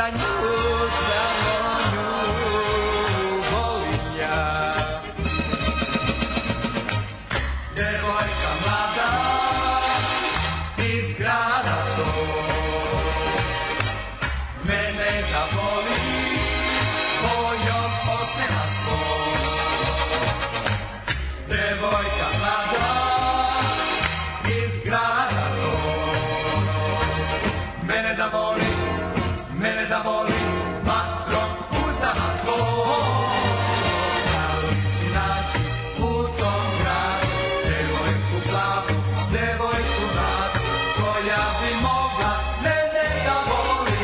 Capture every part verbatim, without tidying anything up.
da nju samo nju volim ja. Devojka mlada iz grada to mene da voli kojom osmeva svoj. Devojka mlada iz grada to mene da voli, mene da voli vatrom ustama svoj. Da li ću naći u tom gradu devojku plavu, devojku mladu koja bi mogla mene da voli,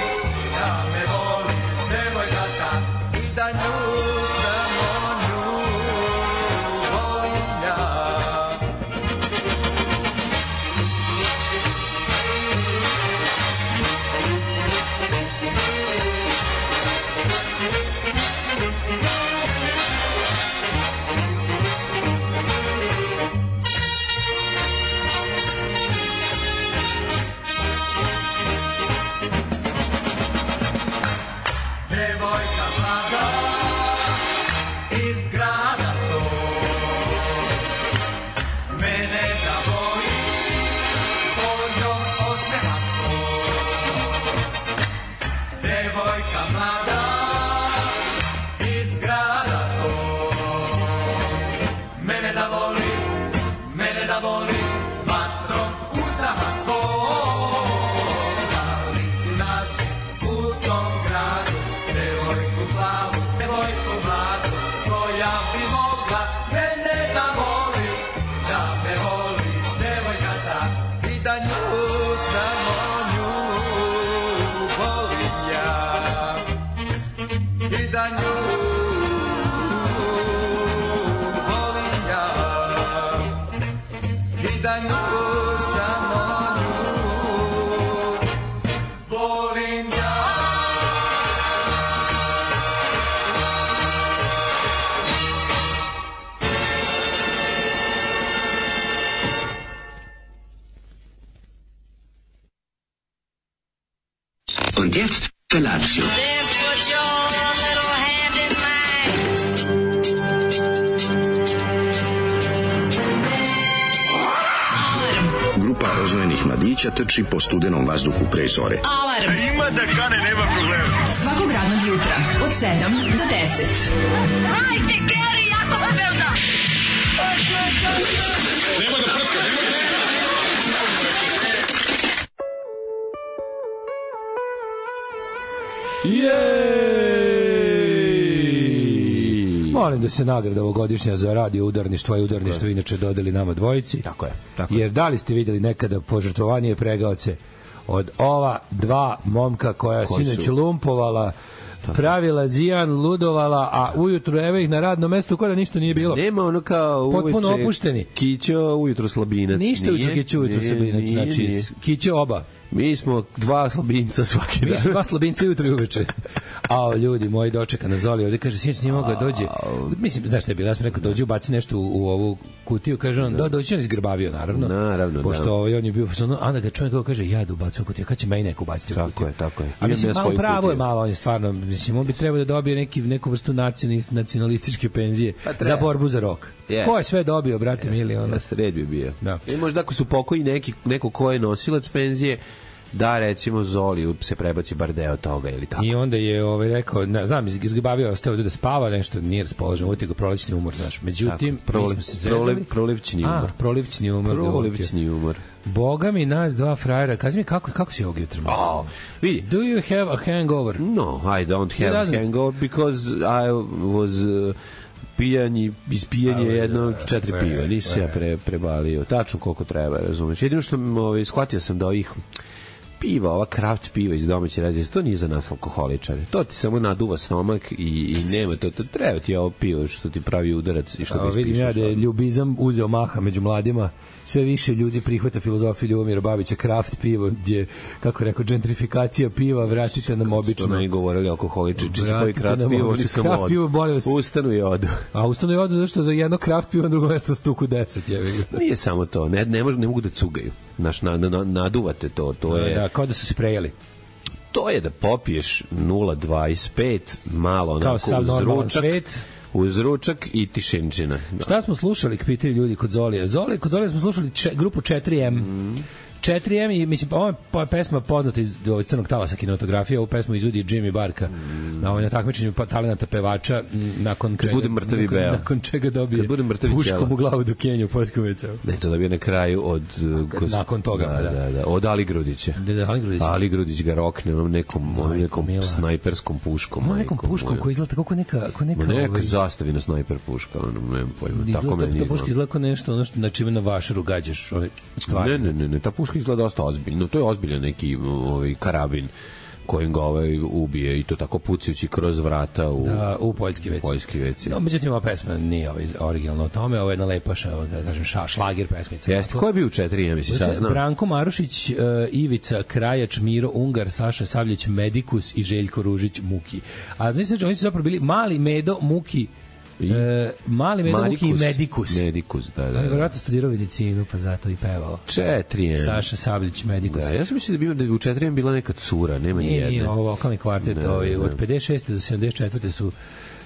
da me voli devojka ta i da nju samo nju volim ja. Devojka mlada iz grada to mene da voli kojom osmeva svoj. Devojka mlada iz grada to mene da voli, mene da voli vatrom ustama svoj. Da li ću naći u tom gradu devojku plavu, devojku mladu koja bi mogla mene da voli, da me voli devojka ta i da nju samo nju volim ja. I da nju volim ja. I da nju samo nju volim ja. Und jetzt Felatio. Then put your little hand in mine. Grupa rozvojenih mladića trči po studenom vazduhu pre zore. Alarm. Ima da kane, nema problema. Svakog radnog jutra od sedam do deset. Hajde, Geri, jako se velda. Nema da prska, nema da prska. Jej! Molim da se nagrada ovogodišnja za radio udarništvo i udarništvo inače dodeli nama dvojici. Tako je. Tako je. Jer da li ste videli nekada požrtvovanje pregaoce od ova dva momka koja sinoć su lumpovala, pravila zijan, ludovala, a ujutru evo ih na radnom mestu kao da ništa nije bilo. Nema ono kao potpuno uveče opušteni. Kićo, ujutru slabinac. Ništa ujutru Kićo, ujutru slabinac. Znači, Kićo oba. Mi smo dva slabinca svaki dan. Mi smo dva slabinca jutro i uveče. Ao, ljudi, moji dočeka na Zoli, ovde kaže, sinoć nije mogao da dođe. Mislim, znaš šta je bilo, ja sam rekao, dođe, ubaci nešto u, u ovu kutiju, kaže on, da, dođe on izgrbavio, naravno. Naravno, pošto da. Ovaj, on je bio, ono, onda ga čovjek kaže, ja da ubacim u kutiju, kad će meni neko ubaciti u kutiju? Tako je, tako je. A mislim, malo pravo je malo, on je stvarno, mislim, on bi trebao da dobije neki, neku vrstu nacionalističke penzije pa za borbu za rok. Yes. Ko je sve dobio, brate yes. mili? Ono? Yes, red bi bio. Da. I možda ako su pokoji neki, neko ko je nosilac penzije, da recimo Zoli se prebaci bar deo toga ili tako. I onda je ovaj rekao, ne, znam, izgrbavio, ostao da spava, nešto nije raspoložen, uvijek ga prolećni umor, znaš. Međutim, tako, proliv, mi smo se zezali. Proliv, prolivčni umor. A, prolivčni umor. Prolivčni umor. Boga mi, nas dva frajera. Kaži mi, kako, kako si ovog jutra? Oh, vidi. Do you have a hangover? No, I don't have a hangover because I was... Uh, pijanje, ispijanje jedno četiri piva, nisi se ja pre, prebalio tačno koliko treba, razumeš. Jedino što ovaj, shvatio sam da ovih piva, ova kraft piva iz domaće rađe, to nije za nas alkoholičare, to ti samo naduva stomak i, i nema to, to treba ti ovo pivo što ti pravi udarac i što ga ispišeš. Vidim ja da je ljubizam uzeo maha među mladima, sve više ljudi prihvata filozofiju Ljubomira Babića, kraft pivo, gdje, kako rekao, gentrifikacija piva, vratite nam obično. Što ne govorili alkoholičari, či se koji kraft pivo, oni sam kraft pivo, boli vas. Ustanu i odu. A ustanu i odu zašto za jedno kraft pivo na drugo mesto stuku deset, je. Nije samo to, ne, ne, mož, ne mogu da cugaju. Naš, na, na, naduvate to, to je... Da, kao da su se prejeli. to je da popiješ nula dvadeset pet malo onako uz ručak, uz ručak i tišinčina. Da. Šta smo slušali, pitaju ljudi kod Zolije? Zoli, kod Zolije smo slušali če, grupu četiri em. Mm. četiri em i mislim ova je pesma poznata iz Crnog talasa kinematografije, ovu pesmu izvodi Jimmy Barka mm. na ovom takmičenju talenata pevača nakon čega, bude mrtavi nakon, beo. nakon čega dobije puškom u glavu do Kenja u poljskom ve ce u. Ne, to dobije na kraju od Kos... nakon toga, da, da. da, da, od Ali Grudića. Da, da, Ali Grudić. Ali Grudić ga rokne onom nekom, onom nekom snajperskom puškom. Onom nekom puškom koji izgleda kako neka... Kako neka, neka ovaj... zastavina snajper puška, ono, nemam pojma. Tako me nije. Ta puška izgleda kao nešto, ono što, na čime na vašaru gađaš. Ne, ne, ne, ne, ta puška izgleda dosta ozbiljno. No, to je ozbiljan neki ovaj karabin kojim ga ovaj ubije i to tako pucajući kroz vrata u da, u poljski ve ce. Poljski ve ce. No, međutim, ova pesma nije ovaj originalna o tome, ovo je jedna lepa da kažem ša, šlager pesmica. Jeste, ko je bio u četiri em, si saznao? Branko Marušić, uh, Ivica Krajač, Miro Ungar, Saša Savljić, Medikus i Željko Ružić Muki. A znači oni su zapravo bili Mali Medo Muki I, e, Mali Medo Muki i Medikus. Medikus, da, da. da. On je vjerojatno studirao medicinu, pa zato i pevao. četiri em. Saša Savljić, Medikus. Da, ja sam mislio da bi, da bi u četiri em bila neka cura, nema ni jedne. Nije, ovo vokalni kvartet, da, ovaj, od pedeset šeste do sedamdeset četvrte su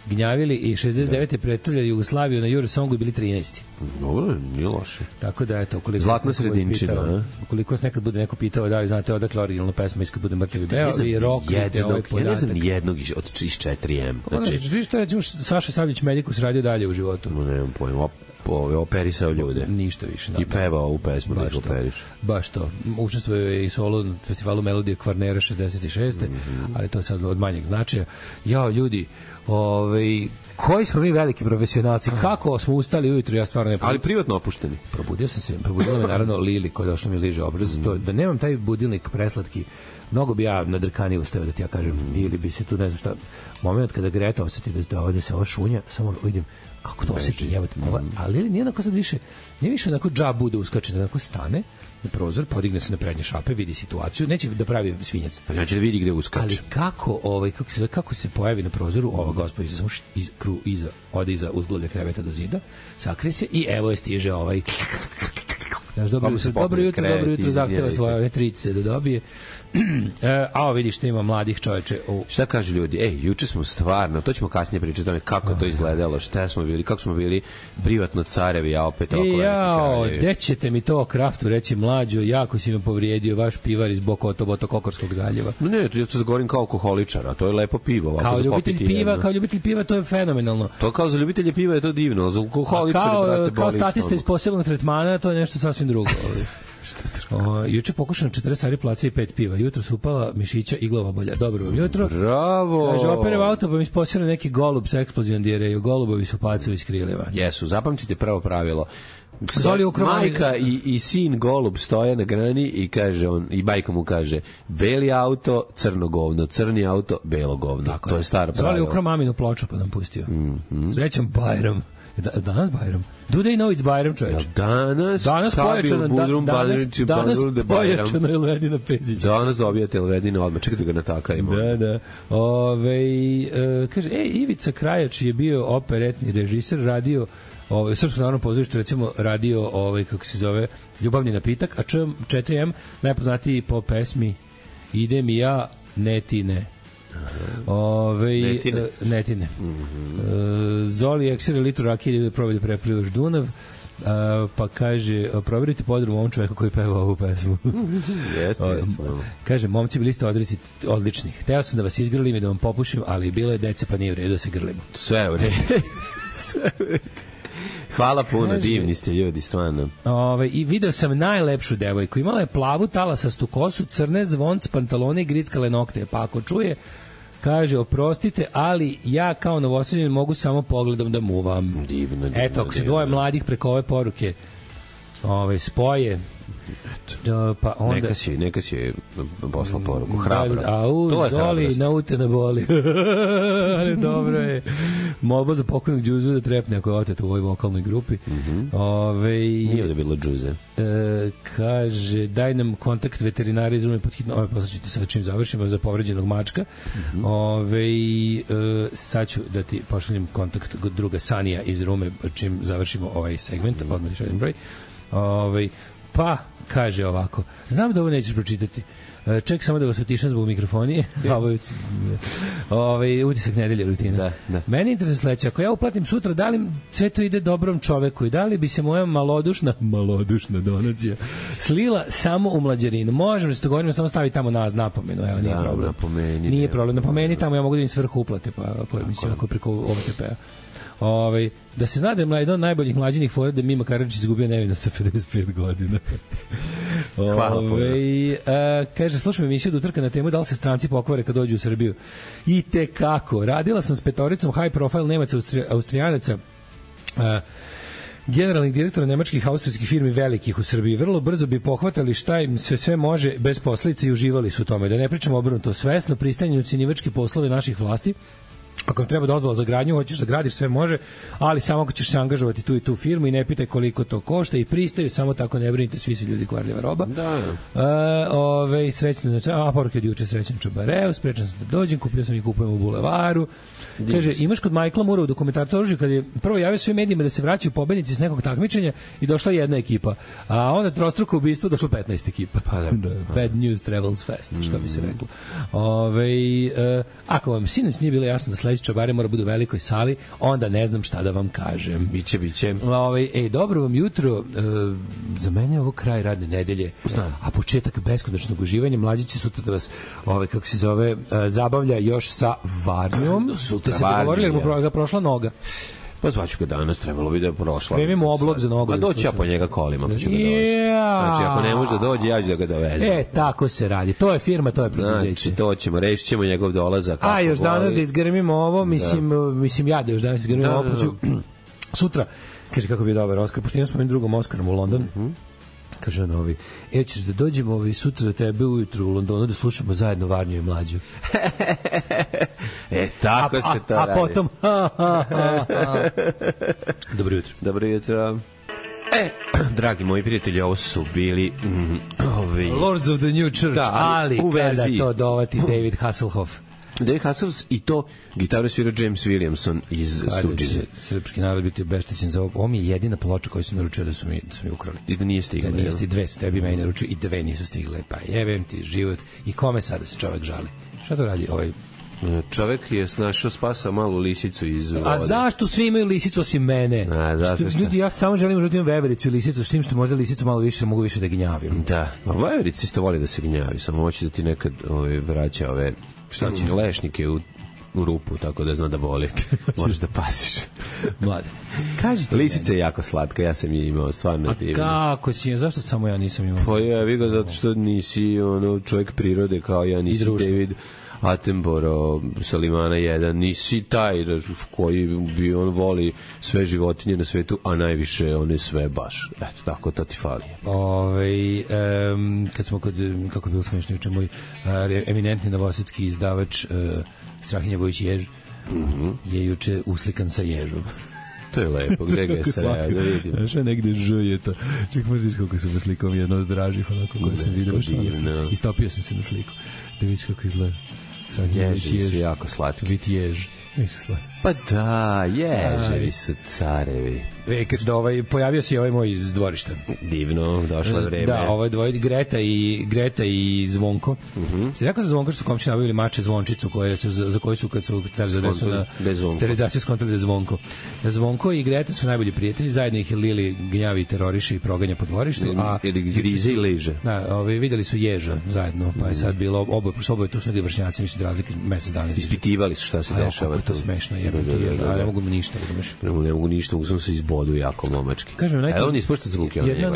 gnjavili i šezdeset devete da. predstavljali Jugoslaviju na Eurosongu i bili trinaesti. Dobro, nije loše. Tako da, eto, ukoliko Zlatna sredinčina, pitao, ukoliko se nekad bude neko pitao da li znate odakle originalna pesma iz kad bude Mrtvi beo i rock, jednog, ovaj ja ne znam jednog od iz četiri em. Znači, vi što recimo Saša Savljić Medikus radio dalje u životu? No, nemam pojma. Ove operisao ljude. Ništa više. I pevao u pesmu da operiš. Baš to. Učestvuje je i solo na festivalu Melodije Kvarnera šezdeset šeste. Mm-hmm. Ali to je sad od manjeg značaja. Jao, ljudi, ovaj koji smo mi veliki profesionalci, kako smo ustali ujutru, ja stvarno ne ali privatno opušteni. Probudio sam se, probudila me naravno Lili koja došla mi liže obraz, mm. to, da nemam taj budilnik preslatki, mnogo bi ja na drkani ustao da ti ja kažem, mm. ili bi se tu ne znam šta, moment kada Greta osjeti da, da ovde se ova šunja, samo vidim kako to osjeti, evo te, mm. ali Lili nije onako sad više, nije više onako džabu da uskače, da onako stane na prozor, podigne se na prednje šape, vidi situaciju, neće da pravi svinjac. Pa neće da vidi gde uskače. Ali kako, ovaj, kako, se, kako se pojavi na prozoru, ova gospođa se samo iz, kru, iza, ode iza uzglede kreveta do zida, sakrije se i evo je stiže ovaj... Znaš, dobro, jutro, dobro jutro, dobro jutro, zahteva svoje trice da dobije. E, a ovo vidiš što ima mladih čoveče. U... Šta kažu ljudi? Ej, juče smo stvarno, to ćemo kasnije pričati o tome kako to izgledalo, šta smo bili, kako smo bili privatno carevi, a opet oko veliki kraljevi. Gde ćete mi to o Kraftu reći, mlađo, jako si me povrijedio, vaš pivar iz Bokoto, Botokokorskog zaljeva. No ne, ja se govorim kao alkoholičar, a to je lepo pivo. Kao ljubitelj piva, jedno. Kao ljubitelj piva, to je fenomenalno. To kao za ljubitelje piva je to divno, za alkoholičare, kao, brate, kao statista iz posebnog tretmana, to je nešto sasvim drugo. O, juče pokušano četrdeset ari placa i pet piva. Jutro su upala mišića i glava bolja. Dobro vam jutro. Bravo. Kaže, operev auto pa mi isposira neki golub sa eksplozijom dijereju. Golubovi su pacovi iz kriljeva. Jesu, zapamtite prvo pravilo. Majka i, i sin golub stoje na grani i kaže on, i majka mu kaže beli auto, crno govno, crni auto, belo govno. Tako to je, je staro pravilo. Zoli ukro maminu ploču pa nam pustio. Mm-hmm. Srećan Bajram. Da, danas Bajram. Do they know it's Bajram, čoveč? Danas, danas pojačano, da, danas, danas pojačano Elvedina Pezić. Danas dobijate Elvedina odmah, čekajte ga natakarimo. Da, da. Ove, e, kaže, e, Ivica Krajač je bio operetni režiser, radio ovaj Srpsko narodno pozorište recimo radio ovaj kako se zove Ljubavni napitak, a četiri em najpoznatiji po pesmi Idem i ja, ne ti ne. Ove, netine, netine. Mm-hmm. Zoli eksere litru rakije da probaju da preplivaš Dunav. Uh, pa kaže, proverite podrum ovom čoveku koji peva ovu pesmu. Jeste, jeste. Kaže, momci bili ste odreci odlični. Hteo sam da vas izgrlim i da vam popušim, ali bilo je dece pa nije u redu da se grlimo. Sve u redu. Sve u redu. Hvala puno, kaže, divni ste ljudi, stvarno. Ove, i video sam najlepšu devojku. Imala je plavu talasastu kosu, crne zvonc, pantalone i grickale nokte. Pa ako čuje, kaže, oprostite, ali ja kao Novosađanin mogu samo pogledom da muvam. Divno, divno. Eto, ako se dvoje mladih preko ove poruke ove, spoje, Da, pa onda neka si neka si poslao poruku hrabro. A u Zoli naute na boli. Ali dobro je. Molba za pokojnog Đuzu da trepne ako je otet u ovoj vokalnoj grupi. Mm-hmm. Ove nije da bilo Đuze. E, kaže daj nam kontakt veterinara iz Rume pod hitno. Ove poslaćete sad čim završimo za povređenog mačka. Mm-hmm. Ove e, sad ću da ti pošaljem kontakt druga Sanija iz Rume čim završimo ovaj segment. Mm-hmm. Odmah ti šaljem broj. Ove Pa, kaže ovako, znam da ovo nećeš pročitati. Ček samo da vas otišam zbog mikrofonije. Ovaj utisak nedelje rutina. Da, da. Meni interesuje sledeće, ako ja uplatim sutra, da li sve to ide dobrom čoveku i da li bi se moja malodušna, malodušna donacija slila samo u mlađarinu? Možemo se dogovorimo, samo stavi tamo na napomenu, evo, nije da, problem. Napomeni, nije problem, napomeni tamo, ja mogu da im svrhu uplate, pa ako je, mislim, ako je preko O T P-a. Ovaj, da se zna da je jedan od najboljih mlađinih fora da Mima Karadžić izgubio nevina sa pedeset pet godina. Ove, a, kaže, slušam emisiju do utrka na temu da li se stranci pokvare kad dođu u Srbiju. I te kako. Radila sam s petoricom high profile Nemaca, Austri, Austrijanaca, a, generalnih direktora nemačkih austrijskih firmi velikih u Srbiji. Vrlo brzo bi pohvatali šta im sve sve može bez posledica i uživali su u tome. Da ne pričamo obrnuto, svesno pristanju cinivački poslove naših vlasti. Ako vam treba dozvola za gradnju, hoćeš da gradiš, sve može, ali samo ako ćeš se angažovati tu i tu firmu i ne pitaj koliko to košta i pristaju, samo tako ne brinite, svi su ljudi kvarljiva roba. Da. E, ove, srećno, a poruke od juče, srećan Čabareu, sprečan sam da dođem, kupio sam i kupujem u bulevaru. Kaže, imaš kod Michaela Moore u dokumentarcu oružju kad je prvo javio svim medijima da se vraćaju pobednici s nekog takmičenja i došla jedna ekipa, a onda trostruko ubistvo došlo petnaest ekipa. Pa da, da, bad news travels fast, što bi se reklo. Ove, e, ako vam sinoć nije bilo jasno da sledeći Čabare mora bude u velikoj sali, onda ne znam šta da vam kažem. Biće, biće. Ove, ej, dobro vam jutro. E, za mene je ovo kraj radne nedelje, Znam. a početak beskonačnog uživanja. Mlađi će sutra da vas, ove, kako se zove, e, zabavlja još sa Varnjom. Ste se dogovorili jer mu pro, ga prošla noga. Pa zvaću ga danas, trebalo bi da je prošla. Spremimo oblog za nogu. Pa doći ja po njega kolima, pa ću ga dovesti. Znači, ako ne može da dođe, ja ću da ga dovezem. E, tako se radi. To je firma, to je preduzeće. Znači, to ćemo, rešit ćemo njegov dolazak. A, još danas da izgrmimo ovo, mislim, da. mislim ja da još danas izgrmimo da, ovo, pa ću sutra, kaže kako bi je dobar Oskar, pošto imam s mojim drugom Oskarom u London, mm -hmm. kaže on ovi, e, ćeš da dođemo ovi sutra da tebe ujutru u Londonu da slušamo zajedno Varnju i Mlađu. E, tako a, se to a, radi. A potom, ha, ha, ha, ha. Dobro jutro. Dobro jutro. E, dragi moji prijatelji, ovo su bili mm, ovi... Lords of the New Church, da, ali, ali u kada verziji. to dovati David Hasselhoff. David Hasselhoff i to gitaru svira James Williamson iz Stooges. Srpski narod biti obeštećen za ovo. Ovo mi je jedina ploča koju sam naručio da su mi, da su mi ukrali. I da nije stigla. Da nije stigla, dve su tebi meni naručio i dve nisu stigle. Pa jebem ti život. I kome sada se čovek žali? Šta to radi ovaj? Čovek je našao spasa malu lisicu iz vode. A zašto svi imaju lisicu osim mene? A, zašto što, ljudi, ja samo želim da imam vevericu i lisicu, s tim što možda lisicu malo više, mogu više da gnjavim. Da, a veverica isto voli da se gnjavi, samo hoće da ti nekad ove, vraća ove šta će, lešnike u, u rupu, tako da zna da boli. Možeš da pasiš. Mlade. Kažite lisica je jako slatka, ja sam je imao, stvarno divno. A kako si, zašto samo ja nisam imao? Pa ja, vi ga zato što nisi ono, čovjek prirode kao ja, nisi David Attenborough, Salimana jedan, nisi taj koji bi on voli sve životinje na svetu, a najviše one sve baš. Eto, tako to ti fali. Ove, um, kad smo kod, kako je bilo smiješno juče, moj uh, eminentni novosadski izdavač uh, Strahinja Vojić Jež mm -hmm. je juče uslikan sa ježom. To je lepo, gde ga je sreo, da vidim. Znaš, negde ž je to. Ček, možeš kako sam na slikom jedno od dražih, onako koje sam vidio. Istopio sam se na sliku. Da vidiš kako izgleda. Ježi su jako slatki. Biti jež. Pa da, ježevi su carevi. E, kad da ovaj, pojavio se ovaj moj iz dvorišta. Divno, došlo vreme. Da, ovaj dvoje, Greta i, Greta i Zvonko. Uh -huh. Se rekao za Zvonko što su komši nabavili mače Zvončicu koje su, za, za koju su kad su zadesu na sterilizaciju skontroli da Zvonko. Zvonko i Greta su najbolji prijatelji, zajedno ih je Lili gnjavi, teroriše i proganja po dvorištu. A, ili grize i liže. Da, ovaj, videli su ježa zajedno, pa je sad bilo oboje, oboje tu su negdje vršnjaci, mislim da razlike mesec dana. Ispitivali su šta se a, dešava. Kako je to smešno, jebam ti ježa, ali ne mogu mi ništa, razumeš? Ne mogu, ne mogu ništa, mogu sam se izbodu jako momački. Kažem, najbolje. A on ispušta zvuke, on jedna,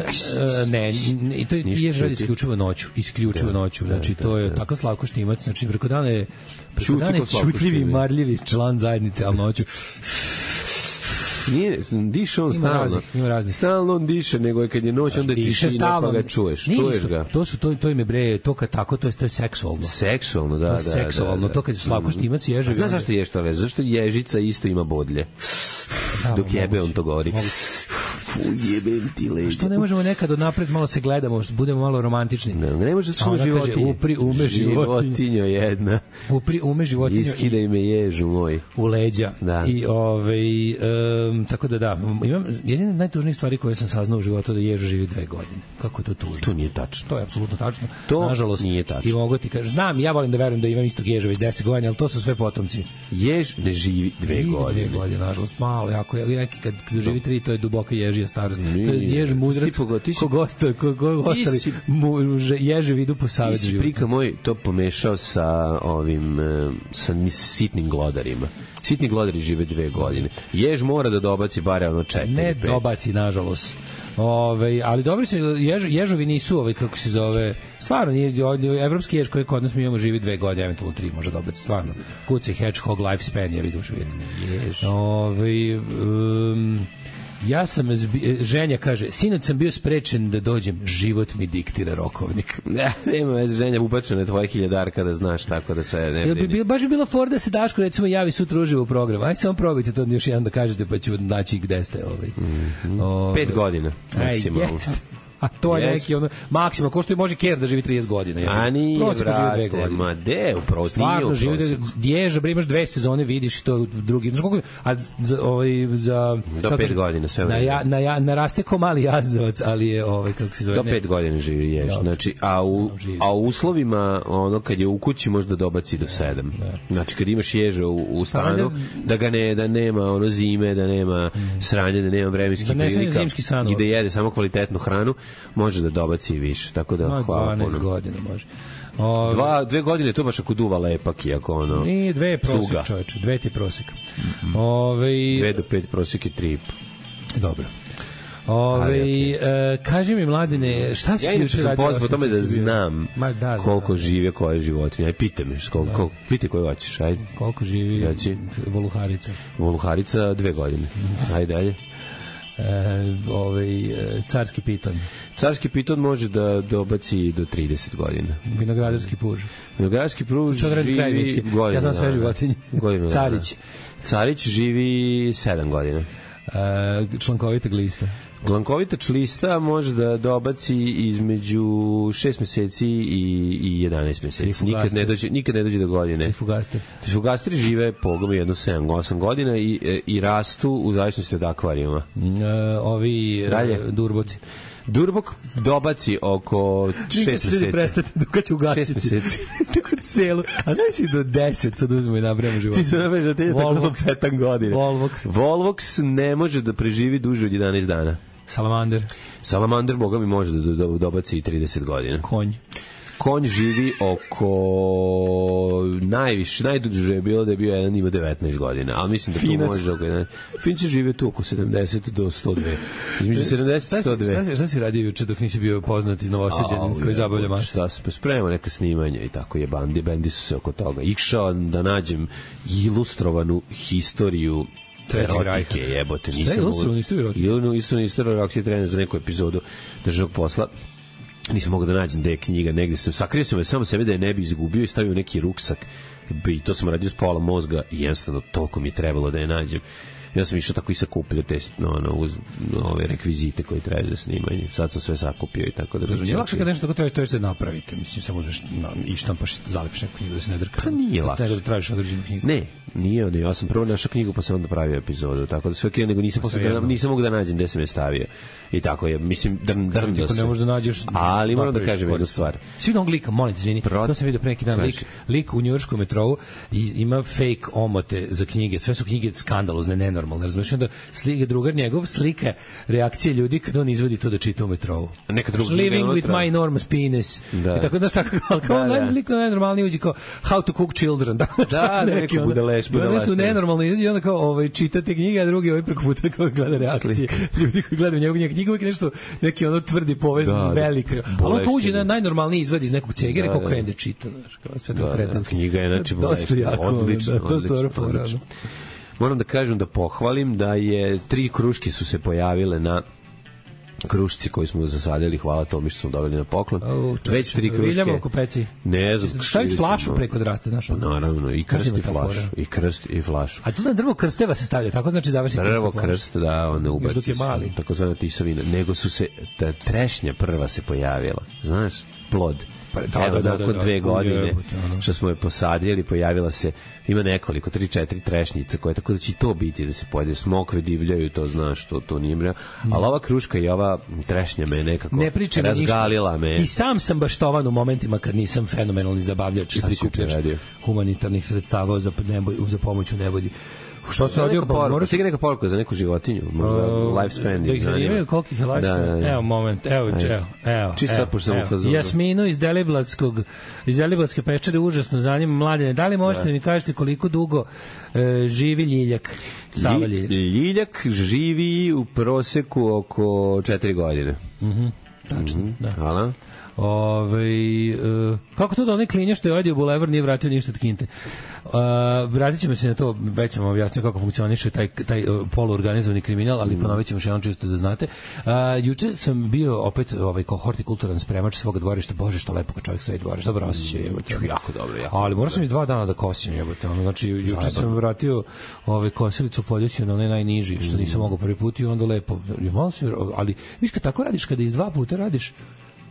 ne, ne, i to je jež radi isključivo noću, isključivo noću. Znači to je tako Slavko Štimac, znači preko dana je preko dana je čutljivi, marljivi član zajednice, al noću nije, diše on ima stalno. Raznih, ima raznih. Stalno on diše, nego je kad je noć, onda je tišina, pa ga čuješ. Nije čuješ isto, ga. To su, to, to im je bre, to kad tako, to je, to je seksualno. Seksualno, da, to je da. seksualno, da, da. to kad je Slavko Štimac ježevi. Znaš zašto je što veze? Zašto ježica isto ima bodlje. Da, dok jebe on to govori. Ujebem ti leđa. Što ne možemo nekad od napred malo se gledamo, budemo malo romantični. Ne, ne može da smo životinje. Upri ume životinje. Životinjo jedna. Upri ume životinjo. Iskidaj me ježu moj. U leđa. Da. I ovaj um, tako da da, imam jedine najtužnije stvari koje sam saznao u životu da ježa živi dve godine. Kako je to tužno? To nije tačno. To je apsolutno tačno. To nažalost nije tačno. I mogu ti kažem, znam, ja volim da verujem da imam istog ježa već deset godina, al to su sve potomci. Jež ne živi dve živi godine. Dve godine, nažalost, malo, jako je neki kad, kad živi tri, to je duboka ježija starost. To je jež muzrac. Ko gosta, ko ko ostali ježe idu po savet života. Ti si prika moj to pomešao sa ovim sa sitnim glodarima. Sitni glodari žive dve godine. Jež mora da dobaci bare ono četiri. Ne pet. Dobaci, nažalost. Ove, ali dobri su, jež, ježovi nisu, ovaj, kako se zove, stvarno, nije, evropski jež koji kod nas mi imamo živi dve godine, eventualno tri, može dobiti, stvarno. Kuci, hedgehog, lifespan, ja vidim što vidite. Ove, um, ja sam, zbi, ženja kaže, sinoć sam bio sprečen da dođem, život mi diktira rokovnik. Ne, nema veze, ženja ubačena je tvoje hiljadarka da znaš, tako da se ne brini. Bi, baš bi bilo for da se Daško, recimo, javi sutra uživo u program. Aj samo probajte to još jedan da kažete, pa ću naći gde ste. Ovaj. Mm-hmm. Ove, Pet godina, maksimalno. A to je yes. neki ono maksima, ko što je može Ker da živi trideset godina. Ja. A nije, brate, ma de, upravo ti nije stvarno živi, dježa, bre, imaš dve sezone, vidiš to drugi, znaš koliko, a za, ovaj, za... Do pet kažem, godina, sve na, ja, na, ja, naraste ko mali jazavac, ali je, ovaj, kako se zove... Do ne, pet godina živi jež, no, znači, a u, a u uslovima, ono, kad je u kući, možda dobaci do sedam. Da. Znači, kad imaš ježa u, u stanu, da ga ne, da nema ono zime, da nema sranje, da nema vremenskih da prilika i da jede samo kvalitetnu hranu, može da dobaci više, tako da no, hvala. dvanaest godina može. O, Dva, dve godine to baš ako duva lepak i ako ono... Nije, dve je prosek, čoveče, dve ti je prosek. Mm-hmm. Ove, dve do pet prosek je tri i po. Dobro. Ove, okay. e, kaži mi, Mladine, šta si ja ti juče radio? Ja sam pozvao tome da znam Ma, da, koliko da, da. žive koje životinje. Aj, pite me, koliko, da. koliko, pite koje hoćeš, ajde. Koliko živi Reci. Voluharica? Voluharica dve godine. Ajde, dalje. E, ovaj, carski piton. Carski piton može da dobaci do trideset godina. Vinogradarski puž. Vinogradarski puž živi godinu. Ja znam sve životinje. Carić. Carić živi sedam godina. E, člankovita glista. Glankovita člista može da dobaci između šest meseci i, i jedanaest meseci. Nikad ne dođe, nikad ne dođe do godine. Trifugastri. Trifugastri žive pogome jedno sedam osam godina i, i rastu u zavisnosti od akvarijuma. E, ovi Dalje. Durboci. Durbok dobaci oko šest meseci. Prestati, dok će ugasiti. šest meseci. Tako celu. A znaš si do deset, sad uzmemo i nabrajamo život. Ti se nabrajamo da ti je tako sedam godina. Volvox. Volvox ne može da preživi duže od jedanaest dana. Salamander. Salamander, boga mi može da dobaci trideset godina. Konj. Konj živi oko najviše, najduže je bilo da je bio jedan ima devetnaest godina, ali mislim da to Finac. može oko Finci žive tu oko sedamdeset do sto dva. Između sedamdeset i sto dva. Šta, šta, šta si radio juče dok nisi bio poznati novosađanin koji zabavlja masu? Šta se spremao neka snimanja i tako je bandi, bendi su se oko toga. Išao da nađem ilustrovanu historiju erotike, jebote, nisam mogu. Šta je ilustrovanu istoriju erotike? Ilustrovanu istoriju erotike trener za neku epizodu državnog posla. Nisam mogao da nađem da je knjiga, negde sam, sakrio sam je samo sebe da je ne bi izgubio i stavio neki ruksak i to sam radio s pola mozga i jednostavno toliko mi je trebalo da je nađem. Ja sam išao tako i sakupio te no, no, uz no, ove rekvizite koje trebaju za snimanje. Sad sam sve sakupio i tako da... Je lakše kad nešto tako trebaš, trebaš da napravite. Mislim, samo uzmeš no, i štampaš, zalepiš neku knjigu da se ne drka. Pa nije lakše. Nego da tražiš određenu knjigu. Ne, nije ono. Ja sam prvo našao knjigu pa sam onda pravio epizodu. Tako da sve kje, nego nisam, posle, da, nisam mogu da nađem gde sam je stavio. I tako je, mislim, drn, drndio se. Ne možeš da nađeš... Ali moram da kažem jednu stvar. Svi da on glika, molim te, izvini, Prot... to sam vidio pre neki dan, lik, lik u njujorškom metrou i ima fake omote za knjige. Sve su knjige skandalozne, nenormalne. Razumiješ, onda slike drugar njegov slika reakcije ljudi kad on izvodi to da čita u metrou. Neka druga Living with my enormous penis. Da. I tako da tako kao on lik na najnormalniji uđi kao how to cook children. Da, da neki budaleš, budaleš. Nešto nenormalno i onda kao ovaj čitate knjige, a drugi ovaj preko puta kao gleda reakcije. Ljudi koji gledaju njegovu knjigu uvijek nešto neki ono tvrdi povezan velika. Ali on uđe na najnormalniji izvod iz nekog cegera kako krene da čita, znači kao sve to kretenski. Knjiga je znači bolesna. Odlično, odlično. Moram da kažem da pohvalim da je tri kruške su se pojavile na krušci koji smo zasadili, hvala Tomi što smo dobili na poklon. Oh, već tri kruške. Viljamo oko peci. Ne znam. Staviti flašu preko draste, znaš. Naravno, i krst i flašu. I krst i flašu. A tu na drvo krsteva se stavlja, tako znači završi krst. Drvo krst, da, on ne ubaci. Je mali. Tako zvana tisovina. Nego su se, ta trešnja prva se pojavila. Znaš, plod. Da, evo, da, da, nakon da, dve da, godine jebute, što smo je posadili, pojavila se, ima nekoliko, tri, četiri trešnjice koje, tako da će to biti da se pojede, smokve divljaju, to znaš, to, to nije mreo, mm. ali ova kruška i ova trešnja me nekako ne razgalila me. I sam sam baštovan u momentima kad nisam fenomenalni zabavljač i prikupljač humanitarnih sredstava za, neboj, za pomoć u nevolji. Što se radio poruka? Moraš ti neka poruka za neku životinju, možda uh, lifespan. Da ih zanimaju koliko ih je lifespan. Da, da, da. Evo moment, evo, evo, evo. Čisto sad pošto sam u fazonu. Jasminu iz Deliblatskog, iz Deliblatske pečere užasno zanima mladene. Da li možete da mi kažete koliko dugo e, živi Ljiljak? Sava Ljiljak. Ljiljak živi u proseku oko četiri godine. Mhm. Tačno, mm-hmm. Da. Hvala. Ove, uh, kako to da onaj klinja što je odio Bulevar nije vratio ništa od kinte? Uh, vratit ćemo se na to, već sam objasnio kako funkcioniše taj, taj uh, poluorganizovani kriminal, ali mm. ponovit ćemo še jednom čisto da znate. Uh, juče sam bio opet ovaj, kao hortikulturan spremač svoga dvorišta. Bože, što lepo kad čovjek sve dvorišta, dobro osjećaj. Mm. Jako dobro. Jako ali morao sam iz dva dana da kosim. Jebote, ono, znači, juče sam vratio ovaj, kosilicu poljusio na onaj najniži, što nisam mogao prvi put i onda lepo. Malo se, ali viš kad tako radiš, kada iz dva puta radiš,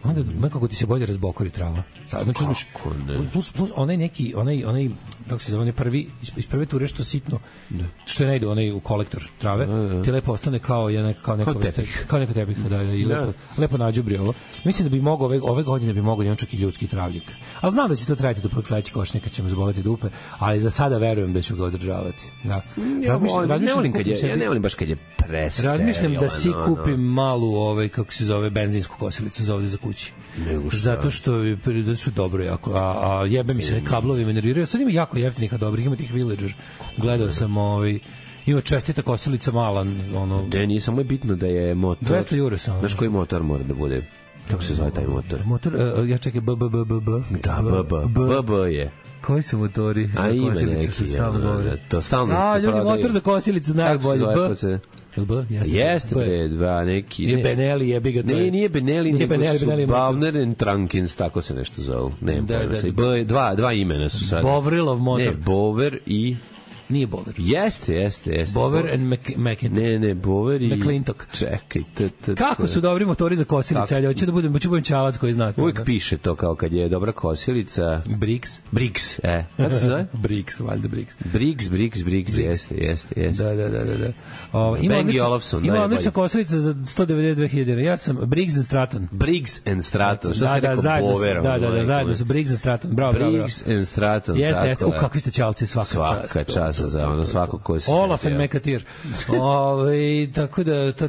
onda nekako ti se bolje razbokori trava. Sad znači uzmeš plus, plus onaj neki onaj onaj kako se zove onaj prvi iz prve ture što sitno ne. Što ne ide onaj u kolektor trave ne, ne. Ti lepo ostane kao je neka kao neka tepih kao neka tepih da i lepo ne. Lepo nađubri ovo. Mislim da bi mogao ove ove godine bi mogao njemu čak i ljudski travljak. A znam da će to trajati do prvog sledećeg košnjaka, ćemo zaboleti dupe, ali za sada verujem da ću ga održavati. Da. Razmišljam, ja ne volim kad je, ja ne volim baš kad je presteril. Razmišljam da si kupim malu ovaj kako se zove benzinsku kosilicu za ovde za kući. Zato što je zato što dobro jako, a, a jebe mi se kablovi me nerviraju. Sad ima jako jeftinih, a dobrih, ima tih Villager. Gledao sam ovaj ima čestita kosilica mala, ono. Da nije samo je bitno da je motor. dvesta eura samo. Znaš koji motor mora da bude? Kako se zove taj motor? Motor, uh, ja čekaj, b b b b b. Da, b b b b je. Koji su motori? A ima neki, ja, to stalno. A, ljudi, motor za kosilicu najbolji. B. B, jeste bre, dva neki. Je Benelli, jebi ga to. Ne, nije Benelli, nije Benelli, Benelli. Bavner and Trunkins, tako se nešto zove. Ne, da, da, B, dva, dva imena su sad. Bovrilov motor. Ne, Bover i nije Bover. Jeste, jeste, jeste. Bover and McClintock. Ne, ne, Bover i McClintock. Čekaj, t, t, kako su dobri motori za kosilice, ali hoće da budem, hoću budem čalac koji znate. Uvijek piše to kao kad je dobra kosilica. Briggs. Briggs, e. Kako se zove? Briggs, valjda Briggs. Briggs, Briggs, Briggs, jeste, jeste, jeste. Da, da, da, da. da. O, ima Bengi Olofsson. Ima odlična kosilica za sto devedeset dve hiljade. Ja sam Briggs and Stratton. Briggs and Stratton. Šta da, se da, rekao Bover? Da, da, da, zajedno su Briggs and Stratton. Bravo, bravo. Briggs and Stratton. Jeste, jeste. U, kakvi ste čalci, svaka čast. Svaka čast za ono, svako ko se Olaf and Mekatir. Ovaj tako da to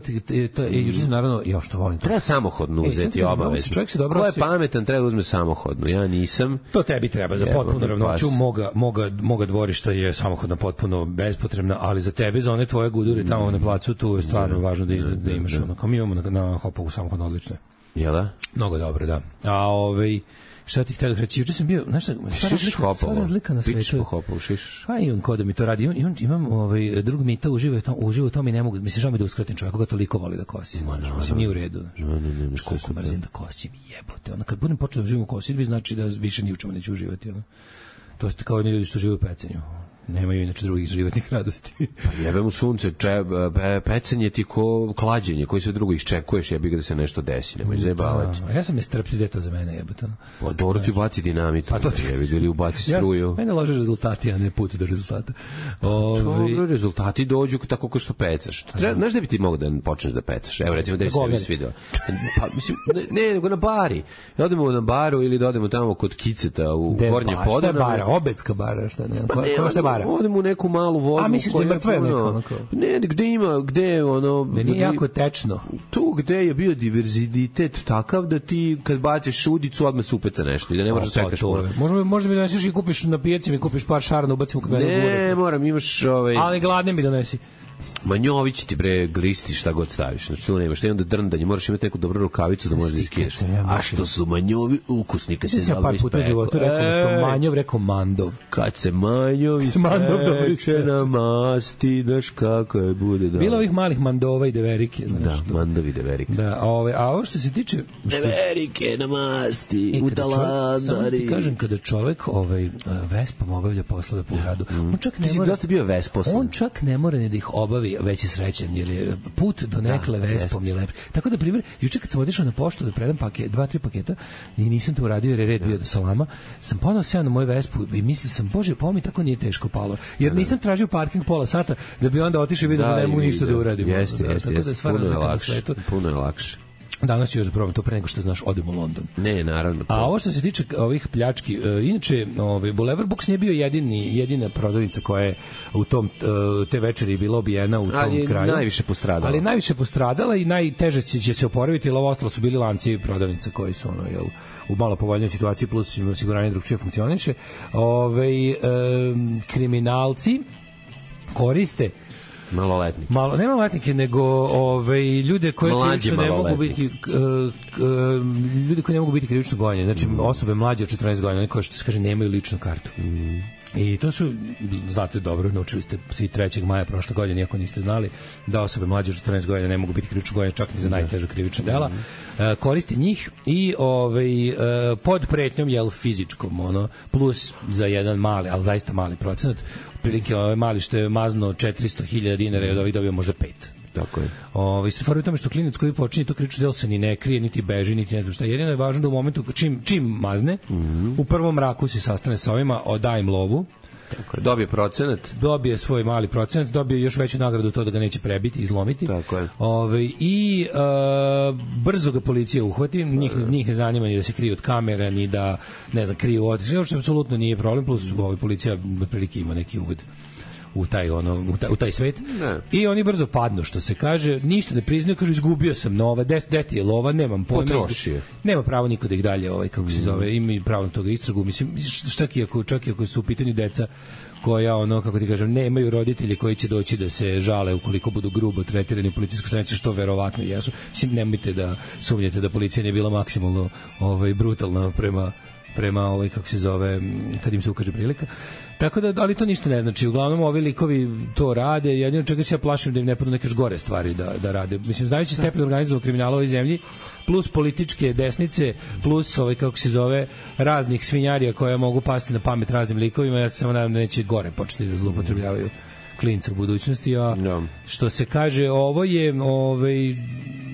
to juče sam naravno ja što volim. Treba samohodnu uzeti obavezno. Čovjek se dobro. Ko je pametan treba da uzme samohodnu. Ja nisam. To tebi treba za potpuno ravnoću moga moga moga dvorišta je samohodna potpuno bespotrebna, ali za tebe za one tvoje gudure tamo na placu tu je stvarno važno da da imaš ono. Kao mi imamo na, na Hopovu samohodno odlično. Jel da? Mnogo dobro, da. A ovaj šta ti htio da reći? Juče sam bio, znaš šta, sva razlika na svetu. Pa imam ko da mi to radi. Imam, imam ovaj, drug Mita uživa to, uživa to mi ne mogu, mislim, žao mi da uskratim čovjek, koga toliko voli da kosi. Mislim, nije u redu. Znaš, koliko mrzim da kosim, jebote. Ono, kad budem počeo da živim u kosidbi, znači da više ni u čemu neću uživati. Ono. To ste kao oni ljudi što žive u pecenju. Nemaju inače drugih životnih radosti. Pa jebem u sunce, če, pe, pecanje ti ko klađenje, koji sve drugo iščekuješ, jebi ga da se nešto desi, nemoj zajebavati. Da, ja sam nestrpljiv da je to za mene jebote. Pa dobro ti ubaci dinamit, pa to ti jebi, ili ubaci struju. Ja, mene lože rezultati, a ne put do rezultata. Ovi... Dobro, rezultati dođu tako kao što pecaš. Treba, znaš da bi ti mogo da počneš da pecaš? Evo recimo da bi se ne svidao. Pa, mislim, ne, nego na bari. Da odemo na baru ili da odemo tamo kod Kiceta u Gornje Podane. Šta je bara? Obedska bara, šta ne? Pa ne, odemo u neku malu vodu. A misliš da je mrtva neko? Ne, gde ima, gde ono... Ne, nije jako tečno. Tu gde je bio diverzitet takav da ti kad baciš šudicu odmah se upeca nešto i da ne možeš čekaš. Možda, možda mi doneseš i kupiš na pijaci, mi kupiš par šarana, ubacimo kod mene u gore. Ne, moram, imaš... Ovaj... Ali gladne mi donesi. Manjović ti bre glisti šta god staviš. Znači tu nemaš, šta je onda drndanje, moraš imati neku dobru rukavicu da možeš da iskiješ. A što su manjovi ukusni kad se zalvi par puta u životu rekao da manjov, rekao mandov. Kad se manjovi speče na masti, daš kako je bude da. Bilo ovih malih mandova i deverike. Da, mandovi deverike. Da, a, ove, a ovo što se tiče... Deverike na masti, u talandari. Samo ti kažem, kada čovek ovaj, Vespom obavlja poslove po gradu, on čak ne mora... Ti si bio Vesposan. On čak ne mora ni da ih obavi, već je srećan, jer je put do nekle da, Vespom je lep. Tako da, primjer, juče kad sam otišao na poštu da predam paket, dva, tri paketa i nisam to uradio jer je red bio do Salama, sam ponao se na moju Vespu i mislio sam, bože, pa mi tako nije teško palo. Jer nisam tražio parking pola sata da bi onda otišao i vidio da, da ne mogu ništa da uradim. Jeste, jeste, jeste, puno je lakše. Puno je lakše. Danas ću još da probam to pre nego što znaš, odem u London. Ne, naravno. A ovo što se tiče ovih pljački, uh, inače, ovaj Boulevard Books nije bio jedini, jedina prodavnica koja je u tom, uh, te večeri bila obijena u tom ali kraju. Ali najviše postradala. Ali najviše postradala i najteže će, će se oporaviti, jer ovo ostalo su bili lanci prodavnica koji su ono, jel, u malo povoljnoj situaciji, plus osiguranje drugčije funkcioniše. Ove, um, kriminalci koriste maloletnike. Malo, ne maloletnike, nego ovaj ljude koji krivično ne mogu biti uh, uh, ljudi koji ne mogu biti krivično gonjeni. Znači mm. osobe mlađe od četrnaest godina, oni koji što se kaže nemaju ličnu kartu. Mm. I to su, znate dobro, naučili ste svi trećeg maja prošle godine, iako niste znali, da osobe mlađe od četrnaest godina ne mogu biti krivično gonjene čak ni za najteža krivična dela. Mm. Uh, koristi njih i ovaj uh, pod pretnjom jel fizičkom, ono, plus za jedan mali, ali zaista mali procenat, otprilike ovaj mali što je mazno četiristo hiljada dinara i od ovih dobio možda pet. Tako je. Ovaj se stvari u tome što klinac koji počinje to krivično delo se ni ne krije, niti beži, niti ne znam šta. Jedino je važno da u momentu čim čim mazne, mm -hmm. u prvom mraku se sastane sa ovima, odaje im lovu. Tako je. Dobije procenat. Dobije svoj mali procenat, dobije još veću nagradu to da ga neće prebiti, izlomiti. Tako je. Ove, i uh, brzo ga policija uhvati, njih, njih ne zanima ni da se kriju od kamera, ni da, ne znam, kriju od... Što apsolutno nije problem, plus ovaj policija otprilike ima neki uvod u taj ono u taj, u taj svet. Ne. I oni brzo padnu, što se kaže, ništa ne priznaju, kažu izgubio sam nova, des deti je lova, nemam pojma. Potrošio. Nema pravo niko da ih dalje ovaj kako se zove, ima pravo na toga istragu, mislim čak i ako čak i ako su u pitanju deca koja ono kako ti kažem nemaju roditelji koji će doći da se žale ukoliko budu grubo tretirani u policijskoj stanici, što verovatno jesu. Mislim nemojte da sumnjate da policija nije bila maksimalno ovaj brutalna prema prema ovaj kako se zove kad im se ukaže prilika. Tako da, ali to ništa ne znači. Uglavnom ovi likovi to rade, jedino čega se ja plašim da im ne padnu neke gore stvari da, da rade. Mislim, znajući stepen organizovanog kriminala u ovoj zemlji, plus političke desnice, plus ovaj, kako se zove, raznih svinjarija koje mogu pasti na pamet raznim likovima, ja se samo nadam da neće gore početi da zloupotrebljavaju klinca u budućnosti, a no. Što se kaže, ovo je ovaj,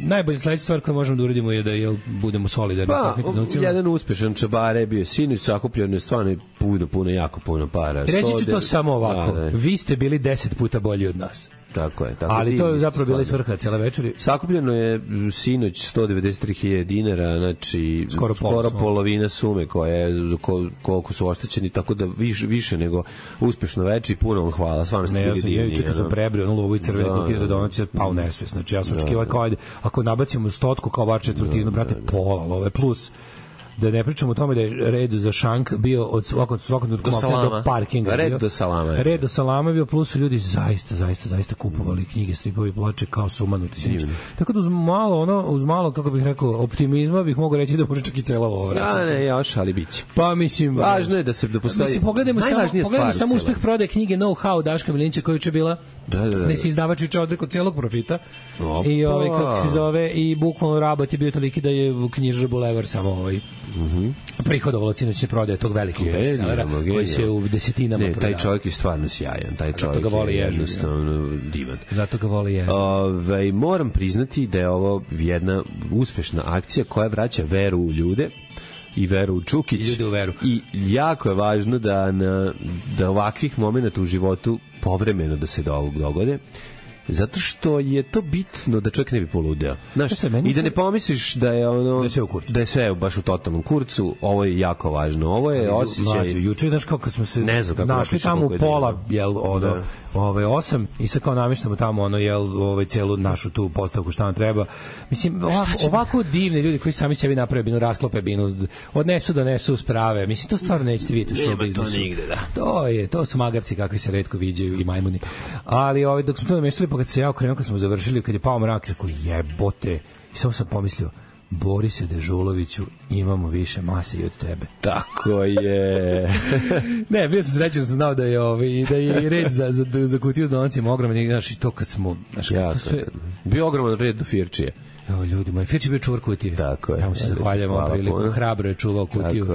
najbolja sledeća stvar koju možemo da uradimo je da jel, budemo solidarni. Pa, jedan uspešan čabare bio sinoć, sakupljeno je stvarno puno, puno, jako puno para. Reći ću to samo ovako, da, vi ste bili deset puta bolji od nas. Tako je. Tako ali to je zapravo bila svrha cijela večeri. Sakupljeno je sinoć sto devedeset tri hiljade dinara, znači skoro, skoro polovina sume koja je, koliko su oštećeni, tako da više, više nego uspešno večer i puno vam hvala. Stvarno ste bili divni. Ja čekam sam prebrio na lovu i crvene da, kutije da donacije, pao nesvest. Znači ja sam očekivao kao ajde, ako nabacimo stotku kao bar četvrtinu, brate, pola love plus. Da ne pričamo o tome da je red za šank bio od svakog svakog do, do parkinga. Red bio. do salama. Je. Red do salama je bio, plus ljudi zaista, zaista, zaista kupovali knjige, stripovi, ploče kao sumanuti sinoć. Tako da uz malo, ono, uz malo, kako bih rekao, optimizma bih mogao reći da može čak i cela ovo vraćati. Ja, ne, još, ali biće. Pa mislim... Važno je da se da postoji... Mislim, pogledajmo samo, pogledajmo samo uspeh prodaje knjige Know-how Daška Milinića koja je bila da, da, da. da se izdavač juče odrekao celog profita. Opa. I ovaj, kako se zove, i bukvalno rabat je bio toliki da je u knjižar Boulevard samo ovaj Mhm. prihodovalo sinoćne prodaje tog velikog bestsellera koji se u desetinama ne, taj čovjek je stvarno sjajan, taj čovjek zato ga voli je jednostavno divan. Zato ga voli je. Ove, moram priznati da je ovo jedna uspešna akcija koja vraća veru u ljude i veru u Čukić. I, u veru. I jako je važno da, na, da ovakvih momenta u životu povremeno da se do ovog dogode. Zato što je to bitno da čovjek ne bi poludeo. Znaš, Šta, i da ne pomisliš da je ono da je sve u kurcu. Da je sve baš u totalnom kurcu. Ovo je jako važno. Ovo je osjećaj. Juče, znaš kako kad smo se ne znam kako našli tamo u pola, jel, ono, ovaj osam i sad kao namještamo tamo ono jel ovaj celu našu tu postavku šta nam treba. Mislim ovako, ovako divni ljudi koji sami sebi naprave binu, rasklope binu, odnesu donesu sprave. Mislim to stvarno nećete vidjeti u show biznisu. To nigde, da. To je, to su magarci kakvi se retko viđaju i majmuni. Ali ovaj dok smo to namještali, pa kad se ja okrenuo, kad smo završili, kad je pao mrak, rekao jebote. I samo sam pomislio, Borise Dežuloviću, imamo više mase i od tebe. Tako je. Ne, bio sam srećan, sam znao da je ovaj da je i red za za za kutiju s donacijama ogroman, znači to kad smo, znači ja, to sve bio ogroman red do Firčije. Evo ljudi, moj Firči bio čuvar kutije. Tako je. Ja mu se zahvaljujem ovom prilikom, hrabro je čuvao kutiju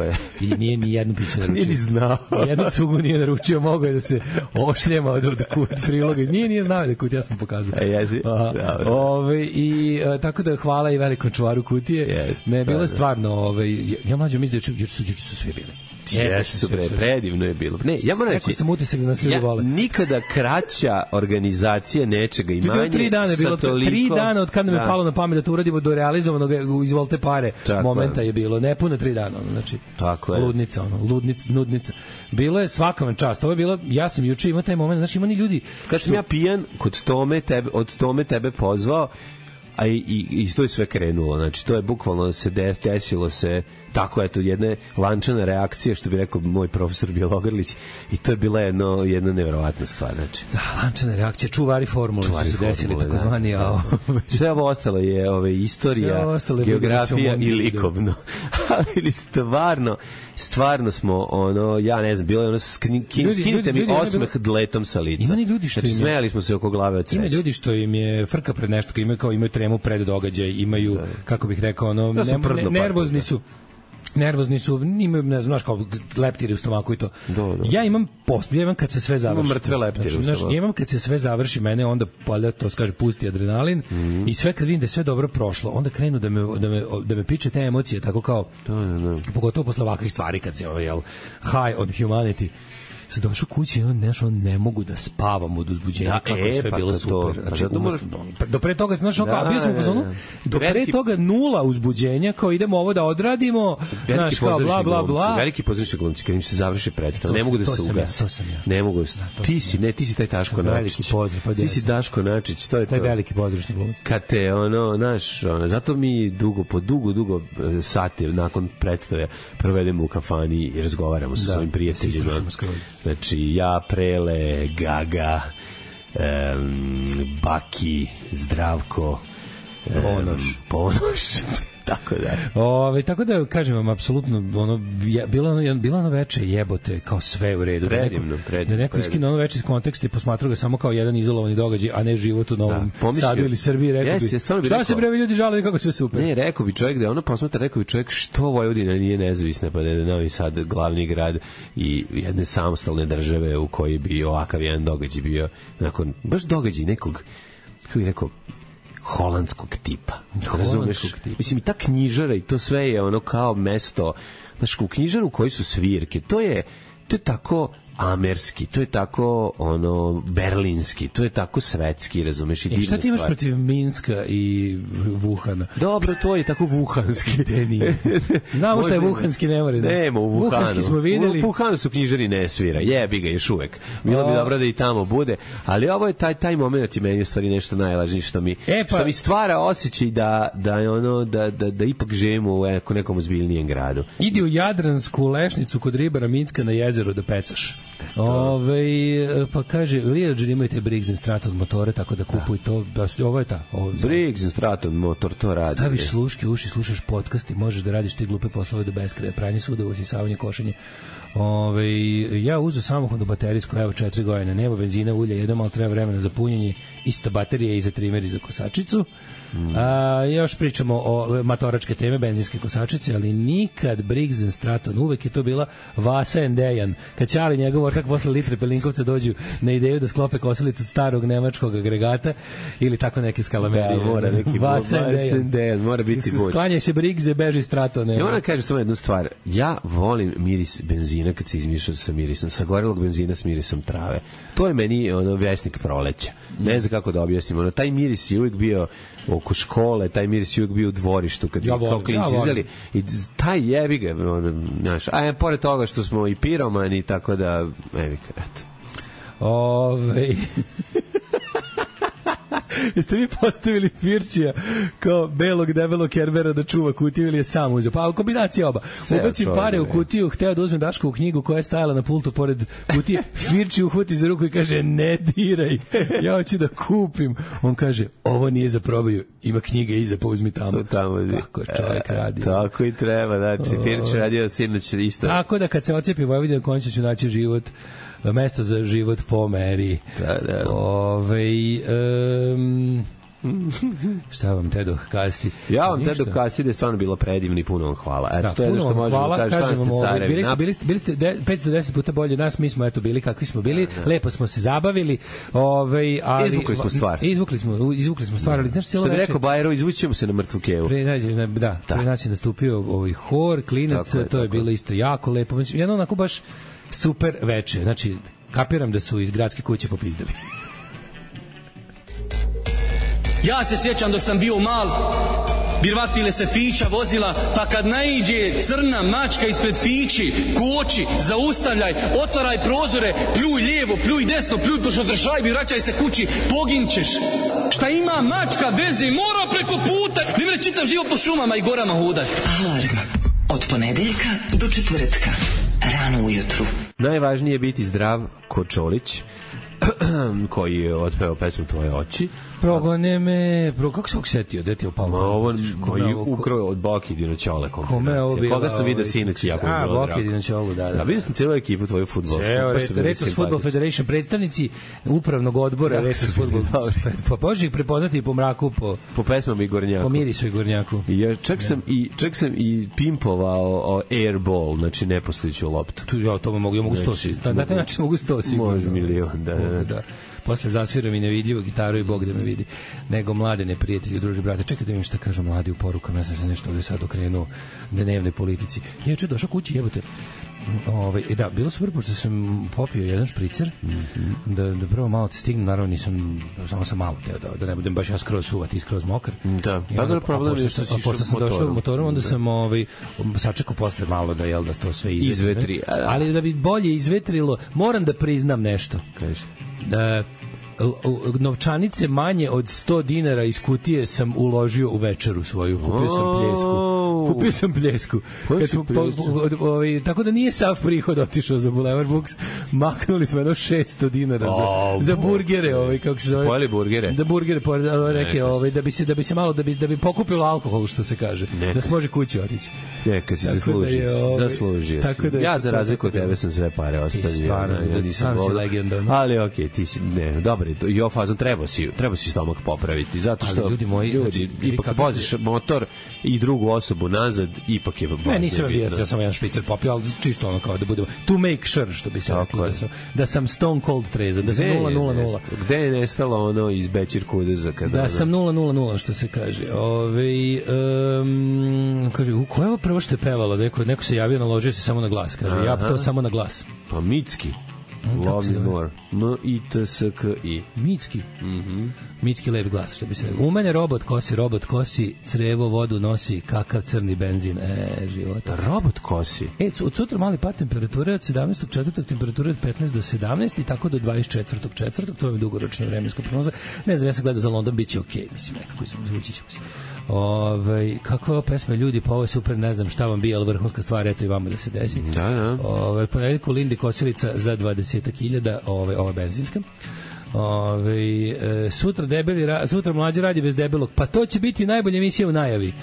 i nije ni jednu piće naručio. Nije ni znao. Jednu cugu nije naručio, mogao je da se ošljema od, od kut priloga. Nije, nije znao da je kutija, ja sam pokazao. E, jesi. Ove, i a, tako da hvala i velikom čuvaru kutije. Yes, ne, bilo je stvarno, ove, ja mlađo mislim da juče su, juče su svi bili. Jesu, bre, predivno je bilo. Ne, ja moram reći, sam utisak da nas ljudi vole. Nikada kraća organizacija nečega i manje. Tri dana je bilo, toliko, tri dana od kad nam je da. palo na pamet da to uradimo do realizovanog izvolte pare tako momenta je. je bilo. Ne puno tri dana, ono, znači. Tako je. Ludnica, ono, ludnica, nudnica. Bilo je svaka vam čast. Ovo je bilo, ja sam juče imao taj moment, znači ima ni ljudi. Kad sam ja pijan kod Tome, tebe, od Tome tebe pozvao, a i, i, i to je sve krenulo. Znači, to je bukvalno se desilo se tako, eto, jedna lančana reakcija, što bi rekao moj profesor Bjelogrlić, i to je bila jedno, jedna neverovatna stvar. Znači. Da, lančana reakcija, čuvari formule, čuvari su se desili, takozvani. Da, da. Sve ovo ostalo je ove, istorija, geografija i likovno. Ali stvarno, stvarno smo, ono, ja ne znam, bilo je ono, skinite mi osmeh dletom sa lica. Ima ni ljudi što znači, im je, smejali smo se oko glave od sreće. Ima ljudi što im je frka pred nešto, kao imaju, kao imaju tremu pred događaj, imaju, da. Kako bih rekao, ono, ja ne, ne, nervozni su. Nervozni su, imaju, ne znaš, kao leptiri u stomaku i to. Do, do. Ja imam post, ja imam kad se sve završi. Imam mrtve leptire znači, u stomaku. Znaš, ja imam kad se sve završi, mene onda, pa to se kaže, pusti adrenalin, mm-hmm. i sve kad vidim da je sve dobro prošlo, onda krenu da me, da me, da me piče te emocije, tako kao, do, do, do. pogotovo posle ovakvih stvari, kad se, jel, high on humanity, sad došao kući i on nešto, ne mogu da spavam od uzbuđenja, da, kako e, je sve pa bilo to, super. Pa znači, moraš... do pre toga, znaš, da, kao, bio sam u fazonu, do pre veliki... toga nula uzbuđenja, kao idemo ovo da odradimo, znaš, kao bla, bla, bla. Veliki pozorišni glumci, kad im se završi predstav, ne mogu da se ugase. To sam ja. Ne mogu da se... Ti si, ne, ti si taj Daško Načić. Ti si Daško Načić, to je to. Taj veliki pozorišni glumci. Kad te, ono, znaš, ono, zato mi dugo, po dugo, dugo sati nakon predstave provedemo u kafani i razgovaramo sa svojim prijateljima. Znači, ja, Prele, Gaga, um, Baki, Zdravko, um, Ponoš. Ponoš. Tako da. Ove, tako da kažem vam apsolutno ono je, bilo ono bilo ono veče jebote kao sve u redu. Predivno, predivno. Da neko iskinuo ono veče iz konteksta i posmatrao ga samo kao jedan izolovani događaj, a ne život u Novom da, Sadu ili Srbiji, rekao jest, bi. Jest, bi šta rekao, se bre ljudi žale kako sve super. Ne, rekao bi čovjek da ono posmatra, rekao bi čovjek što Vojvodina nije nezavisna, pa da je Novi Sad glavni grad i jedne samostalne države u kojoj bi ovakav jedan događaj bio nakon baš događaj nekog, kako bih rekao, holandskog tipa. Razumeš? Tipa. Mislim, i ta knjižara i to sve je ono kao mesto, znaš, u knjižaru koji su svirke, to je, to je tako amerski, to je tako ono berlinski, to je tako svetski, razumeš, i divna stvar. Šta ti imaš protiv Minska i Wuhana? Dobro, to je tako vuhanski. Nije. Znamo šta je vuhanski, ne mora. Nema u Wuhanu. Vuhanski smo videli. U Wuhanu su knjižari ne svira, jebi ga još uvek. Bilo bi dobro da i tamo bude, ali ovo je taj, taj moment i meni je stvari nešto najvažnije što mi, e pa, što mi stvara osjećaj da, da, je ono, da, da, da ipak živimo u nekom ozbiljnijem gradu. Idi u Jadransku lešnicu kod ribara Minska na jezeru da pecaš. Ove, pa kaže, Lijeđer imaju te Briggs and Stratton motore, tako da kupuj to. Ovo je ta. Ovo, Briggs and Stratton motor, to radi. Staviš sluške, uši, slušaš podcast i možeš da radiš te glupe poslove do beskraja. Pranje suda, usisavanje, košenje. Ove, ja uzu samohodnu baterijsku, evo četiri godine, nema benzina, ulja, jednom, ali treba vremena za punjenje, ista baterija i za trimer i za kosačicu. Mm. A, još pričamo o matoračke teme, benzinske kosačice, ali nikad Briggs and Stratton, uvek je to bila Vasa and Dejan. Kad Ćali njegov ortak posle litre Pelinkovca dođu na ideju da sklope kosilicu od starog nemačkog agregata ili tako neke skalamerije. Da, mora neki Vasendejan, mora biti buć. Sklanja se Brigze, beži strato. Ja moram kažem samo jednu stvar. Ja volim miris benzina kad se izmiša sa mirisom, sa gorelog benzina s mirisom trave. To je meni ono vesnik proleća. Ne znam kako da objasnim. Ono, taj miris je uvijek bio oko škole, taj miris je uvijek bio u dvorištu kad ja kao klinci ja izeli. I taj jebi ga, ono, znaš, a je pored toga što smo i piromani, tako da, jebi ga, eto. Ove... Jeste vi postavili Firčija kao belog debelog Kerbera da čuva kutiju ili je sam uzeo? Pa kombinacija oba. Ubaci pare u kutiju, hteo da uzme Daškovu knjigu koja je stajala na pultu pored kutije. Firči uhvati za ruku i kaže ne diraj, ja hoću da kupim. On kaže ovo nije za probaju, ima knjige iza, pa uzmi tamo. tamo Tako čovjek radi. Tako i treba, znači Firč radio sinoć isto. Tako da kad se ocepi Vojvodina končno ću naći život, mesto za život po meri. Da, da. Ove, um, šta vam te dok kasiti? Ja vam te dok kasiti da je stvarno bilo predivno i puno vam hvala. Eto, da, to je ono što možemo da kažem, stvarno ste carevi. Bili ste, bili ste, bili ste de, petsto deset puta bolji od nas, mi smo eto bili kakvi smo bili, da, da. Lepo smo se zabavili, ovaj, ali... Izvukli smo stvar. Izvukli smo, izvukli smo stvar, ali znaš, cijelo veče... Što bi rekao Bajro, izvućemo se na mrtvu kevu. Pre, da, da, pre nas je nastupio ovaj hor, klinac, to je, to je bilo isto jako lepo. Jedno onako baš super veče, znači kapiram da su iz gradske kuće popizdali. Ja se sjećam dok sam bio mal, birvatile se fića vozila, pa kad naiđe crna mačka ispred fići, koči, zaustavljaj, otvaraj prozore, pljuj lijevo, pljuj desno, pljuj pošto zršajbi, vraćaj se kući, poginčeš. Šta ima mačka veze, mora preko puta, ne vre čitav život po šumama i gorama hudat. Alarm od ponedeljka do četvrtka, rano ujutru. Najvažnije je biti zdrav ko Čolić, koji je otpeo pesmu Tvoje oči. Progone me, pro, kako se ovog setio, gde ti je upao? Ma ovo koji je ukrao od Boki Dinoćole kombinacije. Koga sam vidio sinoć i jako je bilo drago. A, Boki Dinoćolu, da, da. A vidio sam cijelu ekipu tvoju fudbalsku. Evo, Retos Football Federation, predstavnici upravnog odbora Retos Football. Pa možeš ih prepoznati po mraku, po... Po pesmama i Gornjaku. Po mirisu i Gornjaku. I ja čak sam i, čak sam i pimpovao airball, znači nepostojiću loptu. Tu ja to mogu, ja mogu stosi. Na taj način mogu stosi. Može milion, da, da. Posle zasviram i nevidljivo gitaru i Bog da me vidi. Nego mlade neprijatelji, druži brate. Čekaj da vidim šta kažu mladi u porukama. Ja sam se nešto ovdje sad okrenuo dnevnoj politici. Ja ću došao kući, jebote. Ove, da, bilo super, pošto sam popio jedan špricer, mm-hmm. da, da prvo malo te stignem, naravno nisam, samo sam malo teo, da, da ne budem baš ja skroz suvati i skroz mokar. Da, pa da problem je što si pošto sam motorom. došao motorom, onda da. sam ovaj, sačekao posle malo da, jel, da to sve izvetri. Izvetri. A, da. Ali da bi bolje izvetrilo, moram da priznam nešto. Kaži. Da novčanice manje od sto dinara iz kutije sam uložio u večeru svoju. Kupio sam pljesku. Kupio sam pljesku. Kad smo, po, po, ovaj, tako da nije sav prihod otišao za Boulevard Books. Maknuli smo jedno šesto dinara za, za burgere. Ovaj, kako se zove? Pojeli burgere? Da burgere, neke, ovaj, da, bi se, da bi se malo, da bi, da bi pokupilo alkohol, što se kaže. Neka da se može kući otići. Neka si zaslužio. Da ovaj, zaslužio da ja za razliku od tebe sam sve pare ostavio. Stvarno, ja, ja sam si legendan. Ali okej, okay, ti si, ne, dobro, i ovo fazom treba si, treba si stomak popraviti, zato što ali ljudi moji, ljudi, znači, ipak voziš motor i drugu osobu nazad, ipak je ne, nisam bio, ja sam jedan špicer popio, ali čisto ono kao da budemo to make sure, što bi se rekao, da sam, da sam stone cold trezan, da sam nula nula nula. Gde je nestalo ono iz Bećir Kudeza? Kada da ono... sam nula nula nula, što se kaže. Ove, um, kaže, u koja je prvo što je pevalo? Neko, neko se javio, naložio se samo na glas. Kaže, aha, ja to samo na glas. Pa Micki. Love me more. M I T S K I. Micki. Mhm. Micki lep glas, što bi se rekao. U mene robot kosi, robot kosi, crevo vodu nosi, kakav crni benzin. E, života. Robot kosi. E, od sutra mali pad temperature od sedamnaestog četvrtog temperature od petnaest do sedamnaest i tako do dvadeset četvrtog četvrtog To je dugoročna vremenska prognoza. Ne znam, ja sam gledao za London, biće okej, okay, mislim, nekako sam zvuči ćemo se. Ove, kakva je ova pesma, ljudi, pa ovo je super, ne znam šta vam bi, ali vrhunska stvar, eto i vama da se desi. Da, da. Ove, ponedjeljku Lindi Kosilica za dvadeset hiljada, ove, ova benzinska. Ove, e, sutra debeli, sutra mlađi radi bez debelog, pa to će biti najbolja emisija u najavi.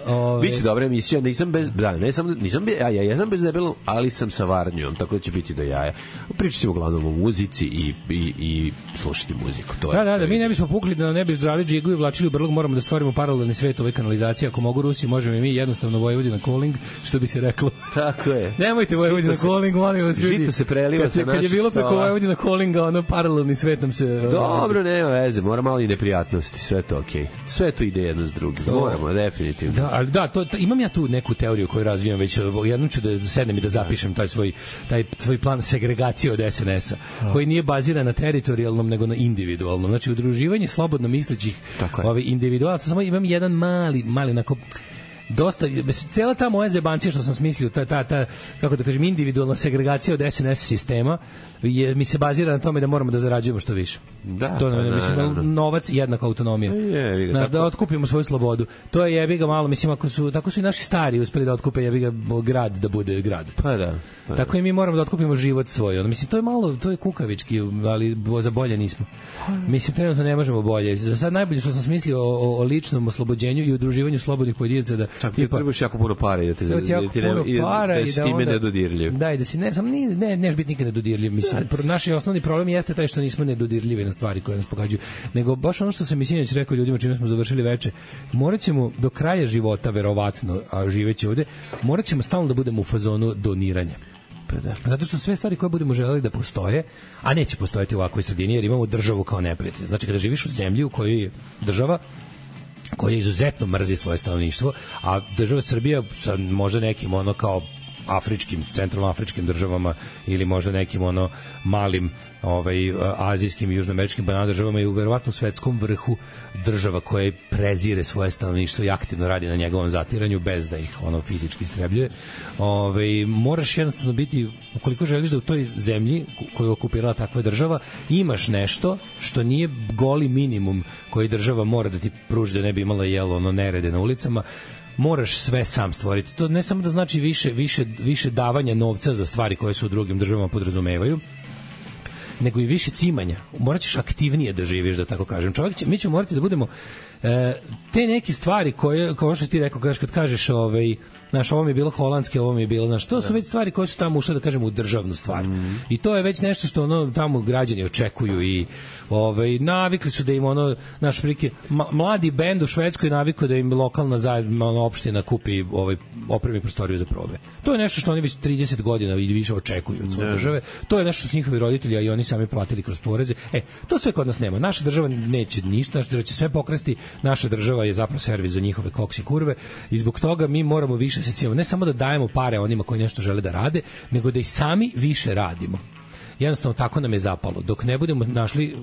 Ove... Biće dobra emisija, nisam bez, da, ne sam, nisam, ja, ja jesam bez debelom, ali sam sa varnjom, tako da će biti do jaja. Pričat ćemo uglavnom o muzici i, i, i slušati muziku. To je, da, da, da, mi ne bismo pukli da ne bi ždrali džigu i vlačili u brlog, moramo da stvorimo paralelni svet ove kanalizacije. Ako mogu Rusi, možemo i mi, jednostavno Vojvodina calling, što bi se reklo. Tako je. Nemojte Vojvodina calling, molim vas ljudi. Žito se preliva kad sa naših Kad je bilo preko stola. Vojvodina callinga, ono paralelni svet nam se... Dobro, nema veze, mora malo i neprijatnosti, sve to okej. Okay. Sve to ide jedno s drugim, moramo, definitivno. Da, ali da, to, to, imam ja tu neku teoriju koju razvijam već, jednom ću da sednem i da zapišem taj svoj, taj svoj plan segregacije od es en es-a, koji nije baziran na teritorijalnom, nego na individualnom. Znači, udruživanje slobodno mislećih ovaj, individualaca, samo imam jedan mali, mali, onako, dosta, cela ta moja zebancija što sam smislio, ta, ta, ta, kako da kažem, individualna segregacija od es en es sistema, je, mi se bazira na tome da moramo da zarađujemo što više. Da, to, da, mislim, da, da. novac i jednaka autonomija. Je, je, Znaš, da otkupimo svoju slobodu. To je jebi ga malo, mislim, ako su, tako su i naši stari uspeli da otkupe jebi ga grad da bude grad. Pa da. Pa tako i mi moramo da otkupimo život svoj. Ono, mislim, to je malo, to je kukavički, ali za bolje nismo. Mislim, trenutno ne možemo bolje. Za sad najbolje što sam smislio o, o, o ličnom oslobođenju i udruživanju slobodnih pojedinaca da čak ti trebaš jako puno para i da te da ti jako puno para da i si da time onda, nedodirljiv. Da, i da si ne, sam ne, ne, neš biti nikad nedodirljiv. Mislim, da. Naš osnovni problem jeste taj što nismo nedodirljivi na stvari koje nas pogađaju. Nego baš ono što sam sinoć rekao ljudima čime smo završili veče, moraćemo do kraja života verovatno, a živeći ovde, moraćemo stalno da budemo u fazonu doniranja. Da. Zato što sve stvari koje budemo želeli da postoje, a neće postojati u ovakvoj sredini jer imamo državu kao neprijatelj. Znači kada živiš u zemlji u kojoj je država koja izuzetno mrzi svoje stanovništvo, a država Srbija sa možda nekim ono kao afričkim, centralnoafričkim državama ili možda nekim ono malim ovaj azijskim i južnoameričkim banana državama je u verovatno svetskom vrhu država koja prezire svoje stanovništvo i aktivno radi na njegovom zatiranju bez da ih ono fizički istrebljuje. Ovaj moraš jednostavno biti, ukoliko želiš da u toj zemlji koju je okupirala takva država imaš nešto što nije goli minimum koji država mora da ti pruži da ne bi imala jelo ono nerede na ulicama, moraš sve sam stvoriti. To ne samo da znači više, više, više davanja novca za stvari koje se u drugim državama podrazumevaju, nego i više cimanja. Morat ćeš aktivnije da živiš, da tako kažem. Čovjek će, mi ćemo morati da budemo e, te neke stvari koje, kao što ti rekao, kad kažeš ovaj, znaš, ovo mi je bilo holandske, ovo mi je bilo, znaš, to su već stvari koje su tamo ušle, da kažemo, u državnu stvar. Mm. I to je već nešto što ono tamo građani očekuju i ovaj, navikli su da im ono, naš prike, mladi bend u Švedskoj navikao da im lokalna zajedno, ono, opština kupi ovaj, opremi prostoriju za probe. To je nešto što oni već trideset godina i više očekuju od svoje države. To je nešto što njihovi roditelji, a i oni sami platili kroz poreze. E, to sve kod nas nema. Naša država neće ništa, naša država će sve pokrasti, naša država je zapravo servis za njihove koksi kurve i zbog toga mi moramo više se cijemo, ne samo da dajemo pare onima koji nešto žele da rade, nego da i sami više radimo. Jednostavno tako nam je zapalo. Dok ne budemo našli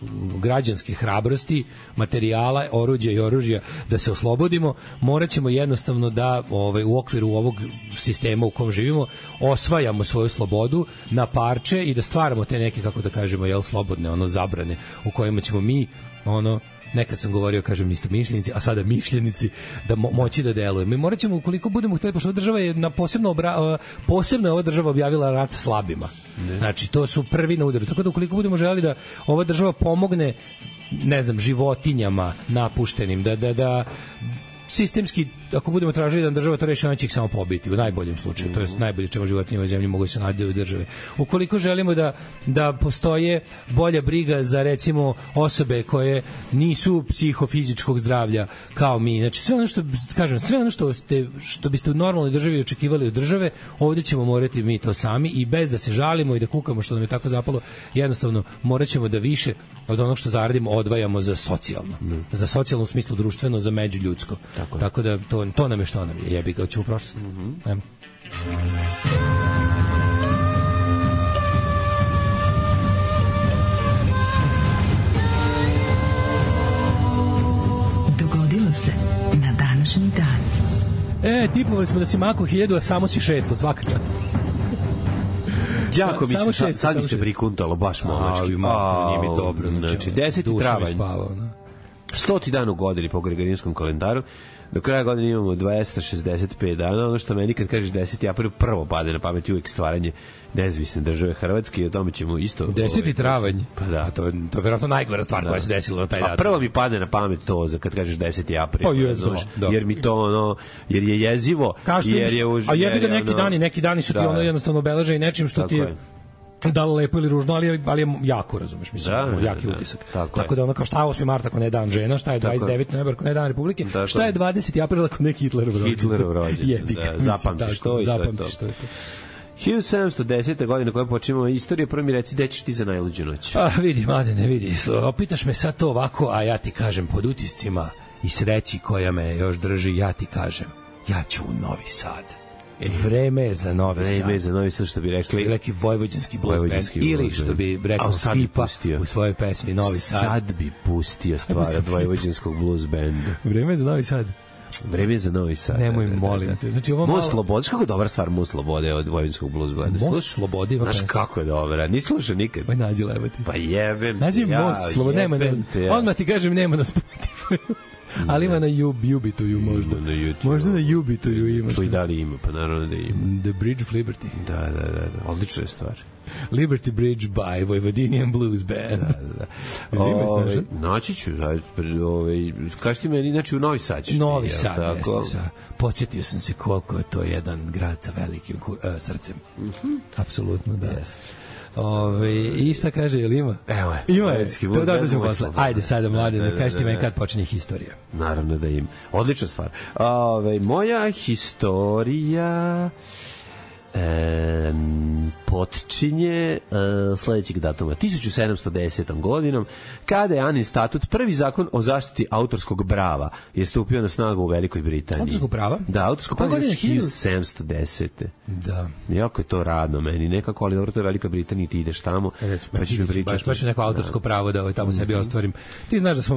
građanske hrabrosti, materijala, oruđa i oružja da se oslobodimo, morat ćemo jednostavno da ovaj, u okviru ovog sistema u kom živimo osvajamo svoju slobodu na parče i da stvaramo te neke, kako da kažemo, jel, slobodne ono zabrane u kojima ćemo mi ono nekad sam govorio, kažem, isto mišljenici, a sada mišljenici, da mo moći da delujemo. Mi morat ćemo, ukoliko budemo htjeli, pošto ova država je na posebno, obra, posebno je ova država objavila rat slabima. Ne. Znači, to su prvi na udaru. Tako da ukoliko budemo želeli da ova država pomogne, ne znam, životinjama napuštenim, da, da, da sistemski, ako budemo tražili da država to reši, ona će ih samo pobiti, u najboljem slučaju. To je najbolje čemu životinje u zemlji mogu se naći u države. Ukoliko želimo da, da postoje bolja briga za, recimo, osobe koje nisu psihofizičkog zdravlja kao mi, znači sve ono što, kažem, sve ono što, ste, što biste u normalnoj državi očekivali od države, ovdje ćemo morati mi to sami i bez da se žalimo i da kukamo što nam je tako zapalo, jednostavno morat ćemo da više od onog što zaradimo odvajamo za socijalno. Mm. Za socijalno u smislu društveno, za međuljudsko. Tako, tako da to, to nam je što nam je. Jebi ga, ćemo u prošlosti. Mm -hmm. Dogodilo se na današnji dan. E, tipovali smo da si mako hiljadu, a samo si šesto, svaka čast. Jako mi se, šest, sad mi se prikuntalo, baš momački. A, mako, nije mi dobro. Znači, deseti travanj. Stoti dan u godini po Gregorijanskom kalendaru. Do kraja godine imamo dvesta šezdeset pet dana. Ono što meni kad kažeš deseti april prvo pade na pamet uvijek stvaranje nezavisne države Hrvatske i o tome ćemo isto... deseti travanj. Pa da. A to, to je vjerojatno najgora stvar da. koja se desila na taj dan. A prvo mi pade na pamet to za kad kažeš deseti april. Pa je, da, da. Jer mi to ono, jer je jezivo, jer je už... A jebi ga neki ono, dani, neki dani su ti da. ono jednostavno obeleže i nečim što tako ti je... da li lepo ili ružno, ali je, ali je jako, razumeš, mislim, da, jaki da, utisak. Tako, tako da ono kao šta je osmi mart ako ne dan žena, šta je dvadeset deveti novembar ako ne dan Republike, tako. Šta je dvadeseti april ako ne Hitlerov rođendan. Hitlerov rođendan, da, zapamtiš to i to je to. Što je to. hiljadu sedamsto desete. godine koje počinimo istoriju, prvo mi reci gde ćeš ti za najluđu noć. A, vidi, mlade, ne vidi. Opitaš me sad to ovako, a ja ti kažem pod utiscima i sreći koja me još drži, ja ti kažem, ja ću u Novi Sad. E, vreme je za Novi vreme Sad. Vreme je za Novi Sad, što bi rekli. Što bi rekli Vojvođanski blues band. Ili što bi rekao Fipa u svojoj pesmi Novi Sad. Sad bi pustio stvar od Vojvođanskog blues banda. Vreme je za Novi Sad. Vreme je za Novi Sad. Nemoj, molim te. Znači, ovo malo... Most Slobode, kako je dobra stvar Most Slobode od Vojvođanskog blues banda. Most Slobode. Znaš kako je dobra, nisi slušao nikad. Pa nađi levati. Pa jebem. Nađi ja, Most Slobode, nema na... Ja. Odmah ti kažem, nema na Spotify. Ali ima na Ubituju možda. Na YouTube. Možda na Ubituju ima. Čuj, da li ima, pa naravno da ima. The Bridge of Liberty. Da, da, da, da. Odlična je stvar. Liberty Bridge by Vojvodinian Blues Band. Da, da. Ove, naći ću, ovaj, kaži ti meni, znači u Novi Sad ćeš. Novi Sad, jeste sa. Podsjetio sam se koliko je to jedan grad sa velikim uh, srcem. Mm-hmm. Apsolutno, da. Yes. Ove, i šta kaže, je li ima? Evo je. Ima je. To da to ćemo posle. Ajde sada, mlade, da kažete meni kad počinje historija. Naravno da ima. Odlična stvar. Ove, moja historija e, počinje e, sledećeg datuma. tisuću sedamsto desetom. godinom, kada je Anin statut, prvi zakon o zaštiti autorskog prava, je stupio na snagu u Velikoj Britaniji. Autorskog prava? Da, autorskog prava je hiljadu sedamsto desete. Da. Jako je to radno meni, nekako, ali dobro, to je Velika Britanija i ti ideš tamo. Pa ćeš mi pričati. Baš, baš neko autorsko da. pravo da ovaj tamo sebi ostvarim. Ti znaš da smo,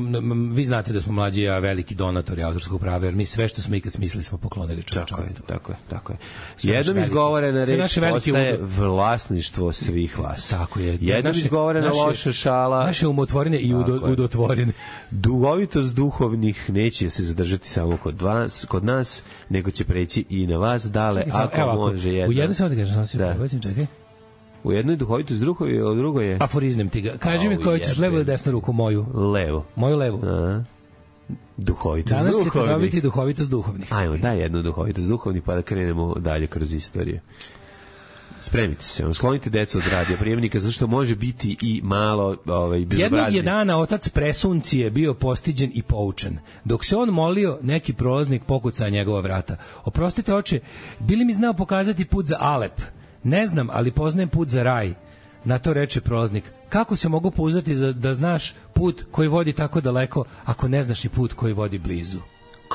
vi znate da smo mlađi, a veliki donatori autorskog prava, jer mi sve što smo ikad smislili smo poklonili čovječanstvu. Tako je, tako je. Jednom izgovorena reč postaje vlasništvo svih vas. Tako je. Jednom izgovorena loša šala. Naše umotvorine i udo, udotvorine. Dugovitost duhovnih neće se zadržati samo kod vas, kod nas, nego će preći i na vas dale, čekaj, ako evo, može jedna. U jednom samo ti kažem, samo se prebacim, čekaj. U jednoj duhovitost, drugoj, a u drugoj je... Aforiznem ti ga. Kaži mi koju ćeš levo ili desnu ruku, moju? Levo. Moju levu. Aha. Duhovitost danas duhovnih. Danas ćete dobiti duhovitost duhovnih. Ajmo, daj jednu duhovitost duhovnih, pa da krenemo dalje kroz istoriju. Spremite se, sklonite decu od radio prijemnika, zato što može biti i malo ovaj, bezobrazni. Jednog je dana otac presuncije bio postiđen i poučen. Dok se on molio, neki prolaznik pokuca njegova vrata. Oprostite, oče, bili mi znao pokazati put za Alep? Ne znam, ali poznajem put za raj. Na to reče prolaznik. Kako se mogu pouzdati da znaš put koji vodi tako daleko, ako ne znaš i put koji vodi blizu?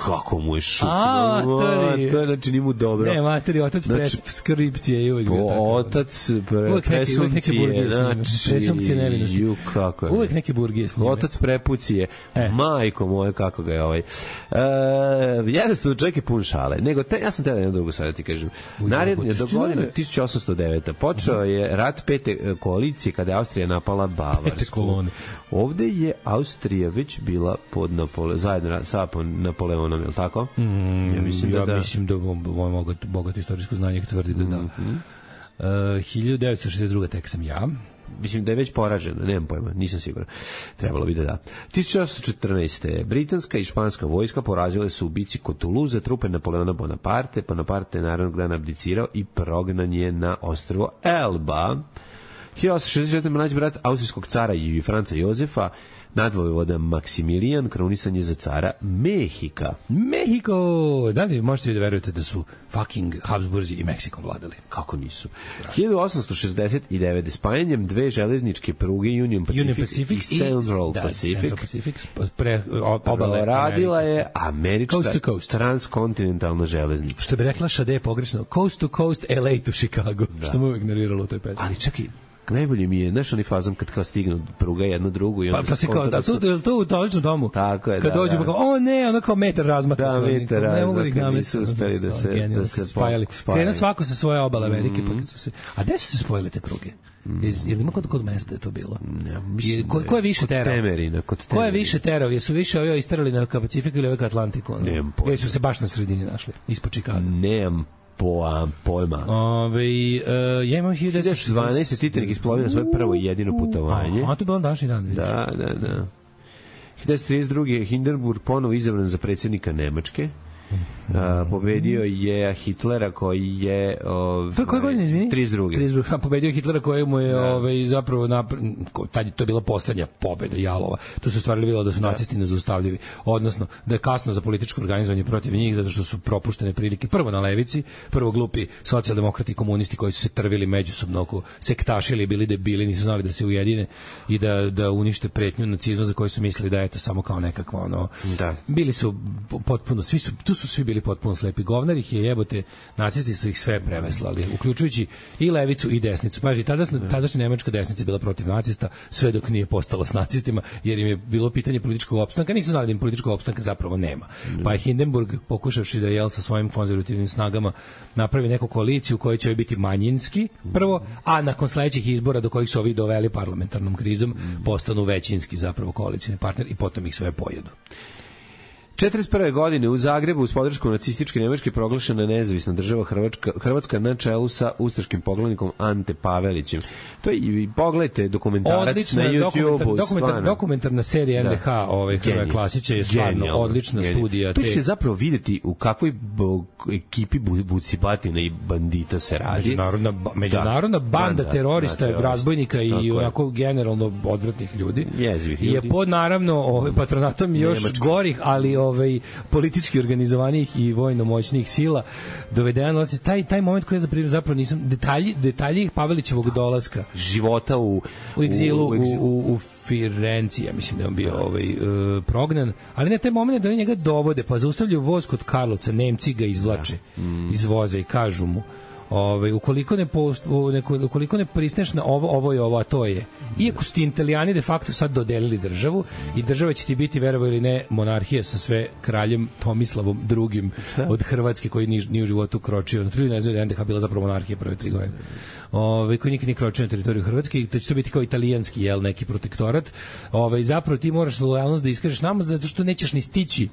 Kako mu je šutno. A, materi. To je, znači, nije mu dobro. Ne, materi, otac znači, preskripcije je uvijek bio tako. Otac pre, presumpcije, znači, presumpcije nevinosti. Ju, kako je. Uvijek neke burgije snime. Otac prepucije. E. Majko moje, kako ga je ovaj. E, jednostavno, čovjek je pun šale. Nego, te, ja sam tebe jedno drugo sad da ti kažem. Naredno je do godine tisuću osamsto devete. Počeo je rat pete koalicije kada je Austrija napala Bavarsku. Pete kolone. Ovde je Austrija već bila pod Napole, zajedno sa Napoleonom, je li tako? Mm, ja mislim da, ja da. mislim da moj bogat, bogat istorijsko znanje tvrdi da da. Mm-hmm. Uh, hiljadu devetsto šezdeset druga. tek sam ja. Mislim da je već poražena, nemam pojma, nisam siguran. Trebalo bi da da. tisuću osamsto četrnaeste. britanska i španska vojska porazile su u bici kod Toulouse trupe Napoleona Bonaparte. Bonaparte je naravno dan abdicirao i prognan je na ostrvo Elba. hiljadu osamsto šezdeset četvrte. mlađi brat austrijskog cara i Franca Jozefa, nadvojvoda Maksimilijan, krunisan je za cara Mehika. Mehiko! Da li možete da verujete da su fucking Habsburzi i Meksikom vladali? Kako nisu? hiljadu osamsto šezdeset devete. spajanjem dve železničke pruge Union Pacific, Union Pacific i Central da, Pacific, Central Pacific pre, obale radila je američka coast to coast. transkontinentalna železnica. Što bi rekla Šade pogrešno, coast to coast L A to Chicago, da. Što mu uvijek nerviralo u toj pesmi. Ali čekaj, najbolje mi je, znaš onaj fazon kad kao stignu pruga jedna drugu i onda pa, pa se kao, da, su... to, to u toličnom domu. Tako je, kad da. Kad dođu, da. pa kao, o ne, ono kao metar razmaka. Da, metar razmaka. Ne mogu da ih namestiti. Nisu uspeli da se, genijalno, da se spajali. spajali. Krenu svako sa svoje obale Amerike. Mm. Pa kad su se... A gde su se spojile te pruge? Iz, je li ima kod, kod mesta je to bilo? Ja, mislim, ko, ko je više terao? Kod Temerina. Kod Ko je više terao? Jesu više ovi istarali na Pacifiku ili ovaj ka Atlantiku? Nemam pojma. Ili su se baš na sredini našli, ispod Čikaga? Nemam po, pojma. Ove, uh, ja imam hiljadu devetsto dvanaeste. Titanic isplovio na svoje prvo i jedino putovanje. A, a to je bilo današnji dan, vidiš. Da, da, da. hiljadu devetsto trideset druge. Hindenburg ponovo izabran za predsjednika Nemačke. Uh, pobedio je Hitlera koji je ovaj, to je koje godine, izvini? trideset druge. trideset druge. Pobedio Hitlera koji mu je da. ovaj, zapravo napr... tad to je bila poslednja pobeda Jalova. To su stvarili bilo da su da. nacisti nezaustavljivi. Odnosno da je kasno za političko organizovanje protiv njih zato što su propuštene prilike prvo na levici, prvo glupi socijaldemokrati i komunisti koji su se trvili međusobno oko sektašili, bili debili, nisu znali da se ujedine i da, da unište pretnju nacizma za koju su mislili da je to samo kao nekakva ono... Da. Bili su potpuno, svi su, tu su svi bili potpuno slepi. Govnar ih je jebote, nacisti su ih sve preveslali, uključujući i levicu i desnicu. Paži, tada, tadašnja nemačka desnica bila protiv nacista, sve dok nije postala s nacistima, jer im je bilo pitanje političkog opstanka, nisu znali da im političkog opstanka zapravo nema. Pa je Hindenburg, pokušavši da jel sa svojim konzervativnim snagama napravi neku koaliciju koja će biti manjinski, prvo, a nakon sledećih izbora do kojih su ovi doveli parlamentarnom krizom, postanu većinski zapravo koalicijni partner i potom ih sve pojedu. četrdeset prve godine u Zagrebu uz podršku nacističke Nemačke proglašena nezavisna država Hrvatska, Hrvatska na čelu sa ustaškim poglavnikom Ante Pavelićem. To je, i pogledajte dokumentarac odlična, na YouTubeu. Dokumentar, dokumentarna serija N D H da. Ovaj, Hrvoje Klasića je stvarno genijalno, odlična genijalno. Studija. To te... će zapravo vidjeti u kakvoj bo, ekipi vucibatina i bandita se radi. Međunarodna, međunarodna da. banda da, terorista, da, razbojnika i tako onako generalno odvratnih ljudi. Jezivih je ljudi. pod naravno ovaj, patronatom još Nemačka. gorih, ali ovaj politički organizovanih i vojno moćnih sila dovedeno taj taj moment koji je zapravo nisam detalji detalji Pavelićevog dolaska života u u egzilu u, u, u, u Firenci, ja mislim da je on bio ovaj, uh, prognan, ali ne taj moment da oni njega dovode, pa zaustavljaju voz kod Karlovca, Nemci ga izvlače mm. iz voza i kažu mu ovaj ukoliko ne post, neko, ukoliko ne pristaneš na ovo, ovo je ovo, a to je. Iako su ti Italijani de facto sad dodelili državu i država će ti biti, verovo ili ne, monarhija sa sve kraljem Tomislavom drugim od Hrvatske koji ni, ni u životu kročio. Na tri ne znam da je N D H bila zapravo monarhija prve tri godine. Ovaj koji nikad nije kročio na teritoriju Hrvatske i da će to biti kao italijanski jel neki protektorat. Ovaj zapravo ti moraš lojalnost da iskažeš nama zato što nećeš ni stići.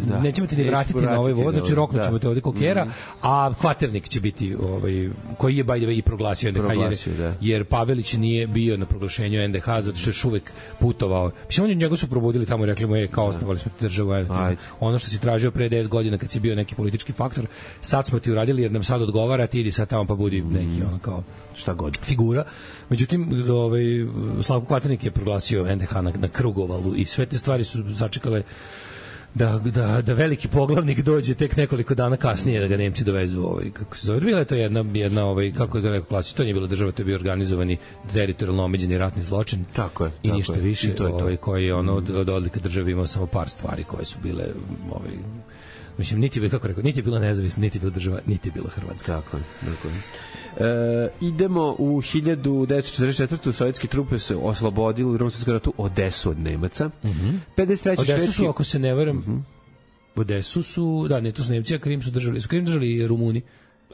Da. Nećemo te ni vratiti na ovaj voz, znači roknut ćemo te ovde kokera, mm. a kvaternik će biti ovaj, koji je by the way i proglasio N D H, proglasio, jer, jer Pavelić nije bio na proglašenju N D H zato što je uvek putovao. Mislim, oni njega su probudili tamo i rekli mu je kao osnovali smo ti državu. Ono što si tražio pre deset godina kad si bio neki politički faktor, sad smo ti uradili jer nam sad odgovara, ti idi sad tamo pa budi neki ono kao šta god figura. Međutim, ovaj, Slavko Kvaternik je proglasio N D H na, na Krugovalu i sve te stvari su začekale da, da, da veliki poglavnik dođe tek nekoliko dana kasnije da ga Nemci dovezu ovaj, kako se zove. Bila je to jedna, jedna ovaj, kako je ga rekao klasično, to nije bila država, to je bio organizovani teritorijalno omeđeni ratni zločin. Tako je. I tako ništa je. više, I to je to. Ovaj, koji je ono od, od odlika države imao samo par stvari koje su bile ovaj, mislim, niti je, kako rekao, niti je bila nezavisna, niti je bila država, niti je bila Hrvatska. Tako je, tako je. E, idemo u hiljadu devetsto četrdeset četvrte. Sovjetske trupe se oslobodili u Drugom svetskom ratu Odesu od Nemaca. Mm -hmm. pedeset treće Odesu švedski... su, ako se ne varam, mm -hmm. Odesu su, da, ne, to su Nemci, a Krim su držali, su Krim držali Rumuni.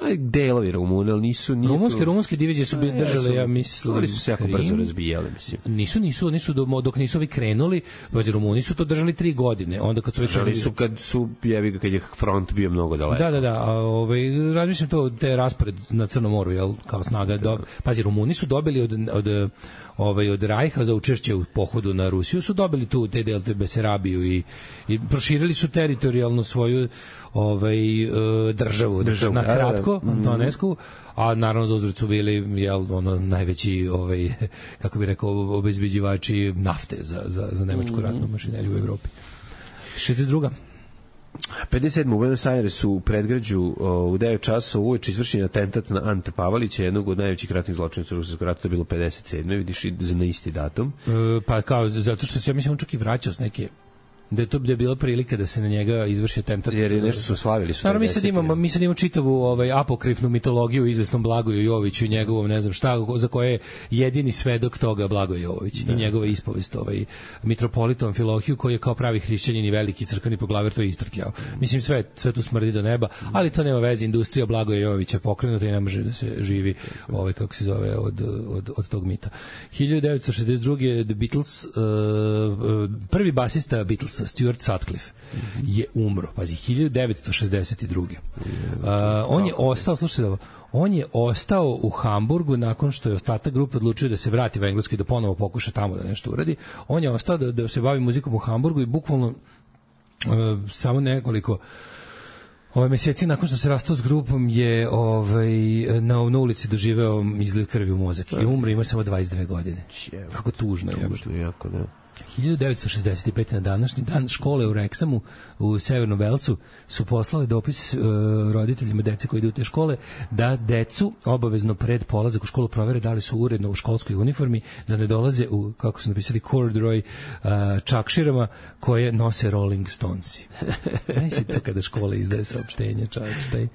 Aj, delovi Rumuni, ali nisu... Rumunske, to... rumunske divizije su bili držale, ja mislim... Oni su se jako brzo razbijali, mislim. Nisu, nisu, nisu, dok nisu ovi krenuli, Rumuni su to držali tri godine. Onda kad su već... Držali su kad su, jebi ga, kad je front bio mnogo daleko. Da, da, da. A, ovaj, razmišljam to, te raspored na Crnom moru, jel, kao snaga. Do... Pazi, Rumuni su dobili od... od ovaj od Rajha za učešće u pohodu na Rusiju su dobili tu te delte Besarabiju i i proširili su teritorijalno svoju ovaj državu, državu na kratko Antonesku, a naravno za uzvrat su bili jel ono najveći ovaj kako bi rekao obezbeđivači nafte za za za nemačku ratnu mašineriju u Evropi. šezdeset druga pedeset sedme u Buenos Airesu u predgrađu u devet časova uveče izvršen atentat na Ante Pavelića, jednog od najvećih ratnih zločinaca u Ruskom ratu, to je bilo pedeset sedme vidiš, na isti datum. E, pa kao, zato što se, ja mislim, on čak i vraćao s neke da je to da je bila prilika da se na njega izvrši atentat. Jer je nešto su slavili su. Naravno, mi sad imamo, mi sad imamo čitavu ovaj, apokrifnu mitologiju o izvesnom Blagoju Joviću i njegovom, ne znam šta, za koje je jedini svedok toga Blagoje Jović da. I njegova ispovest, ovaj, mitropolitom Amfilohiju, koji je kao pravi hrišćanin i veliki crkveni poglavar to istrkljao. Mislim, sve, sve tu smrdi do neba, ali to nema veze, industrija Blagoje Jovića pokrenuta i ne može da se živi, ovaj, kako se zove, od, od, od tog mita. hiljadu devetsto šezdeset druge. The Beatles, uh, prvi basista Beatles Stuart Sutcliffe je umro, pazi, hiljadu devetsto šezdeset druge. Uh, on je ostao, slušajte, on je ostao u Hamburgu nakon što je ostatak grupe odlučio da se vrati u Englesku i da ponovo pokuša tamo da nešto uradi. On je ostao da, da se bavi muzikom u Hamburgu i bukvalno uh, samo nekoliko ove meseci nakon što se rastao s grupom je ovaj, na, na ulici doživeo izliv krvi u mozak i umro, ima samo dvadeset dve godine. Kako tužno je. Tužno, jako, da. hiljadu devetsto šezdeset pete. na današnji dan škole u Reksamu u Severnom Velsu su poslali dopis uh, roditeljima dece koji idu u te škole da decu obavezno pred polazak u školu provere da li su uredno u školskoj uniformi, da ne dolaze u, kako su napisali, corduroy uh, čakširama koje nose Rolling Stonesi. Znaš si to kada škola izdaje saopštenje, čač, taj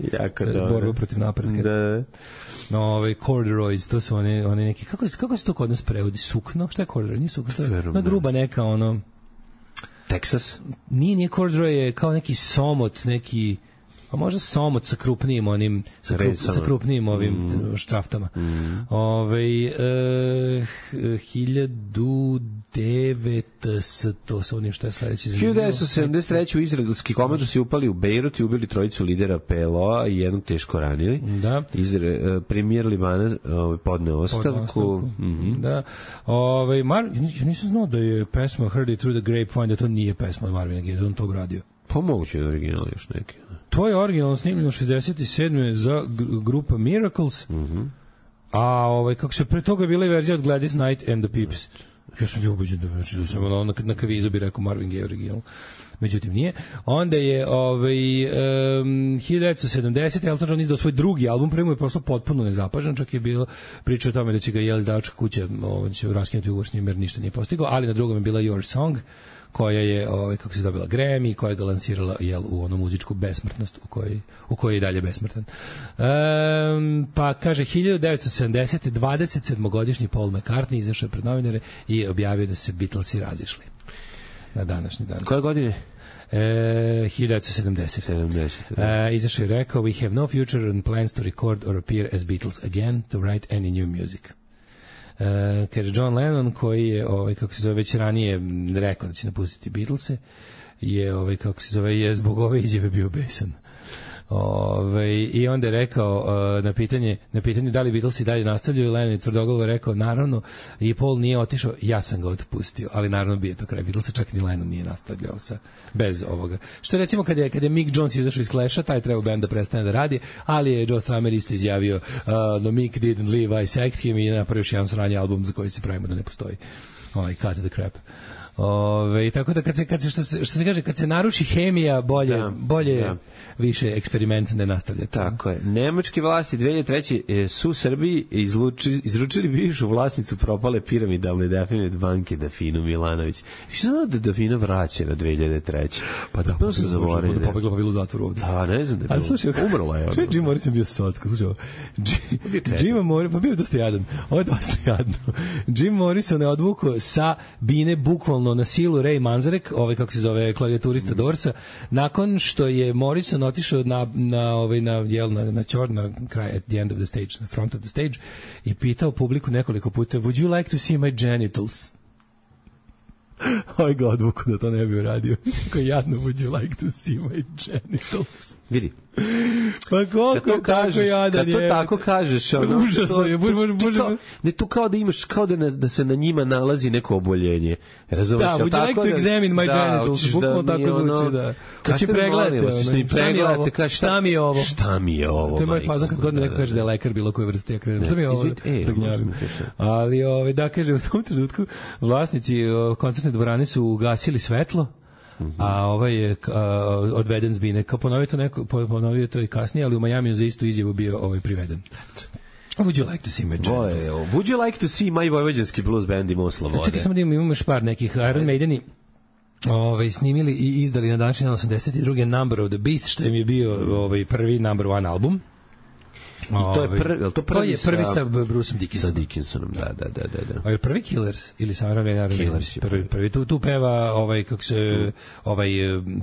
borba protiv napretka. Da. No, ovaj corduroys, to su one, one neki, kako, kako se to kod nas prevodi? Sukno? Šta je corduroy? Nije sukno, to je na gruba neka, ono... Texas? Nije, nije corduroy, je kao neki somot, neki... A možda somot sa krupnijim onim, sa, krup, sa krupnijim ovim mm. štraftama. Mm. Ove, e, hiljadu devetsto, onim što je sledeći zanimljivo. hiljadu devetsto sedamdeset treće. u izraelski komandosi upali u Bejrut i ubili trojicu lidera P L O-a i jednog teško ranili. Da. Izre, premijer Libana podneo ostavku. ostavku. Mm-hmm. Da. Ove, Mar, ja nisam znao da je pesma Heard It Through the Grapevine, da to nije pesma od Marvina Gaye, da on to obradio. Pa moguće je original još neki. To je originalno snimljeno šezdeset sedme za grupa Miracles. Mhm. A ovaj kako se pre toga bila i verzija od Gladys Knight and the Pips. Ja sam ljubađen da znači da sam ono na, na kavizu bi rekao Marvin Gaye original. Međutim nije. Onda je ovaj um, hiljadu devetsto sedamdesete. Elton John izdao svoj drugi album, prvi mu je prosto potpuno nezapažen, čak je bilo priča o tome da će ga jel izdavačka kuća ovaj će raskinuti ugovor s njim jer ništa nije postigao, ali na drugom je bila Your Song, koja je ovaj kako se dobila Grammy, koja je ga lansirala jel u onu muzičku besmrtnost u kojoj u kojoj je dalje besmrtan. Um, pa kaže hiljadu devetsto sedamdesete. dvadeset sedmogodišnji Paul McCartney izašao pred novinare i objavio da se Beatlesi razišli na današnji dan. Koje godine? E, hiljadu devetsto sedamdesete. sedamdesete da. E, izašao je rekao We have no future and plans to record or appear as Beatles again to write any new music. Uh, kaže John Lennon koji je ovaj kako se zove već ranije rekao da će napustiti Beatlese je ovaj kako se zove je zbog ove izjave bio besan. Ove, i onda je rekao uh, na pitanje na pitanje da li Beatlesi dalje nastavljaju, Lennon je tvrdoglavo rekao naravno i Paul nije otišao, ja sam ga otpustio, ali naravno bio to kraj Beatlesa, čak ni Lennon nije nastavljao sa bez ovoga. Što recimo kad je kad je Mick Jones izašao iz Clash-a, taj treba bend da prestane da radi, ali je Joe Strummer isto izjavio uh, no Mick didn't leave, I sacked him i napravio još jedan sranje album za koji se pravimo da ne postoji. Ovaj Cut the Crap. Ove, tako da kad se, kad se, što, se, što se kaže, kad se naruši hemija, bolje, da, bolje da. više eksperiment ne nastavlja. Tako je. Nemačke vlasti dve hiljade treće. su Srbiji izluči, izručili bivšu vlasnicu propale piramidalne Dafinove banke Dafinu Milanović. Što znao da Dafina vraća na dve hiljade treće? Pa da, pa se zaboravio. Da pobegla pa bilo u zatvoru ovde. Da, ne znam da je bilo. Ali slušaj, umrla je. Čuj, Jim Morrison bio sotko, slušaj. Jim Morrison, pa bio dosta jadan. Ovo je dosta jadno. Jim Morrison je odvukao sa bine bukvalno na silu Ray Manzarek, ovaj kako se zove klavijaturista Dorsa, nakon što je Morrison otišao na na ovaj na jel na na čor na kraj at the end of the stage, na front of the stage i pitao publiku nekoliko puta would you like to see my genitals? Oj god, odvuku da to ne bi uradio. Kako jadno, would you like to see my genitals? Vidi. Pa koliko je tako jadan je. Kad to tako kažeš, ono, užasno je. Bože, bože, bože. Ne, tu kao da imaš, kao da, na, da se na njima nalazi neko oboljenje. Razumeš? Da, would you like to examine my genitals? Bukvalno tako zvuči, da. Kad će pregledati, šta mi je ovo? Šta mi je ovo? To je moj fazon kad god mi neko kaže da je lekar bilo koje vrste, ja krenem. Šta mi je ovo? Ali, da, kaže, u tom trenutku vlasnici koncertne dvorane su ugasili svetlo, a ovaj je odveden s bine. Kao ponovio to neko, ponovio to i kasnije, ali u Majamiju za istu izjavu bio ovaj priveden. Would you like to see my genitals? Would you like to see my vojvođanski blues band i Moslava? Čekaj samo da imamo još par nekih Iron Maideni. ovaj, snimili i izdali na današnji dan osamdeset druge Number of the Beast, što im je bio ovaj, prvi number one album. I to je prvi, to prvi, to je prvi sa, sa Bruceom Sa Dickinsonom. Dickinsonom, da, da, da, da. A je prvi Killers ili sa Iron Killers prvi, prvi tu tu peva ovaj kako se ovaj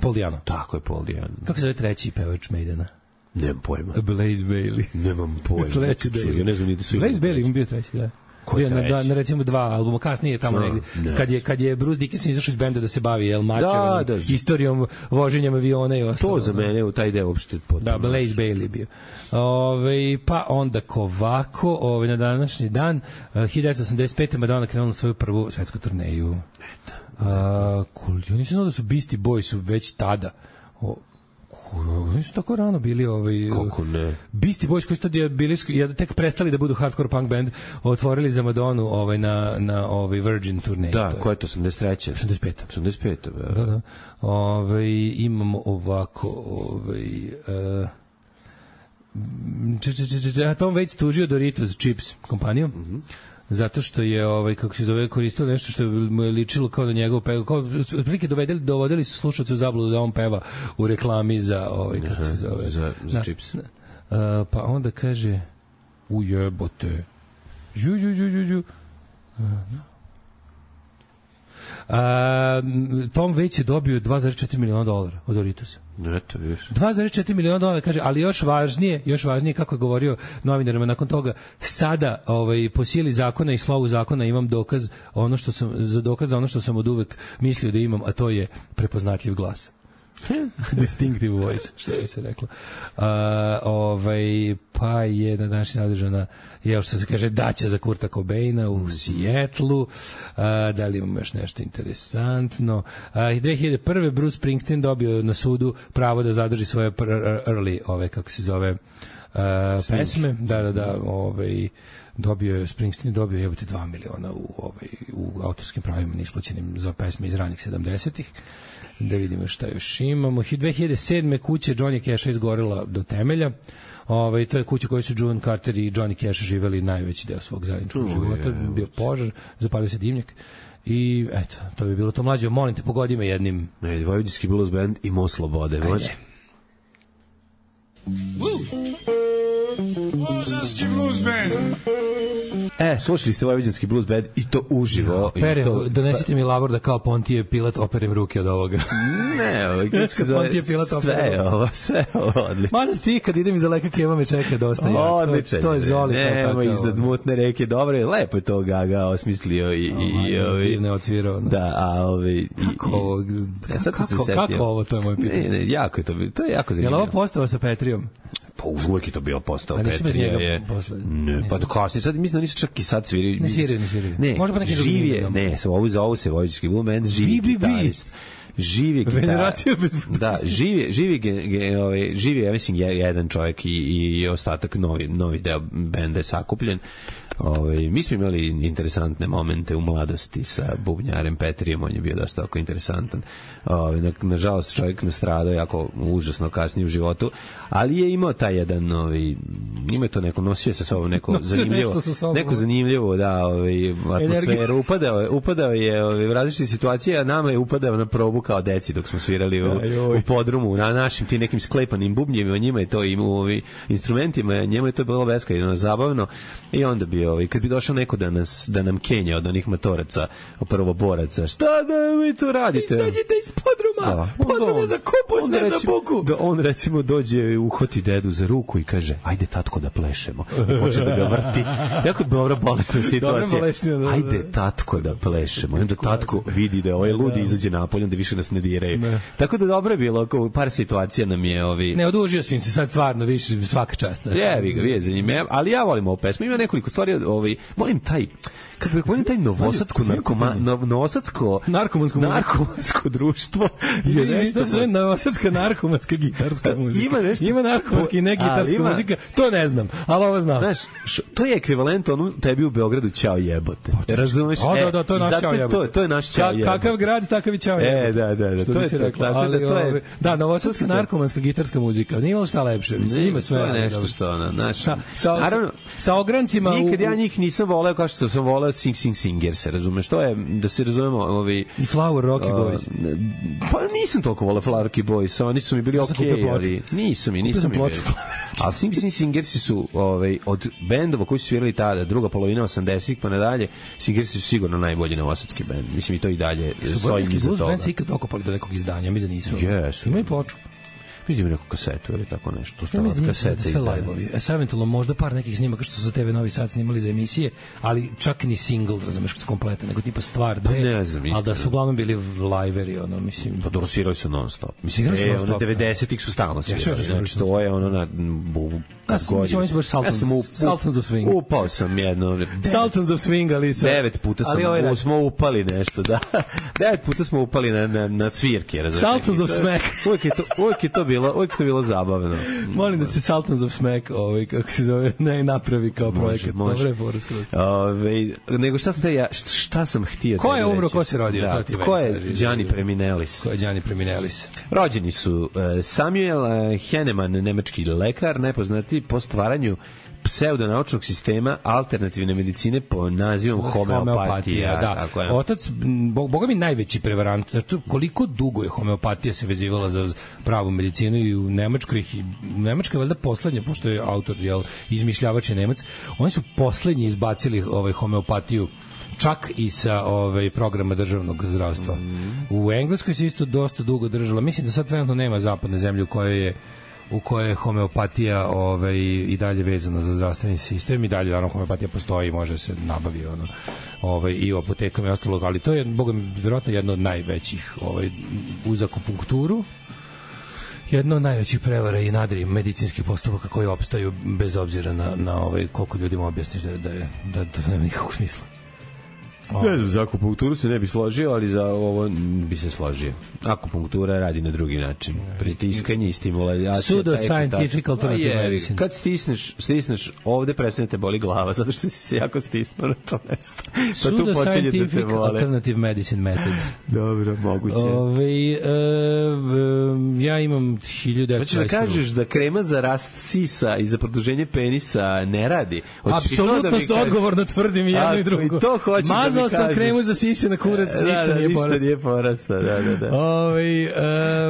Paul Diano. Tako je, Paul Diano. Kako se zove treći pevač Maidena? Nemam pojma. Blaze Bailey. Nemam pojma. Sledeći da je. Ja ne znam ni da su. Blaze Bailey im bio treći, da. Bio na, na, na recimo dva albuma kasnije tamo no, negdje ne. kad je kad je Bruce Dickinson izašao iz benda da se bavi El Mačevom, da, da, istorijom voženjem aviona i ostalo. To za mene u taj deo uopšte potpuno. Da, Blaze Bailey bio. Ove, pa onda ovako, ove, na današnji dan uh, hiljadu devetsto osamdeset pete Madonna krenula svoju prvu svetsku turneju. Eto. Uh, cool. Ja nisam znao da su Beastie Boys su već tada o, oni su tako rano bili ovaj kako ne Beastie Boys koji su tad bili ja tek prestali da budu hardcore punk band, otvorili za Madonu ovaj na na ovaj Virgin turneji. Da, ko je to osamdeset treće osamdeset pete osamdeset pete Da, da. da. Ovaj imamo ovako ovaj uh, če, če, če, če, Tom Waits tužio Doritos Chips kompaniju. Mhm. Mm zato što je ovaj kako se zove koristio nešto što mu je ličilo kao da njegov peva, kao otprilike dovedeli dovodili su slušaoce u zabludu da on peva u reklami za ovaj kako se zove za, za na, čips. Na, uh, pa onda kaže ujebote. Ju ju ju ju ju. Uh, Uh, Tom Waits je dobio dva zarez četiri miliona dolara od Doritosa. Eto, viš. dva zarez četiri miliona dolara, kaže, ali još važnije, još važnije kako je govorio novinarima nakon toga, sada ovaj, po sili zakona i slovu zakona imam dokaz, ono što sam, za dokaz za ono što sam od uvek mislio da imam, a to je prepoznatljiv glas. Distinctive voice, što bi se reklo. Uh, ovaj, pa je na današnji nadržana je što se kaže daća za Kurta Cobaina u mm. Sijetlu. Uh, da li imamo još nešto interesantno? Uh, dve hiljade prve Bruce Springsteen dobio na sudu pravo da zadrži svoje early, ove, kako se zove, uh, pesme. Da, da, da, ovaj, dobio je, Springsteen dobio jebote dva miliona u, ovaj, u autorskim pravima neisplaćenim za pesme iz ranih sedamdesetih. Da vidimo šta još imamo. dve hiljade sedme kuća Johnny Casha izgorela do temelja. Ovaj to je kuća koju su June Carter i Johnny Cash živeli najveći deo svog zajedničkog uh, života. Je, bio požar, zapalio se dimnjak. I eto, to bi bilo to. Mlađe, molim te, pogodi me jednim. Ne, Vojvođanski blues band i Mo Slobode, može. Vojvođanski blues band. E, slušali ste Vojvođanski blues band i to uživo. Perem, to... donesite mi lavor da kao Pontije Pilat operem ruke od ovoga. Ne, ovo, kako se zove, sve ovo, sve ovo odlično. Mada sti, kad idem iza leka Keva me čeka dosta. Odlično. To, to je Zoli. Nema iznad mutne reke, dobro je, lepo je to Gaga osmislio i... i, i ovi, divne odsvirao. Da, a ovi... Kako ovo? Kako, kako ovo, to je moje pitanje. Ne, ne, jako je to, to je jako zanimljivo. Je li ovo postava sa Petrijom? Pa uvijek je to bio postao Petrija. Je... Ne, pa do kasnije. Sad mislim da nisu čak i sad sviri. Ne sviri, ne sviri. Ne, možda pa neki živ je, ne, sa ovu za ovu se Vojvođanski blues band, živi gitarist. Živi gitarist. Da, živi, živi, ge, ovaj, živi, ja mislim, jedan čovjek i, i ostatak novi, novi deo benda je sakupljen. Ove, mi smo imali interesantne momente u mladosti sa bubnjarem Petrijem, on je bio dosta oko interesantan. Ove, na, nažalost, čovjek nastradao jako užasno kasnije u životu, ali je imao taj jedan, ovi, ima to neko, nosio sa sobom neko zanimljivo, neko zanimljivo, da, ovi, atmosferu, upadao je, upadao je ovi, u različite situacije, a nama je upadao na probu kao deci dok smo svirali u, u podrumu, na našim ti nekim sklepanim bubnjevima, njima je to i u ovi, instrumentima, njima je to bilo beskrajno zabavno i onda bio ovaj kad bi došao neko da nas da nam kenja od onih motoraca, prvoboraca, šta da vi to radite? Izađite iz podruma. Da. Podrum je za kupus, ne za buku. Da on recimo dođe, uhvati dedu za ruku i kaže: "Ajde tatko da plešemo." I počne da ga vrti. Jako dobra bolesna situacija. Ajde tatko da plešemo. I onda tatko vidi da ovaj ludi izađe napolje, da više nas ne diraju. Ne. Tako da dobro je bilo, par situacija nam je ovi. Ne, odužio sam se sad stvarno više svaka čast. Je, vi ga vije za njime, ali ja volim ovu pesmu. Ima nekoliko stvari, ovaj, volim taj, kako bih volim taj novosadsko narkoma, novosadsko narkomansko narkomansko društvo je nešto za novosadska narkomanska gitarska muzika. Ima nešto, ima narkomanski i ne gitarska muzika, to ne znam, ali ovo znam. Znaš, to je ekvivalent onu tebi u Beogradu ćao jebote. Razumeš? Da, da, to je naš ćao jebote. To je naš ćao jebote. Kakav grad, takav i ćao jebote. E, Da, da, da, to je to. Rekla, ali, da, to je, da, novosadska narkomanska gitarska muzika, nije imalo šta lepše, mislim, ima sve. To je nešto što ona, znaš. Sa, sa, naravno, sa ograncima... Nikad u, ja njih nisam voleo kao što sam voleo Sing Sing Singers, razumeš, to je, da se razumemo, ovi... I Flower Rocky Boys. Uh, pa nisam toliko voleo Flower Rocky Boys, oni su mi bili okej, okay, ali nisu mi, nisu mi bili. A Sing Sing Singersi su ovaj, od bendova koji su svirali tada, druga polovina osamdesetih pa nadalje, Singersi su sigurno najbolji novosadski bend. Mislim, i to i dalje stoji iza toga. Su band se ikad okopali do nekog izdanja, mi da nisu. Yes. Imaju ploču. Mislim neku kasetu ili tako nešto. Ja mislim da sve live-ovi. E, savjetovalo možda par nekih snimaka što su za T V Novi Sad snimali za emisije, ali čak ni single, razumeš, kompletan, nego tipa stvar dve, ne znam, ali da su uglavnom bili liveri, ono, mislim. Pa dorosirali su non-stop. Mislim, e, ono, devedesetih su stalno svirali. Znači, to je ono na bubu. Ja sam, mislim, oni su baš Sultans, ja up, Sultans of Swing. Upao sam jedno. Sultans of Swing, ali sam. Devet puta sam, ovaj smo upali nešto, da. Devet puta smo upali na, na, na svirke, razumiješ. Sultans of Smack. Uvijek je to, uvijek je to bilo, uvijek je to bilo zabavno. Molim da se Sultans of Smack, ovaj, kako se zove, ne napravi kao projekat. Dobre je poruska. Ove, nego šta sam, te ja, šta sam htio ko je umro, ko se rodio? Da, to ko je Gianni Preminelis? Ko je Gianni Preminelis? Rođeni su uh, Samuel uh, Hahnemann, nemački lekar, nepoznati po stvaranju pseudonaučnog sistema alternativne medicine po nazivom homeopatija. Da. Tako je. Otac, boga mi najveći prevarant, zato koliko dugo je homeopatija se vezivala za pravu medicinu i u Nemačkoj, u Nemačkoj je valjda poslednja, pošto je autor, jel, izmišljavač je Nemac, oni su poslednji izbacili ovaj homeopatiju čak i sa ovaj programa državnog zdravstva. Mm. U Engleskoj se isto dosta dugo držalo. Mislim da sad trenutno nema zapadne zemlje u kojoj je u kojoj je homeopatija ovaj, i dalje vezana za zdravstveni sistem i dalje naravno homeopatija postoji i može se nabavi ono, ovaj, i u apotekama i ostalo, ali to je boga mi vjerojatno jedno od najvećih ovaj, uz akupunkturu, jedno od najvećih prevara i nadri medicinskih postupaka koji opstaju bez obzira na, na ovaj, koliko ljudima objasniš da, da, je, da, da nema nikakvog smisla. Ne znam, za akupunkturu se ne bi složio, ali za ovo bi se složio. Akupunktura radi na drugi način. Pritiskanje i stimulacija. Pseudo-scientific alternative medicine. Kad stisneš, stisneš ovde, prestane te boli glava, zato što si se jako stisnuo na to mesto. Pa tu počinje da te vole. Alternative medicine method. Dobro, moguće. Ove, e, ja imam hiljadu... Hoćeš da kažeš da krema za rast sisa i za produženje penisa ne radi? Apsolutno da odgovorno tvrdim i jedno i drugo. To hoćeš da Mazao sam kremu za sise na kurac, da, ništa da, nije ništa porasta. nije porasta, da, da, da. Ove,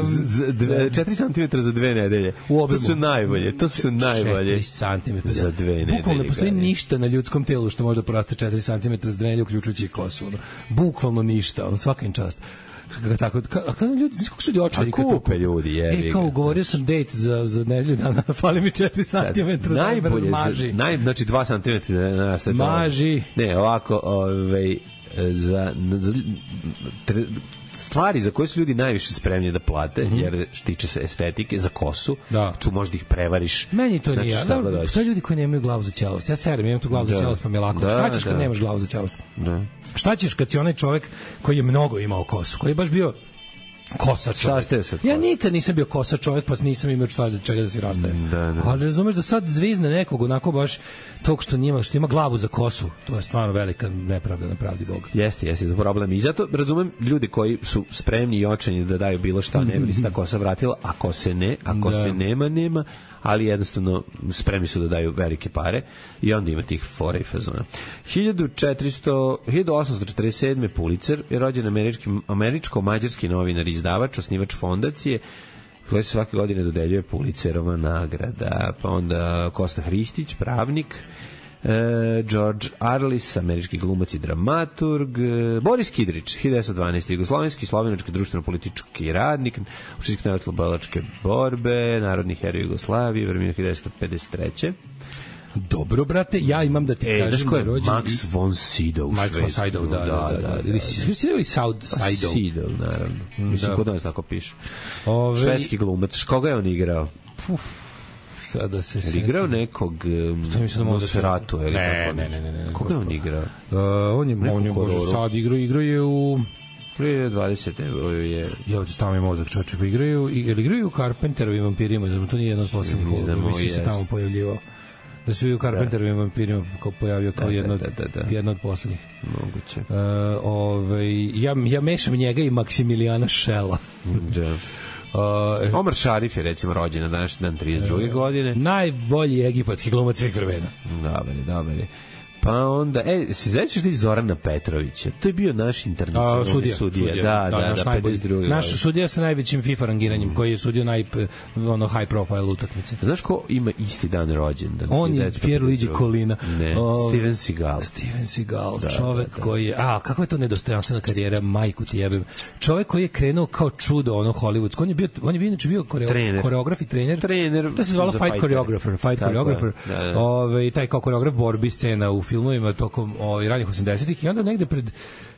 um, četiri centimetra za dve nedelje. To su najbolje, to su najbolje. četiri centimetra za dve nedelje. Bukvalno ne postoji ništa na ljudskom telu što može da poraste četiri centimetra za dve nedelje, uključujući i kosu. Ono. Bukvalno ništa, ono, svaka im čast. Tako, a kada ljudi, znaš kako su ljudi očali? A kupe ljudi, jevi. E, kao ugovorio sam date za, za nedelju dana, fali mi četiri centimetra. Najbolje, maži. Naj, znači dva centimetra da nastaje. Maži. Ne, ovako, ovaj, za, za tre, stvari za koje su ljudi najviše spremni da plate, mm-hmm. jer tiče se estetike, za kosu, da. Tu možda ih prevariš. Meni to znači, nije. Da, da, to ljudi koji nemaju glavu za ćelost. Ja serem, imam tu glavu da. za ćelost, pa mi je lako. Da, šta ćeš kad da. nemaš glavu za ćelost? Da. Šta ćeš kad si onaj čovjek koji je mnogo imao kosu, koji je baš bio kosa čovjek. Ja nikad nisam bio kosa čovjek, pa nisam imao šta čega da se rastajem. Da, da. Ali razumeš da sad zvizne nekog onako baš tog što njima, što ima glavu za kosu, to je stvarno velika nepravda na pravdi Boga. Jeste, jeste, to problem. I zato razumem ljudi koji su spremni i očajni da daju bilo šta, ne bi li se ta kosa vratila, ako se ne, ako da. se nema, nema, ali jednostavno spremni su da daju velike pare i onda ima tih fora i fazona. hiljadu osamsto četrdeset sedme Pulitzer je rođen američki, američko-mađarski novinar i izdavač, osnivač fondacije koja se svake godine dodeljuje Pulitzerova nagrada. Pa onda Kosta Hristić, pravnik, e, George Arliss, američki glumac i dramaturg, e, Boris Kidrić, hiljadu devetsto dvanaeste jugoslovenski, slovenački društveno-politički radnik, učesnik narodno-oslobodilačke borbe, narodni heroj Jugoslavije, vremena hiljadu devetsto pedeset treće. Dobro, brate, ja imam da ti e, kažem da je rođen... Max von Sydow. Max von Sydow, da, da, da. da, da. Ili Sydow? Sydow, naravno. Mislim, kod nas tako piše. Ove... Švedski glumac. Koga je on igrao? Uf, sada se se... Igrao nekog Nosferatu, ili ne, ne, ne, ne, ne. Koga je on igrao? Uh, on je, on je možda sad igrao, igrao je u... dvadesete je... Ja ovdje stavim mi mozak, čoče, pa igraju, ili igraju u Carpenterovim vampirima, da to nije jedan od poslednjih, mislim se tamo pojavljivao. Da se u Carpenterovim vampirima kao pojavio kao da, jedno, da, da, da. jedno od poslednjih. Moguće. Uh, ovaj, ja, ja mešam njega i Maksimilijana Šela. Da. Uh, Omar Šarif je recimo rođen na današnji dan trideset druge Uh, godine. Najbolji egipatski glumac svih vremena. Dobar je, dobar je. Pa onda, e, se zećeš ti Zorana Petrovića? To je bio naš internacionalni sudija. sudija. sudija. Da, da, da, da, da pedeset druge Naš godine. sudija sa najvećim FIFA rangiranjem, mm. koji je sudio naj, ono, high profile utakmice. Znaš ko ima isti dan rođendan? On je Pierluigi Collina. Ne, o, Steven Seagal. Steven Seagal, da, čovek da, da. koji je, a, kakva je to nedostojanstvena karijera, majku ti jebem. Čovek koji je krenuo kao čudo, ono, hollywoodsko. On je bio, on je bio, inače bio koreo, koreograf i trener. Trener. To se zvalo Fight Choreographer. Fight Choreographer. Da, da. Ove, taj kao koreograf borbi scena u filmovima tokom o, ranih osamdesetih i onda negde pred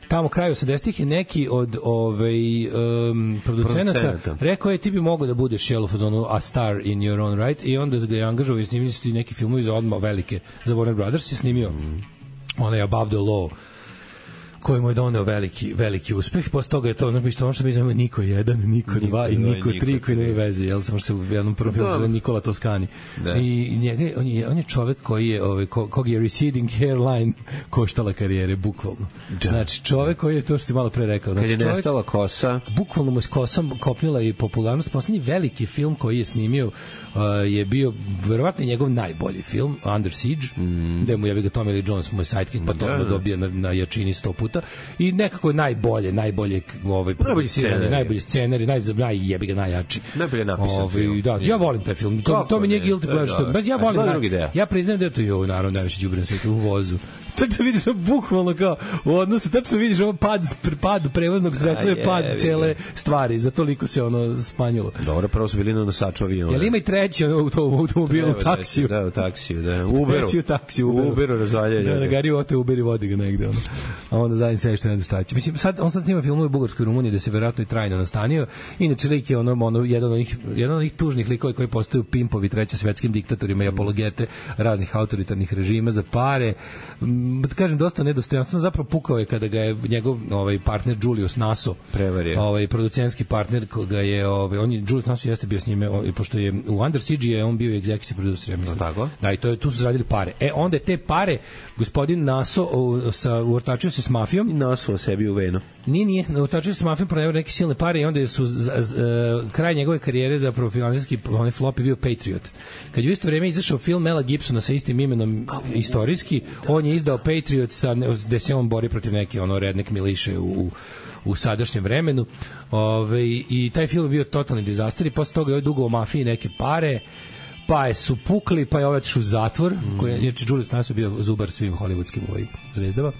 tamo kraju osamdesetih je neki od ovaj um, producenata rekao je ti bi mogao da budeš jel u fazonu a star in your own right i onda ga je angažovao i snimili su ti neki filmovi za odmah velike za Warner Brothers je snimio mm. onaj Above the Law koji mu je doneo veliki, veliki uspeh. Posle toga je to ono što, ono što mi znamo Niko jedan, Niko dva i Niko tri koji nema veze, jel samo se u jednom prvom filmu zove Nikola Toscani. Da. I njega, on, je, on je čovek koji je, ovaj, ko, kog je receding hairline koštala karijere, bukvalno. Da. Znači, čovek koji je to što si malo pre rekao. Znači, kad je nestala kosa. Bukvalno mu je s kosom kopnila i popularnost. Poslednji veliki film koji je snimio uh, je bio verovatno njegov najbolji film, Under Siege, mm. gde mu je ga Tommy Lee Jones, moj sidekick, pa to da, da. dobija na, na jačini sto puta. I nekako najbolje, najbolje ovaj najbolji scenar, najbolji scenar, naj naj jebi ga najjači. Najbolje napisan ovaj, film. Da, ja volim taj film. To Kako to mi nije guilty pleasure. Baš ja volim. Ja, ja priznajem da je to i ovo naravno najveći đubre na svetu u vozu. Tačno vidiš bukvalno kao u odnosu, tačno vidiš ovo pad, pad prevoznog sredstva je pad cele stvari, za toliko se ono smanjilo. Dobro, prvo su bili na nosaču aviona. Jel ima i treći ono, u tom automobilu, u taksiju? Da, u taksiju, da. U Uberu. Treći u taksiju, u Uberu. U Uberu razvaljaju. Da, na gari ote Uberi vodi ga negde. Ono. A onda zajedno sve što ne šta će. Mislim, sad, on sad snima filmove u Bugarskoj Rumuniji da se verovatno i trajno nastanio. Inače, lik je ono, ono, jedan od onih, jedan od onih tužnih likova koji postaju pimpovi treće svetskim diktatorima i apologete raznih autoritarnih režima za pare. Da kažem, dosta nedostojanstveno, zapravo pukao je kada ga je njegov ovaj partner Julius Naso prevario. Ovaj producentski partner koga je ovaj on je Julius Naso jeste bio s njime ovaj, pošto je u Under Siege je on bio executive producer, mislim. Tako? Da, i to je tu su zaradili pare. E onda te pare gospodin Naso o, sa uortačio se s mafijom i Naso sebi u venu. Nije, nije, uortačio se s mafijom, proneveo neke silne pare i onda su z, z, z, kraj njegove karijere zapravo finansijski onaj flop je bio Patriot. Kad je u isto vrijeme izašao film Mela Gibsona sa istim imenom istorijski, on je izdao Patriot sa gde se on bori protiv neke ono redneck miliše u u sadašnjem vremenu. Ove, i taj film je bio totalni dizaster i posle toga je dugo o mafiji neke pare, pa je su pukli, pa je ovaj otišao u zatvor, mm. koji je, jer Julius Naso bio zubar svim hollywoodskim ovaj zvezdama.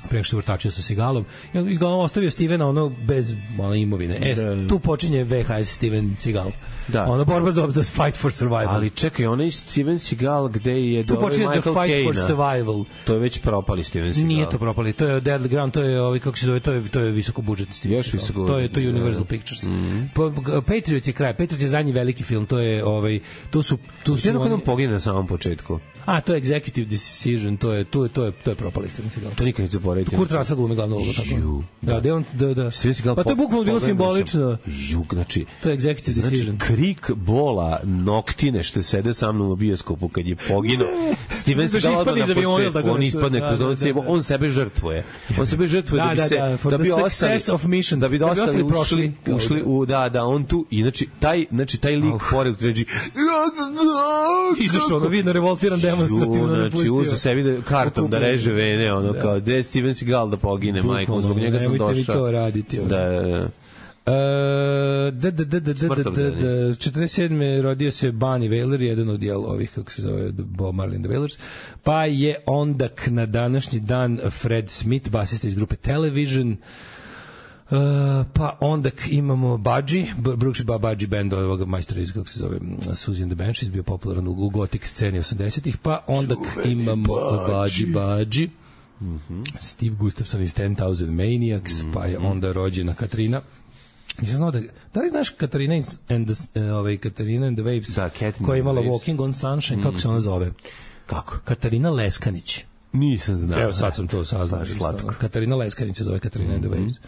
Pre što vrtačio sa Seagalom i ga ostavio Stevena ono bez ono imovine. E, da. Tu počinje V H S Steven Seagal. Da. Ona borba za the fight for survival. Ali čekaj, onaj Steven Seagal gde je tu počinje the fight Kane-a. For survival. To je već propali Steven Seagal. Nije to propali, to je Deadly Ground, to je ovaj kako se zove, to je to je visoko budžetni Steven Seagal. To je to je Universal da. Pictures. Mm -hmm. Patriot je kraj, Patriot je zadnji veliki film, to je ovaj tu su tu su oni on pogine na samom početku. A, to je executive decision, to je to je to je to je propali Steven Seagal. To nikad neću zaboraviti. Kurt Russell glumi glavnu ulogu tako. Da, da on da da. Pa to je bukvalno bilo simbolično. Jug, znači to je executive znači, decision. Krik bola noktine što sede sa mnom u bioskopu kad je poginuo. Steven Seagal na početku, on ispadne kroz onu cevu, on sebe žrtvuje. On sebe žrtvuje da bi se da bi ostali da bi ostali prošli ušli u da da on tu inače taj znači taj lik pored tređi izašao, vidno revoltiran demonstrativno znači uzu sebi da kartom da reže vene, ono da. Kao de Steven Seagal da pogine, majko, zbog njega sam došao. Nemojte mi to raditi. Da, da, da, da, da, da, da, da, da, četrdeset sedme rodio se Bunny Wailer, jedan od jel ovih, kako se zove, Bob Marley and the Wailers, pa je ondak na današnji dan Fred Smith, basista iz grupe Television. Uh, pa onda imamo Budgie, Brooks Budgie band ovog majstora iz, kako se zove, Suzy and the Banshees, bio popularan u, u gotik sceni osamdesetih, pa onda imamo Budgie Budgie, mm -hmm. Steve Gustafson iz ten thousand Maniacs, mm -hmm. pa je onda rođena Katrina. Ja znam da, da li znaš Katrina and the, uh, ovaj, Katrina and the Waves, da, koja je imala Walking on Sunshine, mm -hmm. kako se ona zove? Kako? Katarina Leskanić. Nisam znao. Evo sad sam to saznao. Katarina Leskanić se zove Katarina mm -hmm. and the Waves.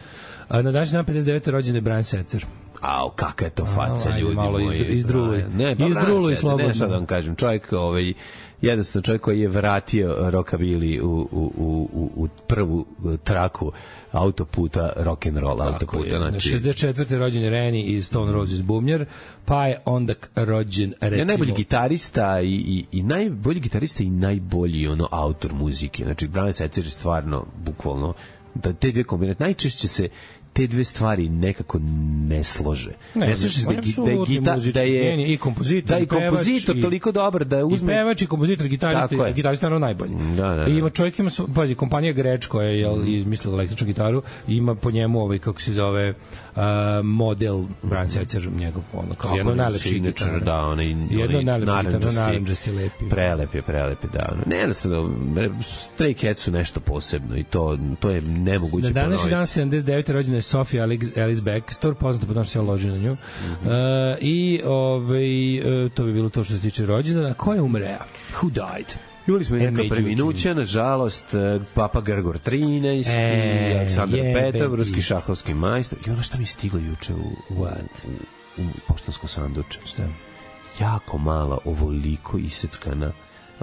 A na današnji dan pedeset devete rođen je Brian Setzer. Au, kakva je to faca, ljudi malo moji. Izdruluj. Ne, pa Izdruluj slobodno. Ne, sad da vam kažem, čovjek, ovaj, jednostavno čovjek koji je vratio rockabilly u, u, u, u, u prvu traku autoputa, rock'n'roll autoputa. Znači, šezdeset četvrte rođen je Rennie iz Stone Roses bubnjar, pa je onda rođen, recimo... Ja najbolji gitarista i, i, i najbolji gitarista i najbolji ono autor muzike. Znači, Branislav Cecer je stvarno, bukvalno, da te dve kombinacije, najčešće se te dve stvari nekako ne slože. Ne, ne slože se da, da je gita, da je i kompozitor, da je kompozitor i, toliko dobar da uzme i pevač i kompozitor, gitarista, i gitarista je najbolji. Da, da, da. I ima čovjek ima pazi, kompanija Greč koja je jel, izmislila električnu gitaru, ima po njemu ovaj kako se zove uh, model Brian Setzer, njegov ono kao jedno najlepši gitar, da, onaj jedno najlepši gitar, narandžasti lepi. Prelep je, prelep je, da. Ono. Ne, jednostavno, Stray Cats su nešto posebno i to to je nemoguće ponoviti. Na današnji dan sedamdeset devete rođena je Sophia Alice Baxter, poznata po tome što se loži na nju. Mm-hmm. Uh, I ovaj, uh, to bi bilo to što se tiče rođendana. Ko je umreo? Who died? Imali smo i neka preminuća, nažalost, Papa Grgor trinaest e, i Aleksandar Petov, ruski šahovski majstor. I ono što mi je stiglo juče u, u, u, u poštansko sanduče. Šta? Jako malo, ovoliko iseckana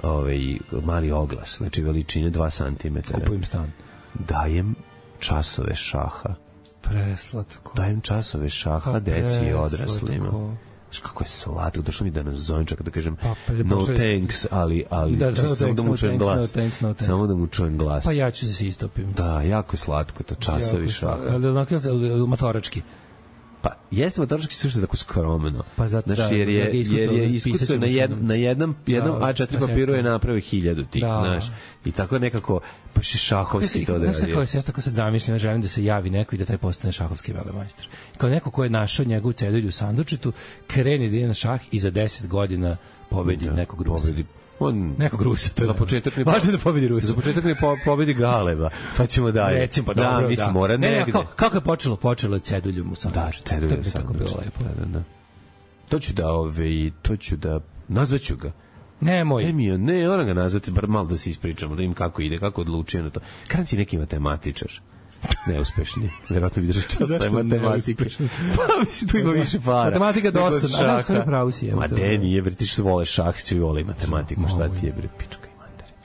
ovaj, mali oglas, znači veličine dva centimetra. Kupujem stan. Dajem časove šaha. Preslatko. Dajem časove šaha pa deci i odraslima. Znaš kako je slatko, došlo mi da nas zovem čak da kažem pa, no thanks, ali, ali da, da, no samo da mu čujem no glas. No thanks, no thanks. Samo da mu čujem glas. Pa ja ću se istopim. Da, jako je slatko, to časovi šaha. Ali onako je matorački. Pa jeste matorački sve što je tako skromeno. Pa zato znaš, jer je, jer je iskucao na, jed, na jednom, jednom da, A četiri papiru je napravio hiljadu tih, da. Znaš. I tako nekako, pa še šahovski to da radi. Znaš kako se ja tako sad zamišljam, želim da se javi neko i da taj postane šahovski velemajstor. Kao neko ko je našao njegovu cedulju u sandučetu, kreni da ide na šah i za deset godina pobedi da, nekog Rusa. Pobedi on nekog Rusa, to je na početak ne važno da pobedi Rusa. Za početak ne po, pobedi Galeba, pa ćemo dalje. Recimo, pa dobro, da, mislim, da. mora ne, negde. Ne, kako je počelo? Počelo je ceduljom u sandučetu. Da, ceduljom u sandučetu. Tako bilo lepo. Da, da, da. To ću da, ove, to ću da, nazvaću ga. Nemoj. Ne, mi, ne, ona ga nazvati, bar malo da se ispričamo, da im kako ide, kako odlučuje na to. Kada ti neki matematičar? Neuspešni. Verovatno bi držao čas sa matematike. Pa mislim, tu ima više para. Matematika dosadna, a da sve pravo si. Ma de, nije, bre, ti što vole šah, svi vole matematiku, šta ti je, bre, pička i mandarin.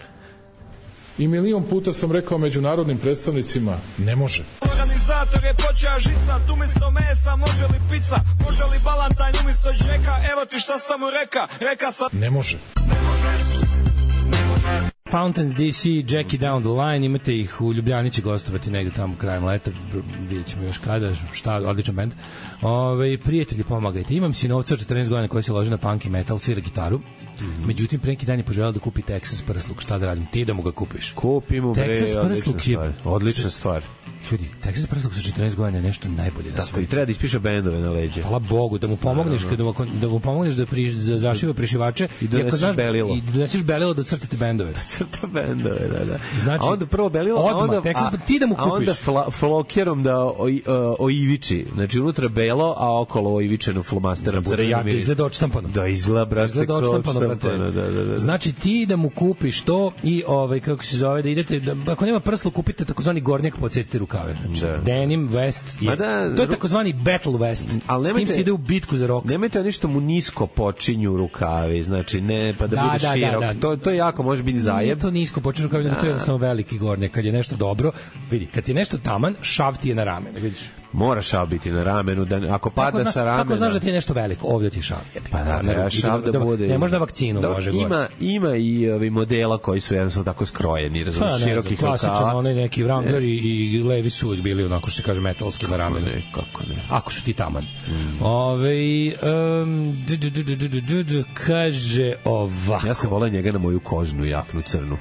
I milion puta sam rekao međunarodnim predstavnicima, ne može. Organizator je počeo žicat, umjesto mesa, može li pizza, može li balantajn umjesto džeka, evo ti šta sam mu reka, reka sam... Ne može. Fountains D C, Jackie Down the Line, imate ih u Ljubljani, će gostovati negde tamo krajem leta, vidjet ćemo još kada, šta, odličan band. Ove, prijatelji, pomagajte. Imam sinovca od četrnaest godina koji se loži na punk i metal, svira gitaru. Mm-hmm. Međutim, pre neki dan je poželao da kupi Texas prsluk. Šta da radim? Ti da mu ga kupiš. Kupimo, bre, Texas prsluk je... Odlična stvar. Ljudi, Texas prsluk sa četrnaest godina je nešto najbolje na svijetu. Tako, i treba da ispiše bendove na leđe. Hvala Bogu, da mu pomogneš, da, da, da mu pomogneš da, pri, da zašiva prišivače i doneseš belilo. I doneseš belilo da crtate bendove. Da crta bendove, da, da. Znači, a onda prvo belilo, odmah, a onda, Texas, a, ti da mu kupiš. A onda fla, flokerom da o, o, oiviči. Znači, unutra belo, a okolo oivičeno flomasterom. Da bude jako, izgleda očtampano. Da, izgleda, brate, izgleda očtampano, brate. Da, da, da, da. Znači, ti da mu kupiš to i, ovaj, kako se zove, da idete, da, ako nema prslu, kupite takozvani gornjak, podsjetite rukave. Znači, da. Denim vest je, da, to je takozvani battle vest. Ali s tim se ide u bitku za rok. Nemojte ništa mu nisko počinju rukavi, znači ne, pa da, da bude da, širok. Da, da. To, to jako može biti zajeb. To nisko počinju rukavi, da. To je jednostavno veliki gornjak. Kad je nešto dobro, vidi, kad je nešto taman, šav ti je na ramenu, vidiš. Mora šav biti na ramenu, da ako pada kako sa ramena. Kako znaš da ti je nešto veliko? Ovdje ti je šav. Je. Pa da, treba šav da, da bude. Ne možda vakcinu da, može ima, gore. Ima i ovi modela koji su jednostavno tako skrojeni, razumiješ, pa, širokih rukava. Klasičan, onaj neki Wrangler i, i levi su uvijek bili onako što se kaže metalski na ramenu. Ne, kako ne. Ako su ti taman. Mm. Ove, um, d, d, d, d, d, d, d, kaže ovako. Ja sam volao njega na moju kožnu jaknu crnu.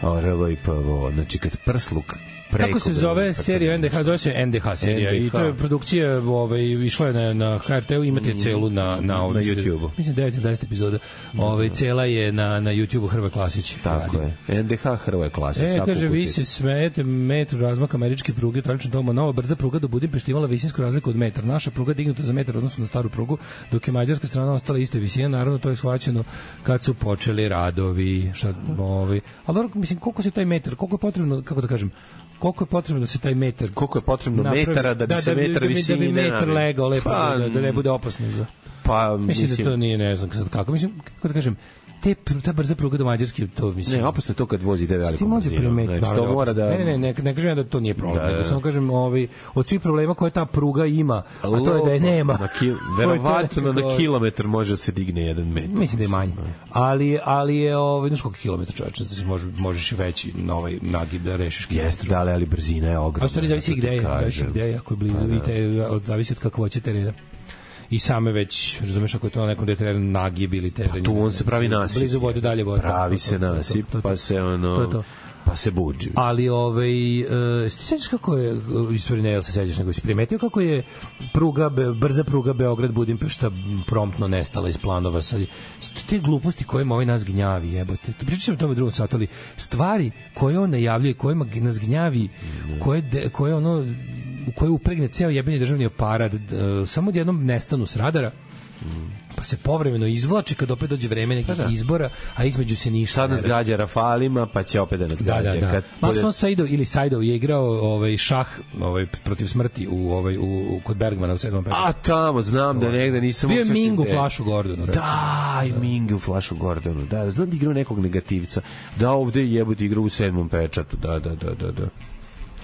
Ovo i prvo, znači kad prsluk kako se zove serija N D H, zove se N D H serija N D H. I to je produkcija, ovaj, išla je na, na H R T-u, imate je celu na, na, na YouTube-u. Mislim devet jedanaest epizoda. Ovaj, cela je na, na YouTube-u Hrvoje Klasić. Tako radi. Je. N D H Hrvoje Klasić. E, kaže, vi se smejete metru razmak američke pruge, tralično doma, nova brza pruga do Budimpešte imala visinsku razliku od metra. Naša pruga dignuta za metar odnosno na staru prugu, dok je mađarska strana ostala iste visine. Naravno, to je shvaćeno kad su počeli radovi. Šta, ovaj. Ali dobro, mislim, koliko se taj metar, koliko je potrebno, kako da kažem, koliko je potrebno da se taj metar koliko je potrebno napravi, metara da bi da, se da, metar visine da bi metar legao lepo, pa, da, da ne bude opasno za. Pa mislim, mislim da to nije, ne znam sad kako. Mislim, kako da kažem, te ta brza pruga do Mađarske, to mislim. Ne, opasno je to kad vozi ide velikom brzinom. Znači, to mora da Ne, ne, ne, ne kažem da to nije problem, da, da. Samo kažem, ovaj od svih problema koje ta pruga ima, a to je da je nema. Na kil, verovatno na kilometar može se digne jedan metar. Mislim da je manje. Ali ali je ovaj znaš koliko kilometar čoveče, da se može možeš veći na ovaj nagib da rešiš. Jeste, da, ali brzina je ogromna. A to zavisi gde je, zavisi gde je, ako je blizu i te zavisi od kakvoće terena. I same već, razumeš, ako je to na nekom teren nagib ili teren. Tu on se pravi nasip. Blizu vode, dalje vode. Pravi se nasip, pa se ono... To je to. Pa se buđi. Ali, ovaj, uh, ti sećaš kako je, istori ne, jel se sećaš, nego si primetio kako je pruga, brza pruga Beograd-Budimpešta promptno nestala iz planova. Sad, te gluposti kojima ovaj nas gnjavi, jebote. Pričam o tome u drugom satu, ali stvari koje on najavljuje, kojima nas gnjavi, koje, de, koje ono... u kojoj upregne ceo jebeni državni aparat, samo jednom nestanu s radara, pa se povremeno izvlači kad opet dođe vreme nekih da, da. izbora, a između se ništa. Sad nas gađa Rafalima, pa će opet da nas gađa. Da, da, da. Kad Max bude... von Sydow ili Sydow je igrao ovaj šah ovaj protiv smrti u ovaj u, u kod Bergmana u sedmom petu. A tamo znam da negde nisam. Bio je Ming u Flashu Gordonu. Da, i Ming u Flashu Gordonu. Da, da, znam da igrao nekog negativca. Da, ovde je jebote igrao u sedmom pečatu. Da, da, da, da, da.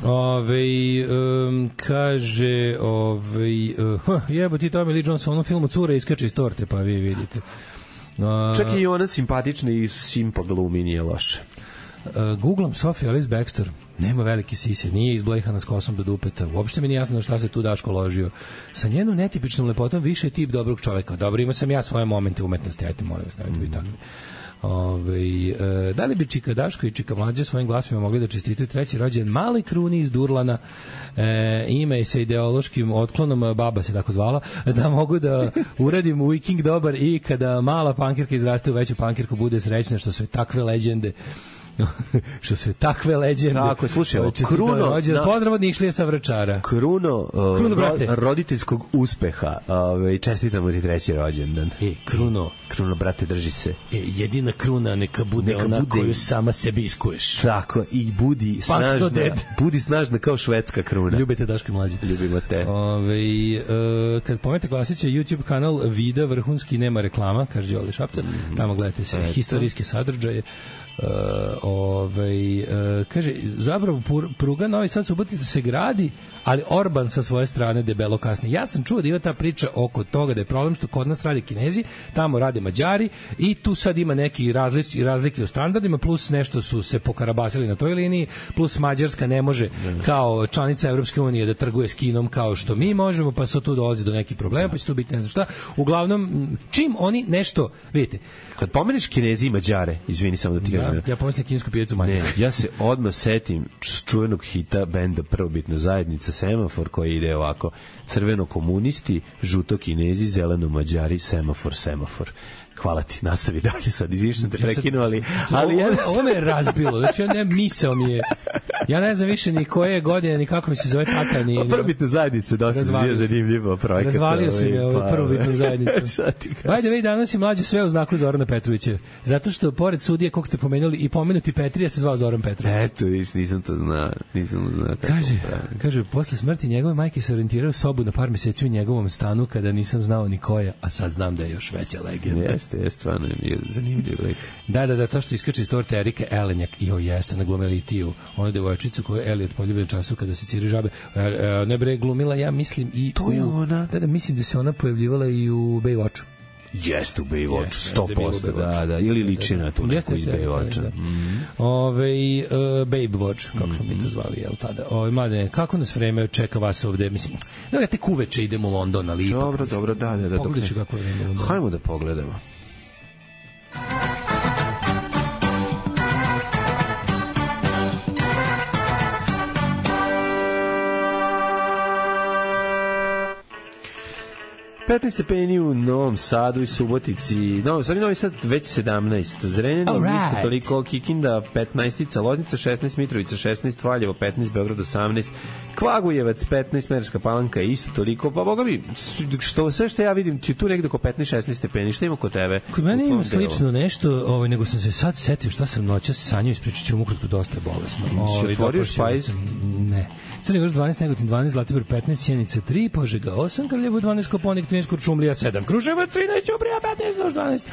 Ove, um, kaže ove, uh, jebo ti Tommy Lee Jones u onom filmu Cura iskače iz torte, pa vi vidite. Uh, Čak i ona simpatična i simpa glumi, nije loše. Uh, Googlam Sophie Alice Baxter, nema velike sise, nije izblejhana s kosom do dupeta, uopšte mi nije jasno šta se tu Daško ložio. Sa njenom netipičnom lepotom više je tip dobrog čoveka. Dobro, imao sam ja svoje momente umetnosti, ajte molim vas, nemojte biti takvi. Ove, e, da li bi Čika Daško i Čika Mlađa svojim glasima mogli da čestitaju treći rođen mali kruni iz Durlana, e, ime je sa ideološkim otklonom, baba se tako zvala, da mogu da uradim Viking dobar i kada mala pankirka izraste u veću pankirku bude srećna što su takve leđende što su takve leđende. Tako, slušaj, Kruno, na... pozdrav od Nišlije sa Vračara. Kruno, uh, Kruno ro, roditeljskog uspeha. Ove, čestitamo ti treći rođendan. E, Kruno, Kruno, brate, drži se. E, jedina kruna neka bude neka ona bude... koju sama sebi iskuješ. Tako, i budi snažna. Budi snažna kao švedska kruna. Ljubite Daško Mlađe. Ljubimo te. Ove, uh, kad pomete klasiće YouTube kanal Vida vrhunski, nema reklama, kaže Đole Šapca. Mm. Tamo gledajte se historijske sadržaje. Uh, ovaj, uh, kaže, zapravo pruga Novi Sad Subotica se gradi, ali Orban sa svoje strane debelo kasni. Ja sam čuo da ima ta priča oko toga da je problem što kod nas rade Kinezi, tamo rade Mađari i tu sad ima neki različ, razlike u standardima, plus nešto su se pokarabasili na toj liniji, plus Mađarska ne može kao članica Evropske unije da trguje s Kinom kao što mi možemo, pa se tu dolazi do nekih problema, pa će tu biti ne znam šta. Uglavnom, čim oni nešto, vidite, kad pomeneš Kinezi i Mađare, izvini samo da ti kažem. Ja pomislim kinesku pijacu Mađarsku. Ja se odmah setim čuvenog hita benda Prvobitna zajednica Semafor koji ide ovako: crveno komunisti, žuto Kinezi, zeleno Mađari, semafor, semafor. Hvala ti, nastavi dalje sad, izviš sam te prekinuo, ali... ali ovo, ovo me je razbilo, znači ja ne misao mi je, ja ne znam više ni koje godine, ni kako mi se zove tata, ni... Prvobitna zajednica, dosta se bio zanimljivo projekat. Razvalio si me ovaj prvobitnu zajednicu. Ajde, vidi, danas je mlađe sve u znaku Zorana Petrovića, zato što pored sudije kog ste pomenuli i pomenuti Petrija se zvao Zoran Petrović. Eto, viš, nisam to znao, nisam znao. Kaže, kaže, posle smrti njegove majke se orijentirao sobu na par meseci u njegovom stanu kada nisam znao ni koja, a sad znam da je još veća legenda. Jeste, jeste, stvarno je zanimljiv lik. Da, da, da, to što iskače iz torte Erike Elenjak, i o jeste, na glumeli Tiju, onu devojčicu koju je Elliot poljubljen času kada se ciri žabe. E, e, ne bre, glumila, ja mislim i to je u, ona. Da, da, mislim da se ona pojavljivala i u Baywatchu. Jeste u Baywatchu, sto posto, da, da, ili liči na tu neku iz Baywatcha. Da. Mm. Ove, uh, Babe Watch, kako smo mi to zvali, jel tada? Ove, mlade, kako nas vreme čeka vas ovde? Mislim, da tek uveče idemo u London, ali ipak. Dobro, dobro, da, da, da. Pogledat ću kako je u London. Hajmo da pogledamo. petnaest stepeni u Novom Sadu i Subotici. No, sorry, Novi Sad već sedamnaest. Zrenjanin right. Isto toliko, Kikinda petnaest, Loznica šesnaest, Mitrovica šesnaest, Valjevo petnaest, Beograd osamnaest, Kvagujevac petnaest, Merska Palanka isto toliko. Pa boga mi, što, sve što ja vidim, ti tu negde oko petnaest šesnaest stepeni. Šta ima kod tebe? Kod mene ima slično nešto, ovaj, nego sam se sad setio šta sam noćas sanjao, ispričat ću vam ukratko, dosta je bolesno. Ovaj, otvorio špajz? Ne. Crni Vrh dvanaest, Negotin dvanaest, Zlatibor petnaest, Sjenica tri, Požega osam, Kraljevo dvanaest, Koponik trinaest, Kuršumlija sedam, Kruševac trinaest, Ćuprija petnaest, Niš dvanaest,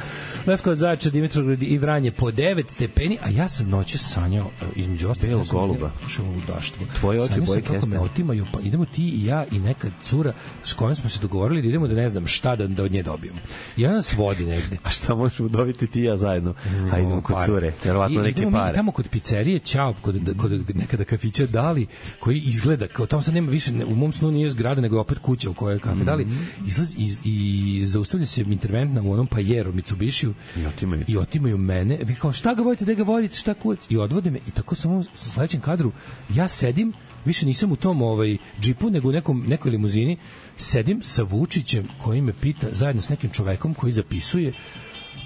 Leskovac, Zaječar, Dimitrovgrad i Vranje po devet stepeni, a ja sam noće sanjao između ostalog Belog goluba. Ludaštvo. Tvoje oči boje kako me otimaju, pa idemo ti i ja i neka cura s kojom smo se dogovorili da idemo da ne znam šta da, da od nje dobijemo. I ona nas vodi negde. A šta možemo dobiti ti i ja zajedno? A idemo kod cure, verovatno neke pare. Tamo kod pizzerije Ćao, kod, kod nekada kafića Dali, koji izgleda kao tamo sad nema više, u mom snu nije zgrada nego je opet kuća u kojoj je kafe Dali, izlazi i, i zaustavlja se interventna u onom Pajeru Mitsubishiju i otimaju. i otimaju mene. Vi kao šta ga vodite, da ga vodite, šta kurac? I odvode me i tako samo u sledećem kadru ja sedim, više nisam u tom ovaj džipu nego u nekom nekoj limuzini, sedim sa Vučićem koji me pita zajedno s nekim čovekom koji zapisuje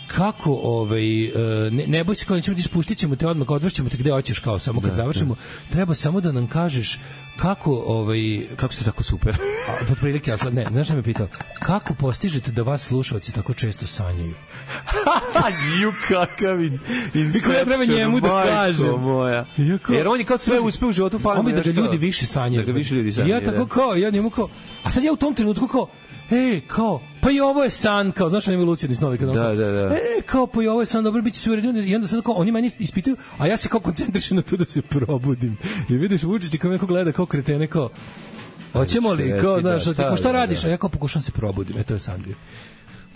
kako ovaj ne, ne boj se kao nećemo ti spuštit ćemo te odmah, odvršćemo te gde hoćeš kao samo kad da, završimo da. Treba samo da nam kažeš kako ovaj kako ste tako super. A po prilike ja ne, znaš šta me pitao? Kako postižete da vas slušaoci tako često sanjaju? Ju kakav in. Kako ja treba njemu da kažem moja. Jer on je kao sve uspeo u životu, fali mu da ga ljudi više sanjaju. Da ga više ljudi sanjaju. Ja tako kao ja njemu kao a sad ja u tom trenutku kao ej, kao, pa i ovo je san, kao, znaš, oni mi lucidni snovi, kada da, da, da. E, kao, pa i ovo je san, dobro, bit će sve u redu, i onda sad kao, oni meni ispituju, a ja se kao koncentrišem na to da se probudim. I vidiš, Vučić kao neko gleda, kao kretene, kao, hoćemo li, kao, znaš, da, šta, šta radiš, a ja kao pokušam se probudim, e, to je san bio.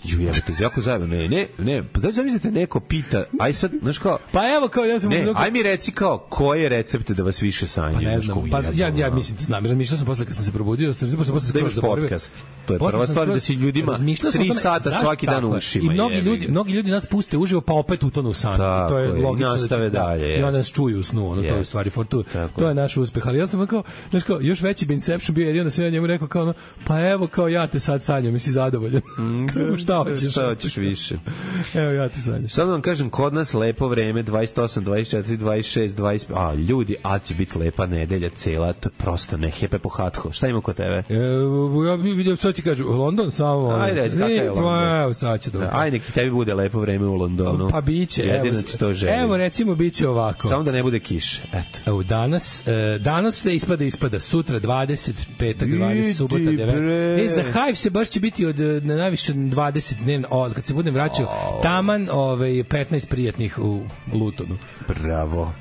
Ju, ja to jako zajedno. Ne, ne, ne, pa da zamislite neko pita, aj sad, znaš kao, pa evo kao ja sam ne, aj mi reci kao koje recepte da vas više sanjaju. Pa ne znam, pa ja ja mislim da znam, razmišljao sam posle kad sam se probudio, sam posle posle skroz zaboravio podcast. To je prva stvar da se ljudima tri sata svaki dan u ušima. I mnogi ljudi, mnogi ljudi nas puste uživo pa opet utonu u san. To je logično da dalje. I onda nas čuju u snu, ono to je stvari fortu. To je naš uspeh, ali ja sam kao, znaš kao, još veći Inception bio jedino sve njemu rekao kao, pa evo kao ja te sad sanjam, jesi zadovoljan. Šta hoćeš? Šta hoćeš više? Evo ja ti sanjam. Samo vam kažem, kod nas lepo vreme, dvadeset osam, dvadeset četiri, dvadeset šest, dvadeset pet. A, ljudi, a će biti lepa nedelja cela, to je prosto ne hepe po hatko. Šta ima kod tebe? E, ja vidio, sad ti kažem, London samo... Ajde, reći, kakav je London? Evo, sad ću dobro. Ajde, neki tebi bude lepo vreme u Londonu. Pa biće, jedino evo, ti to želim. Evo, recimo, biće ovako. Samo da ne bude kiše, eto. Evo, danas, danas se ispada, ispada, sutra dvadeset, petak dvadeset, subota devet. E, za Hive se baš će biti od na najviše dvadeset dnevno, od kad se budem vraćao, oh. taman ovaj, petnaest prijatnih u Lutonu. Bravo.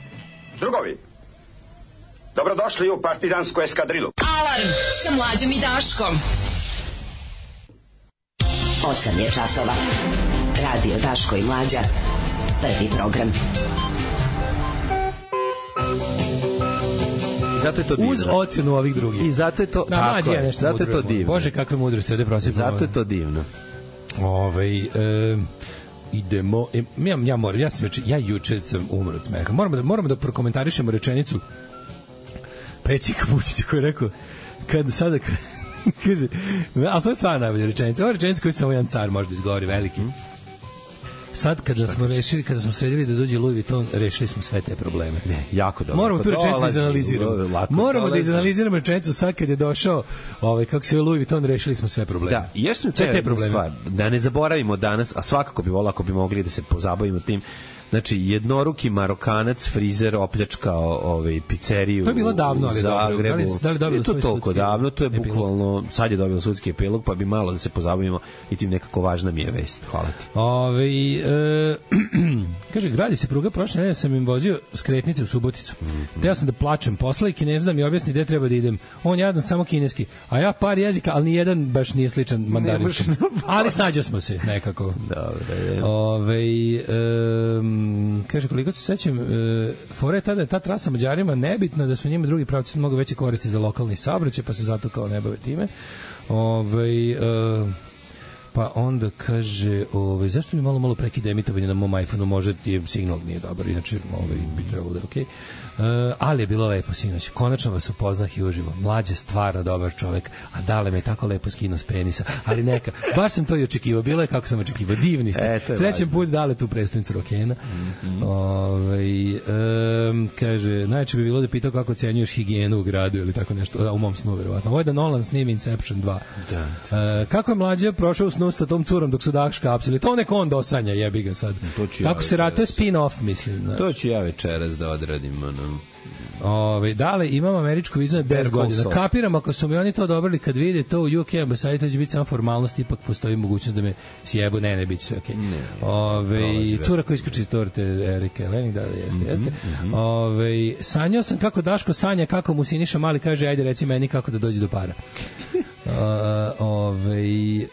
Drugovi, dobrodošli u partizansku eskadrilu. Alarm sa Mlađom i Daškom. osam je časova. Radio Daško i Mlađa. Prvi program. I zato je to divno. Uz ocenu ovih drugih. I zato je to, na, tako je, je, zato je to divno. Bože, kakve mudrosti ovde prosjeku. Zato je to divno. Ovaj e, idemo e, ja ja moram ja sam već ja juče sam umro od smeha. Moramo da moramo da prokomentarišemo rečenicu predsjednika Vučića koji je rekao kad sada kaže, a to je stvarno najbolja rečenica. Ova rečenica koju samo jedan car može da izgovori veliki. Sad kada smo rešili, kada smo sredili da dođe Louis Vuitton, rešili smo sve te probleme. Ne, jako dobro. Moramo tu rečenicu izanaliziramo. Moramo da izanaliziramo rečenicu sad kad je došao, ovaj kako se Louis Vuitton, rešili smo sve probleme. Da, i još smo te, te probleme. Stvar, da ne zaboravimo danas, a svakako bi volao ako bi mogli da se pozabavimo tim. Znači, jednoruki Marokanac, frizer, opljačkao ovaj, pizzeriju. To je bilo davno, ali dobro. Da li, da li dobilo to toliko davno, to je bukvalno, sad je dobilo sudski epilog, pa bi malo da se pozabavimo i tim nekako važna mi je vest. Hvala ti. Ove, e, kaže, gradi se pruga, prošle nedelje sam im vozio skretnice u Suboticu. Mm -hmm. Teo sam da plačem posla i Kinez da mi objasni gde treba da idem. On jadan samo kineski, a ja par jezika, ali nijedan baš nije sličan mandarinskom. Ali snađo smo se nekako. Dobre. Ove, e, kaže, koliko se sećam, e, fora je tada, ta trasa Mađarima nebitna, da su njima drugi pravci mogu veće koristi za lokalni saobraćaj, pa se zato kao ne bave time. Ove, e, pa onda kaže, ove, zašto mi malo malo prekida emitovanje na mom iPhoneu, može ti signal nije dobar, inače ove, bi trebalo da je okej. Okay. Uh, ali je bilo lepo sinoć. Konačno vas upoznah i uživo. Mlađe stvarno dobar čovek, a Dale me je tako lepo skinuo s penisa. Ali neka, baš sam to i očekivao. Bilo je kako sam očekivao. Divni ste. E, srećan put Dale tu predstavnicu rokena. Mm -hmm. Ove, um, kaže, najče bi bilo da pitao kako ocenjuješ higijenu u gradu ili tako nešto. U mom snu, verovatno. Ovo je da Nolan snimi Inception dva. Da, da. Uh, kako je Mlađe prošao u snu sa tom curom dok su dah škapsili? To neko on dosanja, jebi ga sad. Kako ja se ratuje spin-off, mislim. Da. To ću ja večeras da odradim, ono. Ove, dale, imam američku vizu na deset godina. Kapiram, ako su mi oni to odobrili kad vide to u U K ambasadi, to će biti samo formalnost, ipak postoji mogućnost da me sjebu. Ne, ne, bit će sve okej. Okay. Ove, cura koja iskače iz torte Erike Lening, da, da, jeste, mm -hmm, jeste. Mm -hmm. Ove, sanjao sam kako Daško sanja, kako mu Siniša Mali kaže, ajde reci meni kako da dođe do para. Uh, ove, e,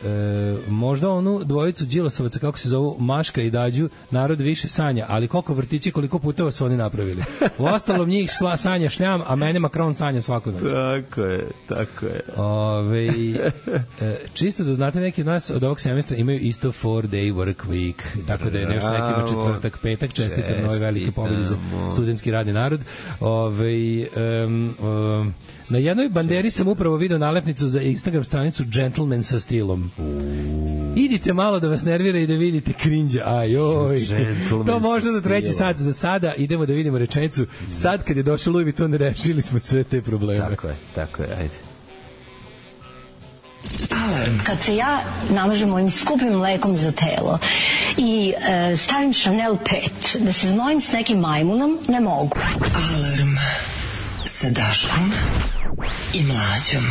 možda onu dvojicu Đilasovaca, kako se zovu, Maška i Dađu, narod više sanja, ali koliko vrtići, koliko puteva su oni napravili. U ostalom njih sla, sanja šljam, a mene Macron sanja svaku noć. Tako je, tako je. Ove, e, čisto da znate, neki od nas od ovog semestra imaju isto four day work week, tako da je nešto nekima četvrtak, petak, čestitam nove velike pobjede za studentski radni narod. Ove, um, um, na jednoj banderi sam upravo video nalepnicu za Instagram stranicu Gentleman sa stilom. Uuu. Idite malo da vas nervira i da vidite cringe. Ajoj. To možda za treći sat. Za sada idemo da vidimo rečenicu. Sad kad je došao Louis Vuitton, rešili smo sve te probleme. Tako je, tako je, ajde. Alarm. Kad se ja namažem ovim skupim mlekom za telo i e, stavim Chanel pet, da se znojim s nekim majmunom, ne mogu. Alarm sa Daškom i Mlađom.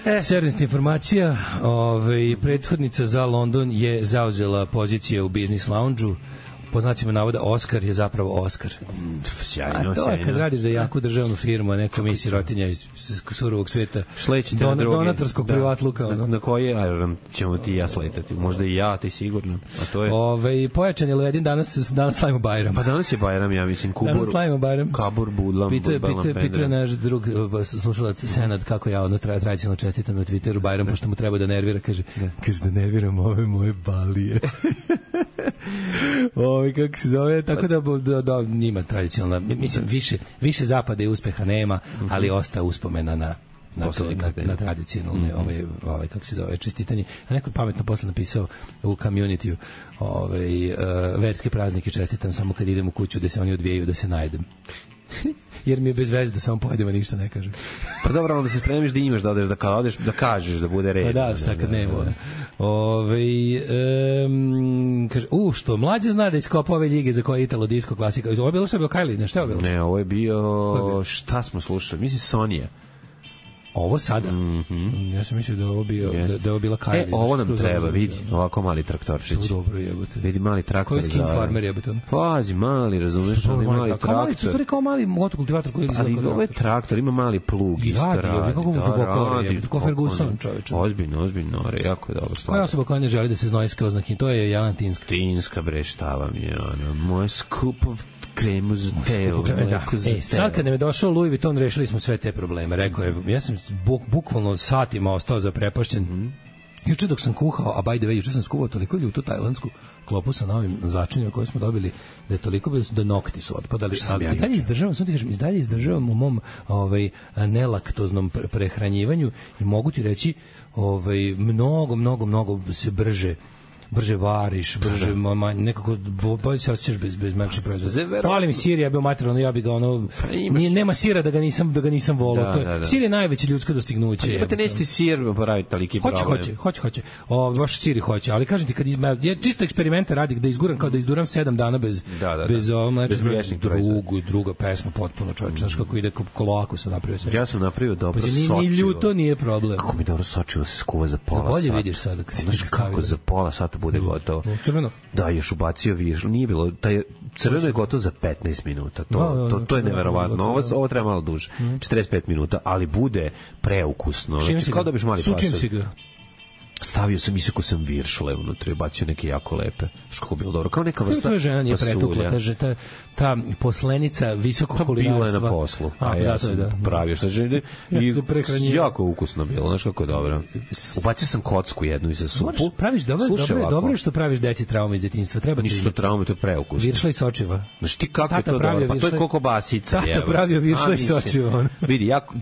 E, servisna informacija, ovaj, prethodnica za London je zauzela pozicije u Business Lounge-u. Po znacima navoda Oskar je zapravo Oskar. Sjajno, a to je kad radiš za jaku državnu firmu, a neka mi sirotinja iz surovog sveta, Don, donatorskog da, privatluka. Na, na koji aerodrom ćemo ti i ja sletati? Možda i ja, ti sigurno. A to je... Ove, pojačan je Ledin, danas, danas slavimo Bajram. Pa danas je Bajram, ja mislim. Kubur, danas slavimo Bajram. Kabur, Budlam, Pitao je pita naš drug slušalac Senad kako ja ono tra, tradicionalno čestitam na Twitteru Bajram, pošto mu treba da nervira, kaže da, kaže da nerviram ove moje balije. Ovi, kako se zove, tako da, da, da njima tradicionalna, mislim, više, više zapada i uspeha nema, ali ostaje uspomena na na, to, na, na tradicionalne mm -hmm. ovaj, ovaj, kako se zove, čestitanje. A neko pametno posle napisao u community-u ovaj, uh, verske praznike čestitam samo kad idem u kuću da se oni odvijaju, da se najedem. Jer mi je bez veze da samo pojedem, a ništa ne kažem. Pa dobro, onda se spremiš da imaš, da odeš, da kao odeš, da kažeš, da bude red. Pa da, sad kad nema. Ove, um, kaže, u, što, Mlađe zna da iskopa ove ljige za koje je Italo disco klasika. Ovo je bilo što je bilo Kylie, ne, šta je bilo? Ne, ovo je bio, šta smo slušali? Mislim, Sonija. Ovo sada? Mm -hmm. Ja sam mislio da ovo bio yes. da, da ovo bila Kylie. E, ovo nam treba, vidi, ovako mali traktorčić. Što dobro jebote. Vidi mali traktor. Koji skins farmer jebote? Pazi, mali, razumeš, ali mali traktor. Kao mali, to je kao mali motokultivator koji izgleda. Ali ovo je traktor, ima mali plug isto radi. Radi, kako mu duboko je, ko Ferguson, čoveče. Ozbiljno, ozbiljno, jako je dobro. Koja osoba koja ne želi da se znoji skroz na kin, to je Jelena Tinska. Tinska, bre, šta vam je, ono, moj skup of kremu za telo. Da. E, sad kad nam je došao Louis Vuitton, rešili smo sve te probleme. Rekao je, ja sam buk, bukvalno satima ostao zaprepašćen. Mm. Juče dok sam kuhao, a by the way, juče sam skuvao toliko ljutu tajlandsku klopu sa novim začinima koje smo dobili, da je toliko bilo da nokti su otpadali. Ali ja dalje izdržavam, sam ti kažem, dalje izdržavam u mom ovaj, nelaktoznom prehranjivanju i mogu ti reći ovaj, mnogo, mnogo, mnogo se brže brže variš, brže mama, nekako bolje se osjećaš bez bez mlečnih proizvoda. Fali mi sir, ja bih materijalno, ja bih ga ono pa nije, nema sira da ga nisam da ga nisam voleo. Da, to je da, da. Sir je najveće ljudsko dostignuće. Pa te nećete sir popraviti toliki problem. Hoće, hoće, hoće, hoće. O, baš sir hoće, ali kažem ti kad izma, ja čisto eksperimente radi da izguram kao da izduram sedam dana bez da, da, da. bez ovog mlečnih drugu druga pesma potpuno čovjek, znaš kako ide kolako se napravio sve. Ja sam napravio dobro sočivo. Ni ljuto nije problem. Kako mi dobro sočivo se skuva za pola sata. Bolje vidiš sada kad znaš kako za pola sata bude gotovo. Crveno. Da, još ubacio viš, nije bilo, taj crveno je gotovo za petnaest minuta. To da, da, to to je neverovatno. Ovo ovo treba malo duže. četrdeset pet minuta, ali bude preukusno. Znači kao da biš mali pasulj. Stavio sam, iseko sam viršle unutra, bacio neke jako lepe. Što kako bilo dobro, kao neka vrsta. Tvoja žena nije pretukla, ta, ta, ta poslenica visokog kulinarstva. Bila je na poslu, a, a ja sam da, pravio što žene i jako ukusno bilo, znaš kako je dobro. Ubacio sam kocku jednu i za supu. Moraš, praviš dobro, dobro, dobro što praviš deci traume iz detinjstva. Treba nisu to traume, to je preukusno. Viršla i sočiva. Znaš ti kako je to dobro? Pa to je koliko basica. Tata pravio viršla i sočiva. Vidi, jako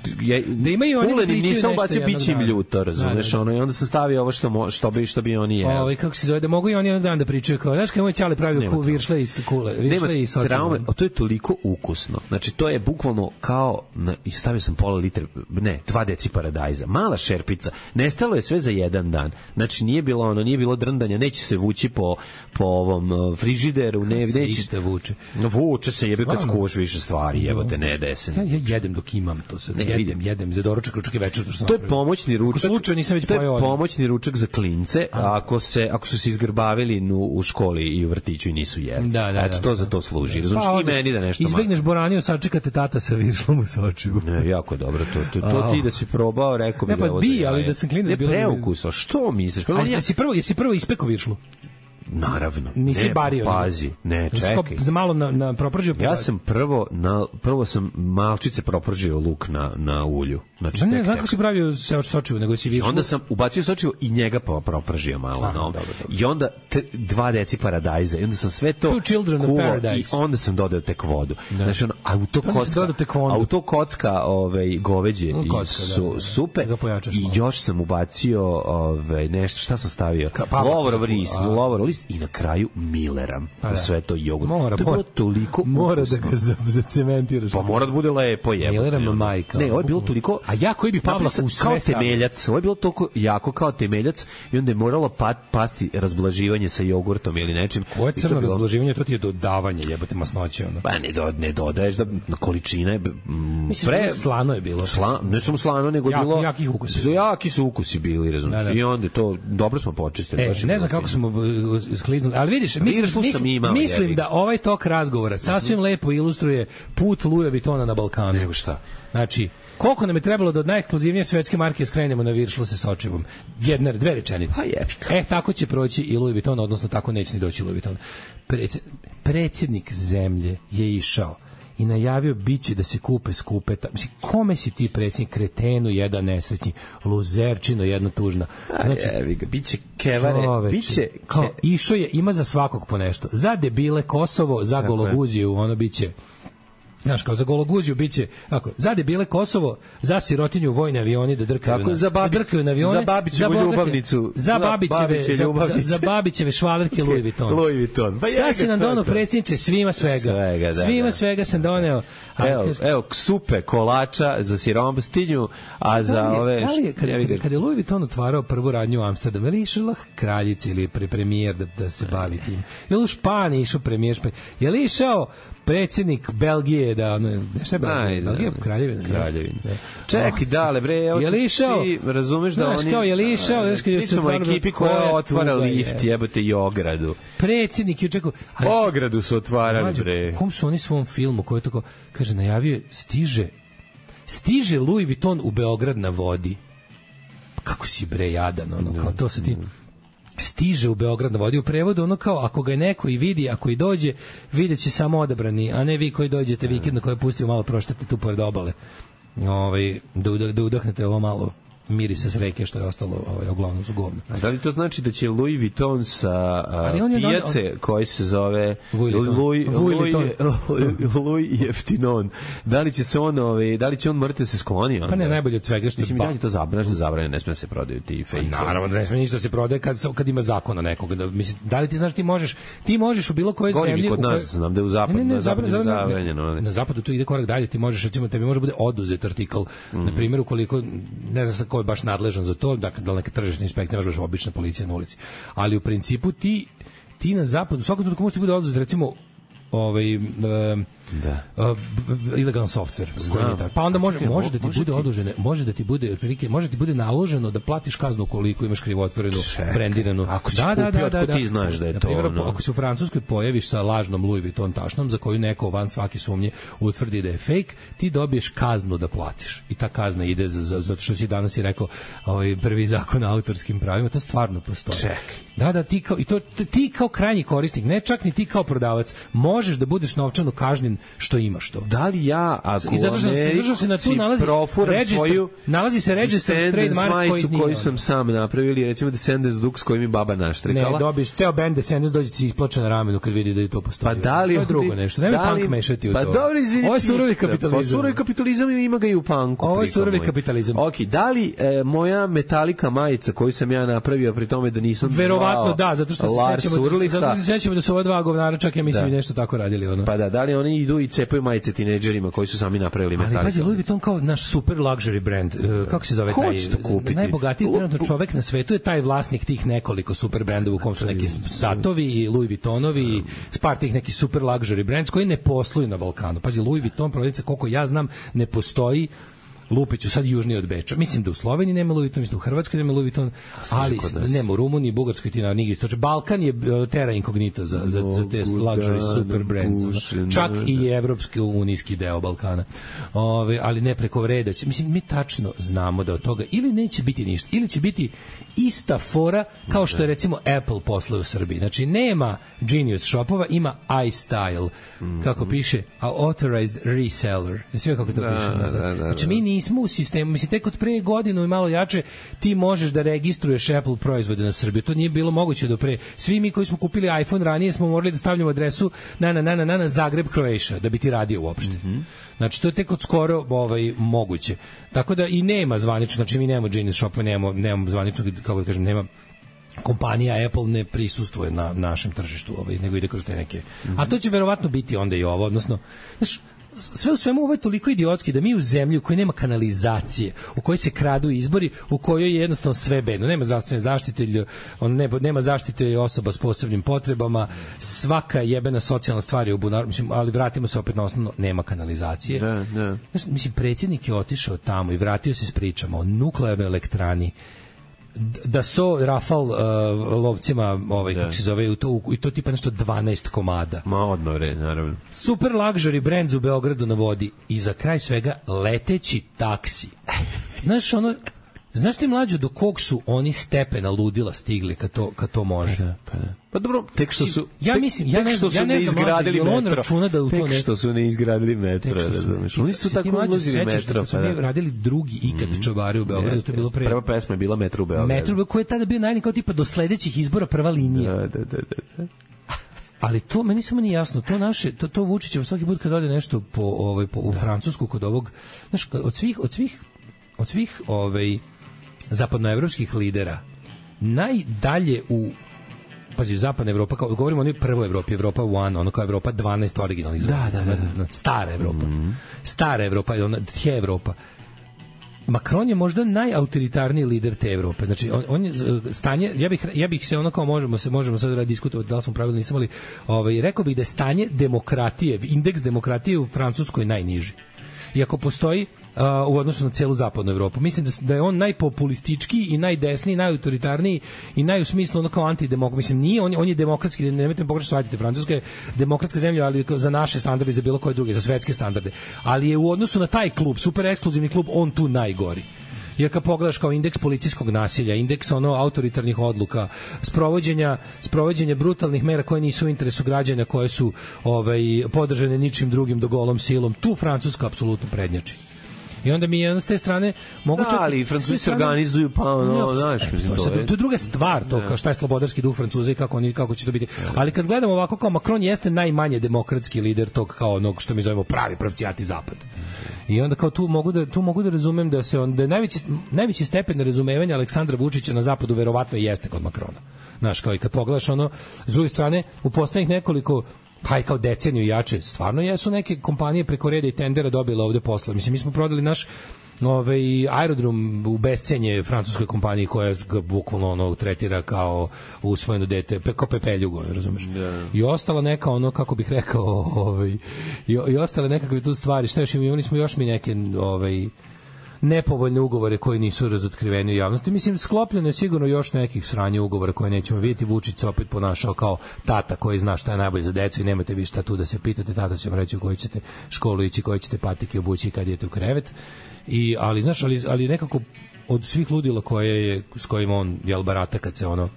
da imaju oni nisam ubacio bićim ljuto, razumeš, ono i onda sam stavio ovo što, mo, što, bi, što bi oni jeli. Ovaj kako se zove, da mogu i oni jednog dana da pričaju kao, znaš kako moj ćale pravio ku viršle iz kule, viršle i sočiva. Traume, to je toliko ukusno. Znači, to je bukvalno kao, na, i stavio sam pola litre, ne, dva deci paradajza. Mala šerpica. Nestalo je sve za jedan dan. Znači, nije bilo ono, nije bilo drndanja, neće se vući po, po ovom frižideru, ne, neće se vuče. Vuče se, jebe kad skuvaš više stvari, jebote, ne desen. Ja, ja jedem dok imam to sad. Jedem, jedem, jedem za doručak, ručak i večer. To, to je pomoćni ručak. Slučajno nisam već pojeo. To je pomoćni ručak za klince, a ako se ako su se izgrbavili nu, u školi i u vrtiću i nisu jeli. Da, da, eto to da, za to služi. Da. Znači Pa, i meni da nešto. Izbegneš boraniju, sačekate tata sa viršlom u sočivu. Ne, jako dobro to. To, to ti da si probao, rekao bi ne, pa, da ovo. Bi, ali da sam klinac bilo. Ne preukusno. Što misliš? Pa jesi prvo, jesi prvo ispekao viršlu? Naravno. Nisi ne, bario. Pazi, ne, čekaj. Za malo na, na propržio. Ja sam prvo, na, prvo sam malčice propržio luk na, na ulju. Znači, ne, ne, znam kako si pravio sočivo, nego si viršlu. Onda sam ubacio sočivo i njega propržio malo. Aha, no. dobro, dobro. I onda t, dva deci paradajza. I onda sam sve to kuvao i onda sam dodao tek vodu. Da. Znači, ono, auto kocka, auto kocka ovaj, goveđe no, kocka, i su, da, da. Supe. I još sam ubacio ovaj, nešto, šta sam stavio? Lovorov list, lovorov list i na kraju Milleram. Pa sve to jogurt. Mora, to je bilo toliko mora ukusno. da ga zacementiraš. Pa mora da bude lepo je. Milleram majka. Ne, ovo je bilo toliko. A ja koji bi Pavla u sve kao temeljac. Ovo je bilo toliko jako kao temeljac i onda je moralo pa, pasti razblaživanje sa jogurtom ili nečim. Koje je crno bilo... razblaživanje? To ti je dodavanje, jebote masnoće. Ono. Pa ne, do, ne dodaješ da na količine. Mm, Misliš pre... da slano je bilo? Sla, ne samo slano, nego Jak, bilo... Jaki ukusi. Jaki su ukusi bili, razumiješ. Da, da. I onda to, dobro smo počistili. E, ne znam kako smo skliznuli, ali vidiš, mislim, mislim, imao, mislim da ovaj tok razgovora sasvim mm-hmm. lepo ilustruje put Louis Vuittona na Balkanu. Nego šta? Znači, koliko nam je trebalo da od najekskluzivnije svetske marke skrenemo na viršlu sa sočivom? Jedna, dve rečenice. Pa jebika. E, tako će proći i Louis Vuitton, odnosno tako neće ni doći Louis Vuitton. Predsjednik zemlje je išao i najavio biće da se kupe skupeta. Mislim, kome si ti predsjednik? Kretenu jedan nesrećni, luzerčino jedna tužna. Znači, jevi ga, biće kevare, čoveče, biće... Kao, išao je, ima za svakog po nešto. Za debile Kosovo, za tako Gologuziju, ono biće... Znaš, kao za Gologuziju biće, ako, za debile Kosovo, za sirotinju vojne avioni da drkaju, tako, na, za babi, da drkaju na avione, za Babićevu za ljubavnicu, za Babićeve, za, za, za Babićeve švalerke Louis Vuitton. Louis Vuitton. Pa šta si nam donao, predsjedniče? Svima svega. svega da, svima da. svega sam doneo. Evo, kaž... evo, supe kolača za siromstinju, a za da li, ove... Da li je, kad, kad, kad je Louis Vuitton otvarao prvu radnju u Amsterdamu, je li išla kraljica ili pre, premijer da, da se bavi tim? Je li u Španiji išao premijer Španije? Je li išao predsjednik Belgije da ono šta je Belgija, Belgija kraljevina kraljevina čekaj dale bre evo je li išao ti razumeš da oni kao je li išao znaš kad je se ekipi koja otvara lift jebote i ogradu predsjednik je čekao ogradu su otvarali bre kom su oni svom filmu koji tako kaže najavio stiže stiže Louis Vuitton u Beograd na vodi kako si bre jadan ono kao to se ti stiže u Beograd na vodi u prevodu, ono kao ako ga je neko i vidi, ako i dođe, videće samo odabrani, a ne vi koji dođete vikendno koji pustio malo proštate tu pored obale. Ovaj da, da, da udahnete ovo malo mirisa s reke što je ostalo ovaj uglavnom su govno. A da li to znači da će Louis Vuitton sa pijace koji se zove Louis Louis Jeftinon, da li će se on ovaj da li će on morati se skloni pa ne najbolje od svega što mislim da je to zabranjeno da zabranjeno ne sme se prodaju ti fake naravno da ne sme ništa se prodaje kad kad ima zakona nekog da mislim da li ti znaš ti možeš ti možeš u bilo kojoj zemlji kod nas znam da je u zapadu na zapadu zabranjeno na zapadu to ide korak dalje ti možeš recimo tebi može bude oduzet artikl na primjer ukoliko ne znam sa je baš nadležan za to, dakle da neka tržišna inspekcija može baš obična policija na ulici. Ali u principu ti ti na zapadu svakako trenutku može ti bude oduzet recimo ovaj uh, da. Uh, ilegalan softver pa onda može čekaj, može da ti može bude ti... odužene može da ti bude otprilike može ti bude naloženo da platiš kaznu koliko imaš krivotvorenu brendiranu ako da da da da, da ti znaš da je to primjer, ono. Ako se u Francuskoj pojaviš sa lažnom Louis Vuitton tašnom za koju neko van svake sumnje utvrdi da je fake ti dobiješ kaznu da platiš i ta kazna ide za za zato što si danas i rekao ovaj prvi zakon o autorskim pravima to stvarno postoji čekaj da da ti kao i to ti kao krajnji korisnik ne čak ni ti kao prodavac možeš da budeš novčano kažnjen što imaš to. Da li ja, ako I zato što se držao se na tu nalazi register, svoju nalazi se register trademark koji nije. Koju sam sam napravio, ili recimo Descendants Dux koji mi baba naštrikala. Ne, dobiš ceo band Descendants, dođe ti isplače na ramenu kad vidi da je to postoji. Pa da li to je drugo nešto, nemoj punk mešati u pa to. Pa dobro, izvinite. Ovo je surovi kapitalizam. Pa surovi kapitalizam ima ga i u punku. Ovo je surovi kapitalizam. Ok, da li e, moja Metallica majica koju sam ja napravio pri tome da nisam verovatno da, zato što se sećamo da, zato se sećamo da su ova dva govnara čak ja mislim da. I nešto tako radili ono. Pa da, da li oni idu i cepaju majice tinejdžerima koji su sami napravili Metallica. Ali pazi, Louis Vuitton kao naš super luxury brand, uh, kako se zove taj najbogatiji trenutno čovek na svetu je taj vlasnik tih nekoliko super brendova u kom su neki Satovi i Louis Vuittonovi i par tih neki super luxury brands koji ne posluju na Balkanu. Pazi, Louis Vuitton prodavnica koliko ja znam ne postoji Lupiću sad južnije od Beča. Mislim da u Sloveniji nema Louis Vuitton, mislim da u Hrvatskoj nema Louis Vuitton, ali nema u Rumuniji, Bugarskoj ti na nigi istoče. Balkan je terra incognita za, za, za te luxury super brands. Čak i evropski unijski deo Balkana. Ove, ali ne preko vreda. Mislim, mi tačno znamo da od toga ili neće biti ništa, ili će biti ista fora kao što je recimo Apple posluje u Srbiji. Znači, nema Genius shopova, ima iStyle, kako piše, a authorized reseller. Sve kako to piše. Da, da, da, znači, mi nismo u sistemu, mislim, tek od pre godinu i malo jače ti možeš da registruješ Apple proizvode na Srbiju. To nije bilo moguće do pre. Svi mi koji smo kupili iPhone ranije smo morali da stavljamo adresu na na na na na Zagreb, Croatia, da bi ti radio uopšte. Mm-hmm. Znači, to je tek od skoro ovaj, moguće. Tako da i nema zvanično, znači mi nemamo Genius Shopa, nemamo, nemamo zvanično, kako da kažem, nema kompanija Apple ne prisustvuje na našem tržištu, ovaj, nego ide kroz te neke. Mm-hmm. A to će verovatno biti onda i ovo, odnosno, znaš, sve u svemu ovo je toliko idiotski da mi u zemlji u kojoj nema kanalizacije, u kojoj se kradu izbori, u kojoj je jednostavno sve bedno, nema zdravstvene zaštite, on ne, nema zaštite osoba s posebnim potrebama, svaka jebena socijalna stvar je u bunaru, mislim, ali vratimo se opet na osnovno, nema kanalizacije. Da, da. Mislim, predsjednik je otišao tamo i vratio se s pričama o nuklearnoj elektrani, da so Rafal uh, lovcima ovaj kako se zove, to i to tipa nešto dvanaest komada. Ma odmore, naravno. Super luxury brand u Beogradu na vodi i za kraj svega leteći taksi. Znaš ono, znaš ti mlađo do kog su oni stepena ludila stigli kad to kad to može. Pa da, pa da. Pa dobro, tek što su ja mislim ja ne znam, ja ne znam izgradili on računa da u to ne što su ne izgradili metro, razumeš. Oni su tako ulazili metro, pa da. Radili drugi ikad čavari u Beogradu, to je bilo pre. Prva pesma je bila Metro u Beogradu. Metro koji je tada bio najavljen kao tipa do sledećih izbora prva linija. Da, da, da, da. Ali to meni samo nije jasno, to naše to to Vučićevo svaki put kad ode nešto po ovaj po u Francusku kod ovog, znaš, od svih od svih od svih ovaj zapadnoevropskih lidera najdalje u pazi, zapadna Evropa, kao govorimo o onoj prvoj Evropi, Evropa jedan, ono kao Evropa dvanaest originalnih da, da, da, da. stara Evropa. Mm-hmm. Stara Evropa, ona tje Evropa. Macron je možda najautoritarniji lider te Evrope. Znači on, on je stanje, ja bih ja bih se ono kao možemo se možemo sad da diskutovati da li smo pravilno nisam, ali ovaj rekao bih da je stanje demokratije, indeks demokratije u Francuskoj najniži. Iako postoji uh, u odnosu na celu zapadnu Evropu. Mislim da, da je on najpopulističkiji i najdesniji, najautoritarniji i naj u smislu ono kao antidemokrat. Mislim, nije, on, on je demokratski, nemojte me pogrešno shvatiti, Francuska je demokratska zemlja, ali za naše standarde, za bilo koje druge, za svetske standarde. Ali je u odnosu na taj klub, super ekskluzivni klub, on tu najgori. Jer kad pogledaš kao indeks policijskog nasilja, indeks ono autoritarnih odluka, sprovođenja, sprovođenja brutalnih mera koje nisu u interesu građana, koje su ovaj, podržane ničim drugim do golom silom, tu Francuska apsolutno prednjači. I onda mi je s te strane mogu da, ali Francuzi se organizuju pa ono, znaš, mislim, to je. To je druga stvar, to kao šta je slobodarski duh Francuza i kako oni kako će to biti. Ali kad gledamo ovako kao Macron jeste najmanje demokratski lider tog kao onog što mi zovemo pravi pravcijati zapad. I onda kao tu mogu da tu mogu da razumem da se on da je najveći najveći stepen razumevanja Aleksandra Vučića na zapadu verovatno jeste kod Macrona. Znaš, kao i kad pogledaš ono s druge strane u poslednjih nekoliko pa i kao deceniju jače, stvarno jesu neke kompanije preko reda i tendera dobile ovde posla. Mislim, mi smo prodali naš ovaj aerodrom u bescenje francuskoj kompaniji koja ga bukvalno ono tretira kao usvojeno dete, kao pepeljugo, razumeš? Yeah. I ostala neka ono, kako bih rekao, ovaj, i, i ostale nekakve tu stvari. Šta još imali smo još mi neke ovaj, nepovoljne ugovore koji nisu razotkriveni u javnosti. Mislim, sklopljeno je sigurno još nekih sranja ugovora koje nećemo vidjeti. Vučić se opet ponašao kao tata koji zna šta je najbolje za decu i nemate vi šta tu da se pitate. Tata će vam reći u koju ćete školu ići, koji ćete patike obući kad idete u krevet. I, ali, znaš, ali, ali nekako od svih ludila koje je, s kojima on jel barata kad se ono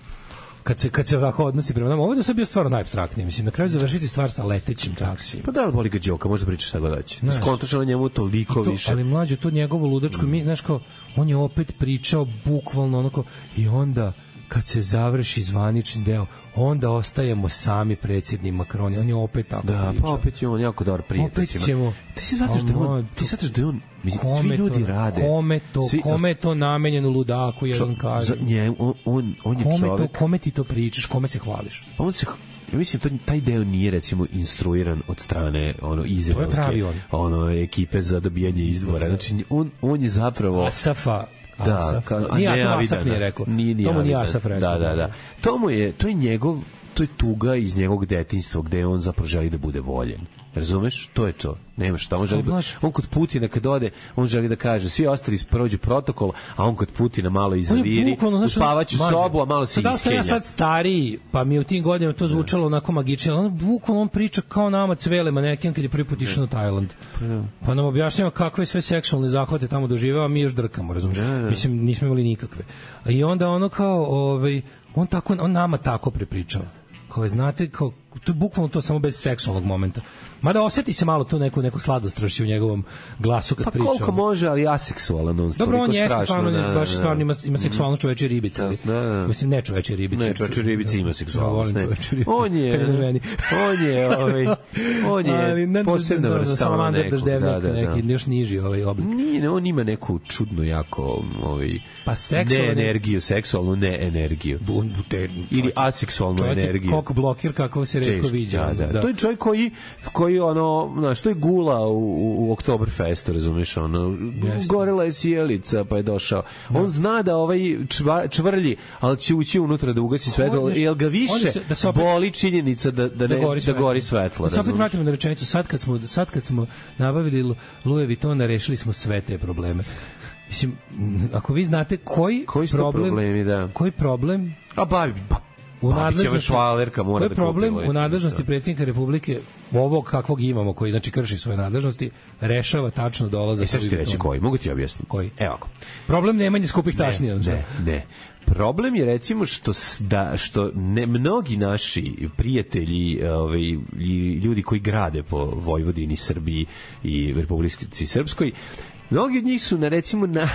kad se kad se ovako odnosi prema nama. Ovo je sad bio stvarno najapstraktniji, mislim, na kraju završiti stvar sa letećim taksijem. Pa da li boli ga Đoka, možda pričaš šta god hoće. Skontaš na njemu toliko to, više. Ali mlađe, to njegovo ludačko, mm. mi, znaš kao, on je opet pričao bukvalno onako, i onda kad se završi zvanični deo, onda ostajemo sami predsjedni Macron. On je opet tako da, pričao. Pa opet je on jako dobar prijatelj. Opet ćemo... Ti si shvataš da on... Ti shvataš da on... Svi ljudi to, rade. Kome to, svi, kome je to namenjeno ludaku, jedan kaže. Nje, on, on, on je kome čovek... To, kome ti to pričaš, kome se hvališ? Pa on se... Ja mislim, to, taj deo nije, recimo, instruiran od strane ono, izraelske ono, ekipe za dobijanje izbora. Znači, on, on je zapravo... Asafa... Da, Asaf. Ka, Nije, to Asaf nije rekao. Nije, nije to mu nije Asaf rekao. Da, da, da. To mu je, to je njegov, to je tuga iz njegovog detinjstva gde on zapravo želi da bude voljen. Razumeš? To je to. Nema šta, on želi da, on kod Putina kad ode, on želi da kaže svi ostali prođu protokol, a on kod Putina malo izaviri, u spavaću sobu, a malo se iskenja. Da sam ja sad stariji, pa mi u tim godinama to zvučalo onako magično. On bukvalno on priča kao nama Cvele maneken kad je prvi put išao na Tajland. Pa nam objašnjava kakve sve seksualne zahvate tamo doživeo, a mi još drkamo, razumiješ? Mislim, nismo imali nikakve. I onda ono kao, ovaj, on tako, on nama tako prepričava. Kao, znate, kao, to je bukvalno to samo bez seksualnog momenta. Mada osjeti se malo tu neku, neku sladostrašću u njegovom glasu kad pa priča. Pa koliko može, ali aseksualan on. Dobro, on jeste strašno, stvarno, da, baš stvarno ima, ima seksualnost mm. čovečje ribice. Ali, da, da. Mislim, ne čovečje ribice. Ne, čovečje ribice ima seksualnost. Ne. On je, on je, ovaj, on je ne, posebna vrsta. Salamander daždevnik, da, da, neki, da. još niži ovaj oblik. Nije, on ima neku čudnu jako, ovaj, pa seksualnu, ne energiju, seksualnu ne energiju. Ili aseksualnu energiju. Čovjek kok blokir, kako se retko viđa. Da, da. To je čovjek koji, koji ono, znaš, to je gula u, u, u Oktoberfestu, razumiješ, ono, gorela je sjelica, pa je došao. Da. On zna da ovaj čva, čvrlji, ali će ući unutra da ugasi svetlo, jer ga više se, da opet, boli činjenica da, da, ne, da gori svetlo. Da gori svetlo, da se opet vratimo na rečenicu, sad kad smo, sad kad smo nabavili Louis Vuittona, rešili smo sve te probleme. Mislim, ako vi znate koji, koji problem, problemi, da. koji problem, a bavi, pa, u nadležnosti švalerka mora da problem u nadležnosti predsjednika Republike ovog kakvog imamo, koji znači krši svoje nadležnosti, rešava tačno dolazak. E sad ću ti reći koji, mogu ti objasniti. Koji? Evo ako. Problem nemanje skupih tašni. Ne, ne, ne. Problem je recimo što da što ne mnogi naši prijatelji, ovaj i ljudi koji grade po Vojvodini, Srbiji i Republici Srpskoj, mnogi od njih su na recimo na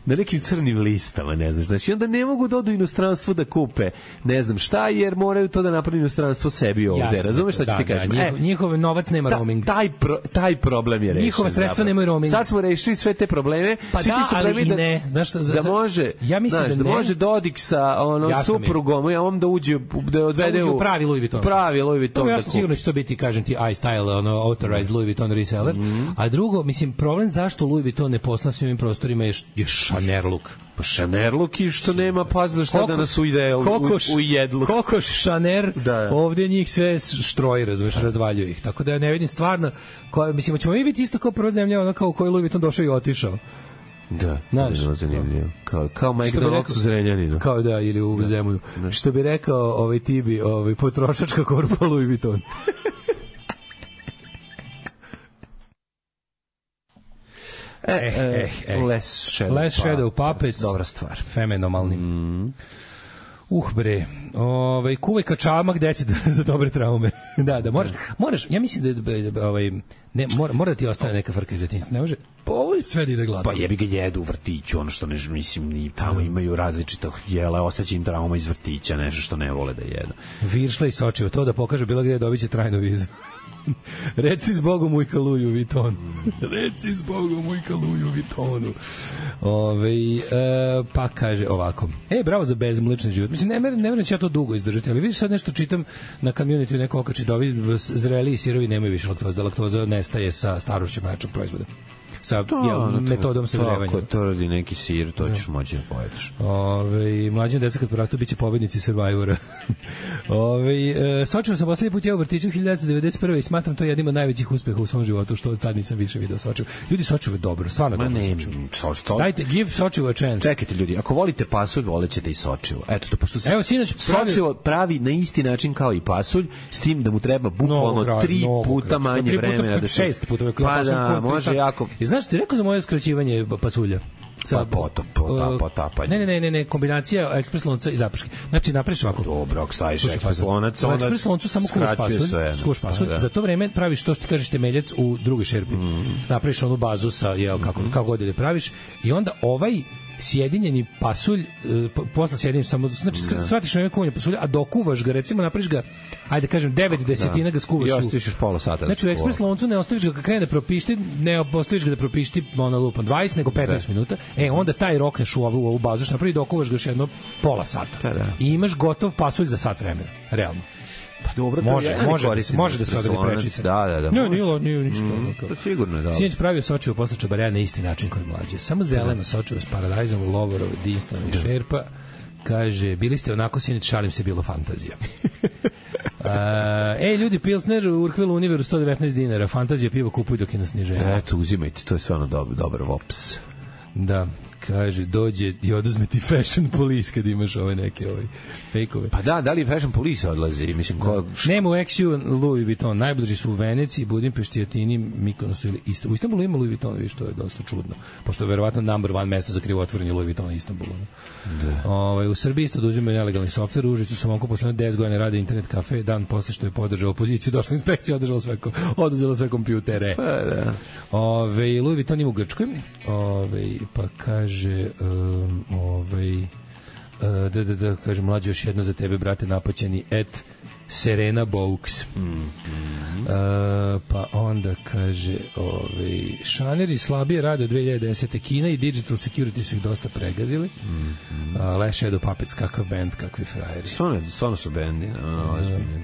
na nekim crnim listama, ne znaš, znači onda ne mogu da odu u inostranstvo da kupe, ne znam šta, jer moraju to da napravi inostranstvo sebi ovde, razumeš šta ću ti kažem? Da, njihov, njihov novac nema roaming. Taj pro, taj problem je rešen. Njihova sredstva nemaju roaming. Sad smo rešili sve te probleme, pa svi da, ti su ali da, ne, znaš šta, da može, ja mislim znaš, da, da ne, može Dodik sa ono suprugom, ja on da uđe da odvede da u pravi Louis Vuitton. Pravi Louis Vuitton. Ja sam sigurno će to biti, kažem ti, iStyle, ono authorized Louis Vuitton reseller. A drugo, mislim, problem zašto Louis Vuitton ne posla svim prostorima je je Chanel look. Pa Chanel look i što nema pas za šta da nas ujde u, u jedlu. Kokoš, Chanel, da. Ovdje njih sve štroji, razumiješ, razvaljuju ih. Tako da ja ne vidim stvarno, koja, mislim, ćemo mi biti isto kao prva zemlja, ono kao u kojoj Louis Vuitton došao i otišao. Da, znaš, to je zanimljivo. Kao, kao McDonald's u Zrenjaninu. Kao da, ili u da. Zemunu. Da. Što bi rekao ovaj Tibi, ovaj, potrošačka korpa Louis Vuitton. E, eh, eh, eh. Less Shadow, Less Shadow Puppets. Dobra stvar. Fenomenalni. Mm. Uh bre, ovaj kuvaj kačamak deci za dobre traume. da, da moraš, moraš, ja mislim da ovaj ne mora mora da ti ostane neka frka iz detinjstva, ne može. Pa ovo sve da ide glatko. Pa jebi ga jedu u vrtiću, ono što ne mislim ni tamo imaju različitih jela, ostaće im trauma iz vrtića, nešto što ne vole da jedu. Viršla i Sočivo, to da pokaže bilo gde dobiće trajnu vizu. Reci s Bogom ujka Louis Vuitton. Reci s Bogom ujka Louis Vuittonu. Ove, e, pa kaže ovako. E, bravo za bezmlečni život. Mislim, ne ne ne će ja to dugo izdržati, ali vidiš sad nešto čitam na community neko okači da ovi zreli sirovi nemaju više laktoze, da laktoza nestaje sa starošću mlečnog proizvoda. Sa to, jel, no, metodom sazrevanja. Ako to radi neki sir, to ćeš moći da pojedeš. Ove, mlađe deca kad porastu biće pobednici Survivora. Ove, e, Sočivo sam poslednji put ja u vrtiću hiljadu devetsto devedeset prve i smatram to jednim od najvećih uspeha u svom životu, što tad nisam više video Sočivo. Ljudi, Sočivo je dobro, stvarno Ma dobro ne, Sočivo. Dajte, give Sočivo a chance. Čekajte ljudi, ako volite pasulj, volećete i Sočivo. Eto to, pošto se Evo, sinoć pravi... Sočivo pravi na isti način kao i pasulj, s tim da mu treba bukvalno no, tri no, puta no, manje vremena. Da se... Šest puta. Pa da, može jako... I znaš, ti rekao za moje skraćivanje pasulja? sa potop, potap, potapanje. Ne, ne, ne, ne, kombinacija ekspres lonca i zaprške. Znači napraviš ovako. Dobro, ako staviš ekspres lonac, onda ekspres loncu samo kuvaš pasulj, skuvaš pasulj. Za to vreme praviš to što ti kažeš temeljac u drugoj šerpi. Mm. Napraviš onu bazu sa jel kako kako god da praviš i onda ovaj sjedinjeni pasulj, posle sjedinješ samo, znači shvatiš na kuvanje pasulja, a dokuvaš ga, recimo napraviš ga, ajde kažem, devet desetina ga skuvaš. I ostaviš pola sata. Znači u ekspres loncu ne ostaviš ga kad krene da propišti, ne ostaviš ga da propišti ona lupa dvadeset, nego petnaest minuta, e onda taj rokneš u ovu, u ovu bazu, što napravi dokuvaš ga još jedno pola sata. Da, da. I imaš gotov pasulj za sat vremena, realno. Pa dobro, može, ja može, da se, može da se odradi prečice. Da, da, da. Ne, nije, nije ništa. Mm, to sigurno je da. Sinoć pravio sočivo posle čabareja na isti način koji mlađe. Samo zeleno sočivo s paradajzom, lovorov, dinstvom i šerpa. Kaže, bili ste onako sinoć, šalim se, bilo fantazija. Uh, ej, ljudi, Pilsner u Urkvilu Univeru sto devetnaest dinara. Fantazija pivo kupuj dok je na sniženju. Eto, uzimajte, to je stvarno dobar, dobar vops. Da. Kaže, dođe i oduzme ti Fashion Police kad imaš ove neke ove fejkove. Pa da, da li Fashion Police odlazi? Mislim, ko... Nema u X-U Louis Vuitton, najbliži su u Veneciji, Budimpešti, Atini, Mikonosu ili Istanbulu. U Istanbulu ima Louis Vuitton, viš, to je dosta čudno. Pošto je verovatno number one mesto za krivotvorenje Louis Vuittona u Istanbulu. Da. Ove, u Srbiji isto oduzimaju nelegalni softver, u Užicu sam onko posledno deset godina radi internet kafe, dan posle što je podržao opoziciju, došla inspekcija, održala sve, oduzela sve kompjutere. Pa da. Ove, Louis Vuitton ima u Grčkoj, ove, pa kaže Um, ovaj uh, da, da, da, kažem, mlađe još jedno za tebe, brate, napaćeni et Serena Baux. Mm, mm. Uh, pa onda kaže ovaj, šaneri slabije rade od dve hiljade desete. Kina i Digital Security su ih dosta pregazili. Mm, mm. Uh, Les Shadow Puppets, kakav band, kakvi frajeri. Stvarno, stvarno su bendi. No, uh,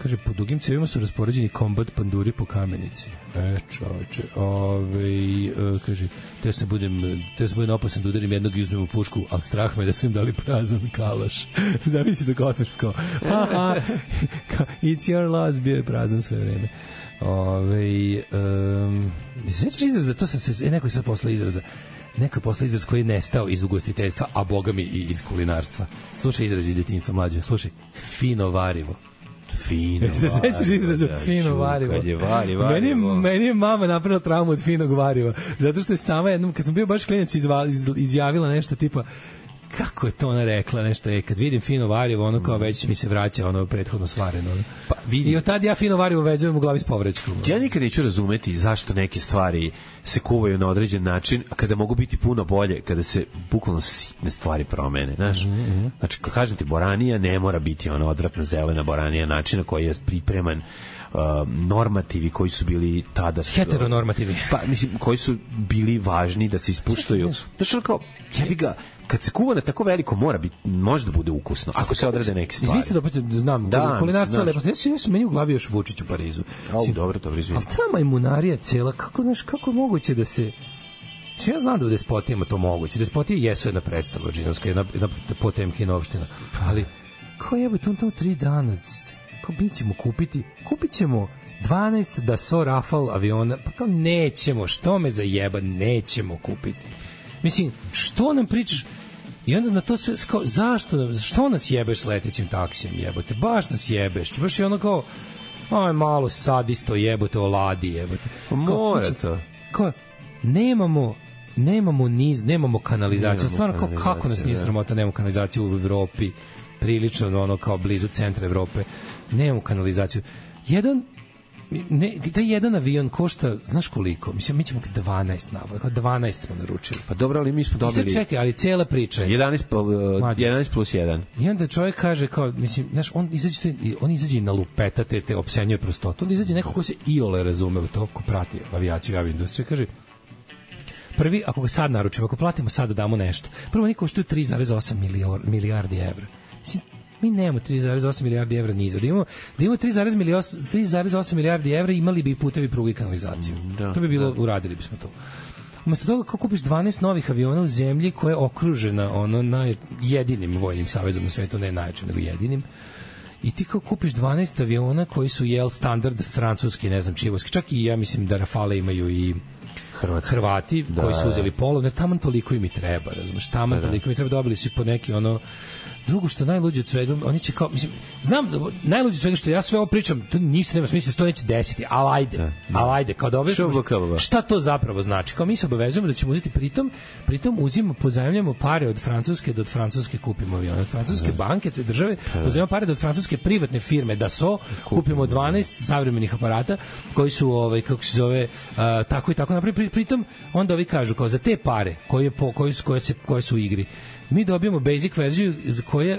kaže, po dugim cevima su raspoređeni kombat panduri po Kamenici. E, čoveče, ovaj, uh, kaže, te se budem, te se budem opasan da udarim jednog i uzmem u pušku, ali strah me da su im dali prazan kalaš. Zavisi da ga otveš kao, ha, ha, it's your loss, bio je prazan sve vreme. Ove, um, sveći izraza, to sam se, e, neko je sad posle izraza, neko je posle izraz koji je nestao iz ugostiteljstva, a boga mi i iz kulinarstva. Slušaj izraz iz detinjstva, mlađe, slušaj, fino varivo. Fino se sećaš izraza fino varivo? Kad je vari, varivo. Meni, meni je mama napravila traumu od finog variva. Zato što je sama jednom, kad sam bio baš klinac, izva, iz, izjavila nešto tipa, kako je to ona rekla, nešto je, kad vidim fino varivo, ono kao već mi se vraća ono prethodno svareno. Ono. Pa, vidi. I od tad ja fino varivo vezujem u glavi s povraćkom. Ja nikad neću razumeti zašto neke stvari se kuvaju na određen način, a kada mogu biti puno bolje, kada se bukvalno sitne stvari promene, znaš. Mm -hmm. Znači, kao kažem ti, boranija ne mora biti ona odvratna zelena boranija načina koji je pripreman, uh, normativi koji su bili tada su, heteronormativi. Pa mislim koji su bili važni da se ispuštaju. Znači, kao jebi ga, kad se kuva na tako veliko mora biti, može da bude ukusno ako se odrade neke stvari. Izvinite da opet znam, da, kulinarstvo je lepo. Ja se meni u glavi još Vučić u Parizu. Au, dobro, dobro, izvinite. Ali ta majmunarija cela, kako, znaš, kako je moguće da se... Ja znam da u despotijama to moguće. Despotije jesu jedna predstava džinovska, jedna, jedna Potemkina opština. Ali, kao jebe, tamo tamo tri dana, kao mi ćemo kupiti, kupit ćemo dvanaest Dassault Rafale aviona, pa kao nećemo, što me zajeba, nećemo kupiti. Mislim, što nam pričaš? I onda na to sve, kao, zašto, što nas jebeš s letećim taksijem, jebote? Baš nas jebeš. Baš je ono kao, aj malo sadisto, jebote, oladi, jebote. Mora to. Kao, nemamo, nemamo niz, nemamo kanalizaciju. Nemamo stvarno, kao, kako nas nije sramota, nemamo kanalizaciju u Evropi, prilično ono kao blizu centra Evrope. Nemamo kanalizaciju. Jedan ne, da jedan avion košta, znaš koliko? Mislim, mi ćemo dvanaest nabaviti, dvanaest smo naručili. Pa dobro, ali mi smo dobili... I sad čekaj, ali cela priča je... jedanaest, jedanaest plus jedan. I onda čovjek kaže, kao, mislim, znaš, on izađe, on izađe na lupeta, te, te opsenjuje prostotu, onda izađe neko ko se iole razume u to, ko prati avijaciju i aviindustriju, kaže, prvi, ako ga sad naručimo, ako platimo sad da damo nešto, prvo niko što je tri zarez osam milijardi evra. Mislim, mi nemamo tri zarez osam milijardi evra niza. Da imamo, da imamo tri zarez osam milijardi evra, imali bi i putevi, pruge i kanalizaciju. Da, to bi bilo, da. Uradili bismo to. Umesto toga, kako kupiš dvanaest novih aviona u zemlji koja je okružena ono naj, jedinim vojnim savezom na svetu, ne najjačim, nego jedinim, i ti kao kupiš dvanaest aviona koji su, jel, standard francuski, ne znam, čivoski, čak i ja mislim da Rafale imaju i Hrvatski. Hrvati da, koji su uzeli polovne, taman toliko im i treba, razumeš, taman da, toliko im treba, dobili si po neki ono. Drugo što najluđe od svega, oni će kao, mislim, znam, najluđe od svega što ja sve ovo pričam, to ništa nema smisla, to neće desiti, ali ajde, da, ali ajde, kao da obavezujemo, šta to zapravo znači? Kao mi se obavezujemo da ćemo uzeti, pritom, pritom uzimamo, pozajmljamo pare od Francuske, da od Francuske kupimo avione, od Francuske da. banke, države, pozajmljamo pare da od Francuske privatne firme, da so, kupimo dvanaest savremenih aparata, koji su, ovaj, kako se zove, uh, tako i tako napravi, pritom, onda ovi kažu, kao za te pare, koje, po, koje, su, koje, se, koje su u igri, mi dobijamo basic verziju za koje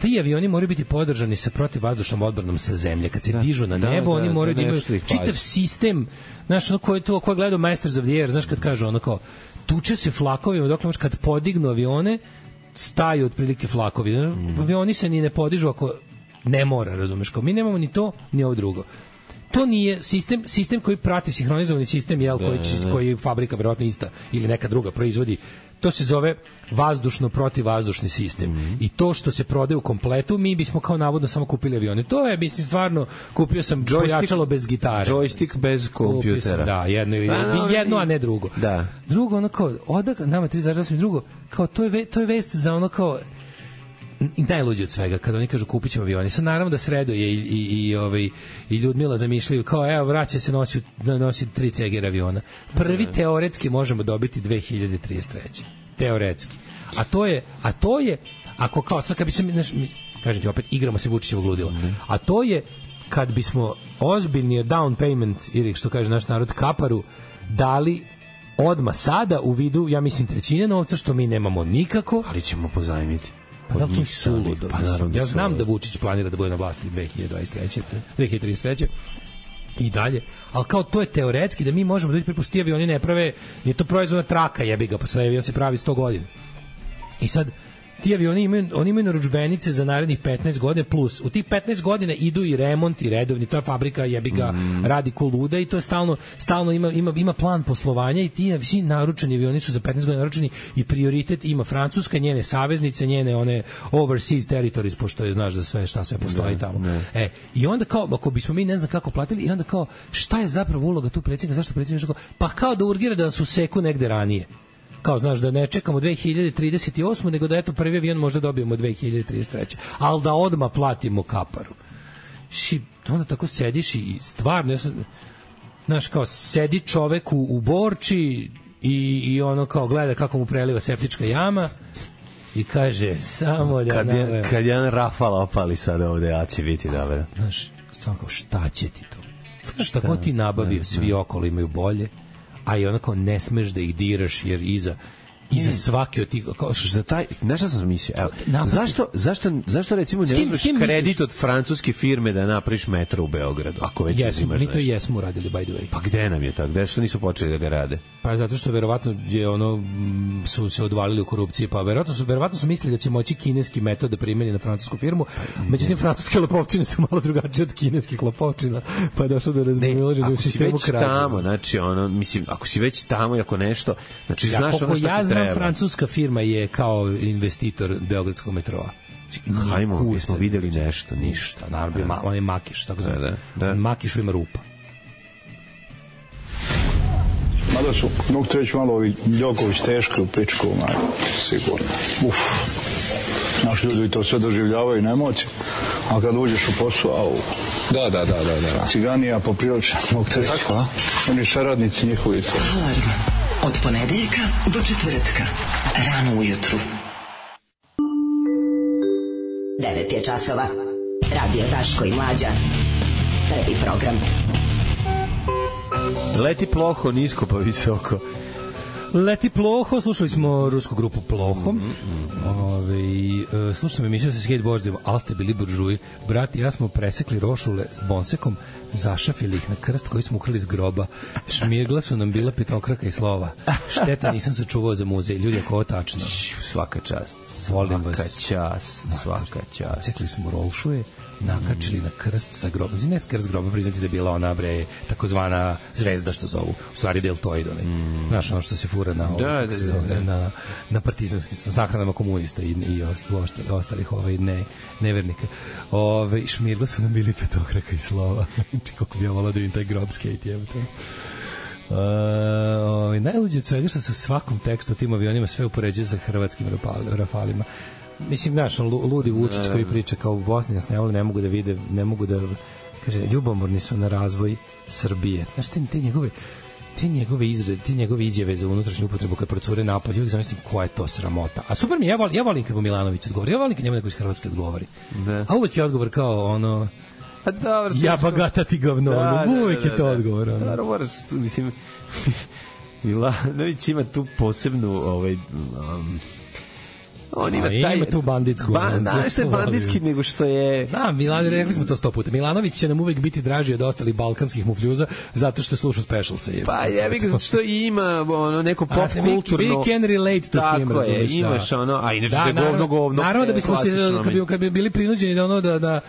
ti avioni moraju biti podržani sa protivvazdušnom odbranom sa zemlje. Kad se da, dižu na nebo, da, oni moraju da, da imaju čitav sistem, znaš, ono ko je to, ko je gledao Masters of the Air, znaš kad kaže ono kao, tuče se flakovima, dok kad podignu avione, staju otprilike flakovi. Mm. Avioni se ni ne podižu ako ne mora, razumeš, kao mi nemamo ni to, ni ovo drugo. To nije sistem, sistem koji prati sinhronizovani sistem, jel, koji, će, koji fabrika verovatno ista ili neka druga proizvodi. To se zove vazdušno protivvazdušni sistem. Mm-hmm. I to što se prodaje u kompletu, mi bismo kao navodno samo kupili avione. To je, mislim, stvarno, kupio sam pojačalo bez gitare. Joystick bez kompjutera. Sam, da, jedno, da, jedno a ne drugo. Da. Drugo, ono kao, odak, nama tri zarada sam drugo, kao, to je, ve, to je vest za ono kao, i najluđe od svega, kada oni kažu kupit ćemo avione. Sad naravno da sreduje i, i, i, ovaj, i Ljudmila zamišljaju kao, evo, vraća se nosi, nosi tri C G R aviona. Prvi mm. teoretski možemo dobiti dve hiljade trideset treće Teoretski. A to je, a to je, ako kao, sad kad bi se, znaš, mi, kažem ti opet, igramo se Vučićevog ludila. Mm. A to je, kad bismo ozbiljni down payment, ili što kaže naš narod, kaparu, dali odma sada u vidu, ja mislim, trećine novca, što mi nemamo nikako. Ali ćemo pozajmiti. Pa da to je suludo. Pa, ja znam da Vučić planira da bude na vlasti dve hiljade dvadeset treće dve hiljade trideset treće i dalje, ali kao to je teoretski da mi možemo da vidjeti prepusti avioni ne prave, nije to proizvodna traka, jebi ga, pa sad avion se pravi sto godina. I sad ti avioni imaju, oni imaju narudžbenice za narednih petnaest godina plus. U tih petnaest godina idu i remont i redovni, ta fabrika jebi ga mm. radi ko luda i to je stalno, stalno ima, ima, ima plan poslovanja i ti svi naručeni avioni su za petnaest godina naručeni i prioritet ima Francuska, njene saveznice, njene one overseas territories, pošto je, znaš da sve, šta sve postoji ne, tamo. Ne. E, i onda kao, ako bismo mi ne znam kako platili, i onda kao, šta je zapravo uloga tu predsjednika, zašto predsjednik kao, pa kao da urgira da nas useku negde ranije. Kao, znaš, da ne čekamo dve hiljade trideset osme nego da eto prvi avion možda dobijemo dve hiljade trideset treće ali da odmah platimo kaparu. I onda tako sediš i stvarno, ja sam, znaš, kao sedi čovek u, u Borči i, i ono kao gleda kako mu preliva septička jama i kaže samo da... Kad, je, kad jedan Rafal opali sad ovde, ja će biti dobro. Znaš, stvarno kao, šta će ti to? Šta god ti nabavio, svi okolo imaju bolje, a i onako ne smeš da ih diraš jer iza iza svake od tih kao za taj, nešto sam mislio, evo, zašto, zašto, zašto recimo ne uzmeš kredit od francuske firme da napraviš metro u Beogradu, ako već jesmo, uzimaš nešto? Mi to jesmo uradili, by the way. Pa gde nam je to? Gde što nisu počeli da ga rade? Pa zato što verovatno je ono, su se odvalili u korupciji, pa verovatno su, verovatno su mislili da će moći kineski metod da primeni na francusku firmu, međutim francuske lopovčine su malo drugačije od kineskih lopovčina, pa je došlo do razmimoilaženja u sistemu krađe. Tamo, znači ono, mislim, ako si već tamo i ako nešto, znači ja, znaš ono što ja znam, francuska firma je kao investitor beogradskog metroa. Hajmo, mi smo videli nešto. Ništa, naravno, ma, on je makiš, tako zove. Da, da. Makišu ima rupa. Mada su, mogu te reći malo ovi Ljoković teško u pičku, sigurno. Uf. Naši ljudi to sve doživljavaju na emociju, a kad uđeš u posao, au. Da, da, da, da, da. Ciganija poprilična, mogu te reći. Tako, a? Oni saradnici njihovi. Alarm. Od ponedeljka do četvrtka. Rano ujutru. devet je časova. Radio Daško i Mlađa. Prvi program. Leti ploho, nisko pa visoko. Leti ploho, slušali smo rusku grupu Ploho. Mm -hmm. Ove, e, slušali smo emisiju sa skateboardima, ali ste bili buržuji. Brat i ja smo presekli rošule s bonsekom, zašafili ih na krst koji smo ukrali iz groba. Šmirgla su nam bila petokraka i slova. Šteta nisam sačuvao za muzej. Ljudi, ako ovo tačno. Svaka čast. Volim svaka vas. čast. Svaka čast. Sekli smo rošuje, nakačili mm. na krst sa grobom. Znači, ne s krst groba, priznati da je bila ona, bre, takozvana zvezda što zovu. U stvari deltoid, onaj. Mm. Znaš, ono što se fura na, ovo, da, da, da, da. na, na partizanski, sa sahranama komunista i, i ostalih, ostalih ovaj, ne, nevernika. Ove, šmirgla su nam bili petokraka i slova. Kako bi ja volao da vidim taj grob skate, jebate. Uh, najluđe od svega što se u svakom tekstu tim avionima sve upoređuje sa hrvatskim Rafalima. Mislim, znaš, ludi Vučić koji priča kao u Bosni nas ne vole, ne mogu da vide, ne mogu da, kaže, ljubomorni su na razvoj Srbije. Znaš, te, te njegove te njegove izrade, te njegove izjave za unutrašnju upotrebu kad procure napolje, uvijek zamislim koja je to sramota. A super mi, ja volim, ja volim kad mu Milanović odgovori, ja volim kad njemu neko iz Hrvatske odgovori. Ne. A uvek je odgovor kao ono, a dobro, ja bagata ti govno, da, uvek da, da, je to da, odgovor. Ono. Da, moraš, mislim, Milanović ima tu posebnu, ovaj, um, on ima, taj, ima tu banditsku. Ba, da, što je banditski nego što je... Znam, Milan, rekli smo to sto puta. Milanović će nam uvek biti draži od ostalih balkanskih mufljuza zato što sluša specialse. Je. Pa jebi ga, zato što ima ono, neko pop a, kulturno... We can relate to him, tako je, imaš da. ono, a inače da, da je govno, govno. Naravno da bismo se, kad bi, kad bi bili prinuđeni da ono da... da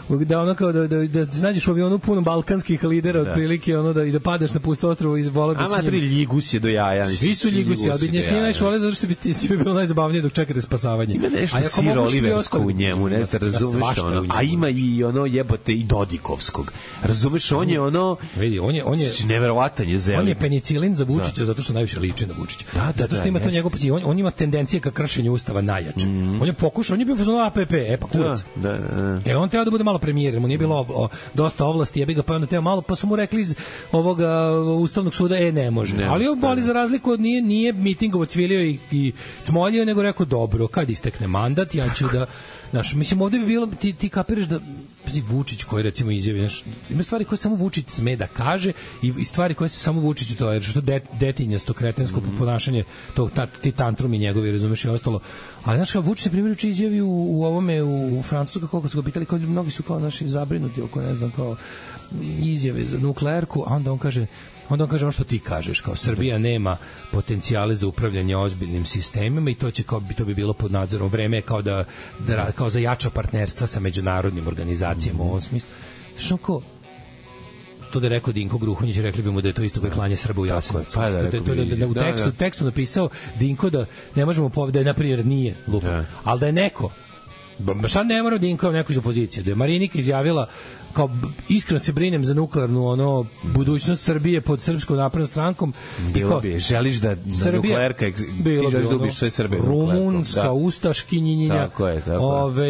da ono kao da da da nađeš u avionu puno balkanskih lidera otprilike ono da i da padneš na pusto ostrvo iz vola da. A matri Ljigus je do jaja, mislim. Svi su Ljigus, ali ne snima najviše vole zato što bi ti sve bilo najzabavnije dok čekate spasavanje. Ima nešto siroliversko u njemu, ne da razumeš ono. A ima i ono jebote i Dodikovskog. Razumeš, on je ono, vidi, on je on je neverovatan je zelen. On je penicilin za Vučića zato što najviše liči na Vučića. Zato što ima to njegov on on ima tendencije ka kršenju ustava najjače. On je pokušao, on je bio fazon A P P, e pa kurac. Da, da. E on treba da bude malo premijer, mu nije bilo o, o, dosta ovlasti, ja bih ga pa onda teo malo, pa su mu rekli iz ovoga Ustavnog suda, e, ne može. Ne, ali on boli za razliku od nije, nije mitingovo cvilio i, i cmoljio, nego rekao, dobro, kad istekne mandat, ja ću da, znaš, mislim, ovde bi bilo, ti, ti kapiraš da, Vučić koji recimo izjavi, znaš, ima stvari koje samo Vučić sme da kaže i, i stvari koje se samo Vučiću to, jer što de, detinjasto, kretensko mm -hmm. ponašanje, tog, ta, ti tantrumi njegovi, razumeš, i ostalo. Ali, znaš, kao Vučić, na primjer, uči izjavi u, u ovome, u, u Francusku, koliko su ga pitali, kao mnogi su kao naši zabrinuti oko, ne znam, kao izjave za nuklearku, a onda on kaže, onda on kaže ono što ti kažeš, kao Srbija nema potencijale za upravljanje ozbiljnim sistemima i to će kao bi to bi bilo pod nadzorom. Vreme je kao da, da kao za jača partnerstva sa međunarodnim organizacijama u ovom smislu. Što kao to da je rekao Dinko Gruhonjić, rekli bi mu da je to isto koje klanje Srba u Jasenovcu. Pa da, da, da, da, da, u tekstu, da, da. tekstu napisao Dinko da ne možemo povedati, da je na primjer nije lupa, da. Ali da je neko, šta ne mora Dinko neko iz opozicije, da je Marinika izjavila kao iskreno se brinem za nuklearnu ono budućnost Srbije pod Srpskom naprednom strankom. Bilo bi, želiš da nuklearka ti želiš da ubiš sve Srbe. Rumunska, da. Ustaškinjinja. Tako je, tako Ove,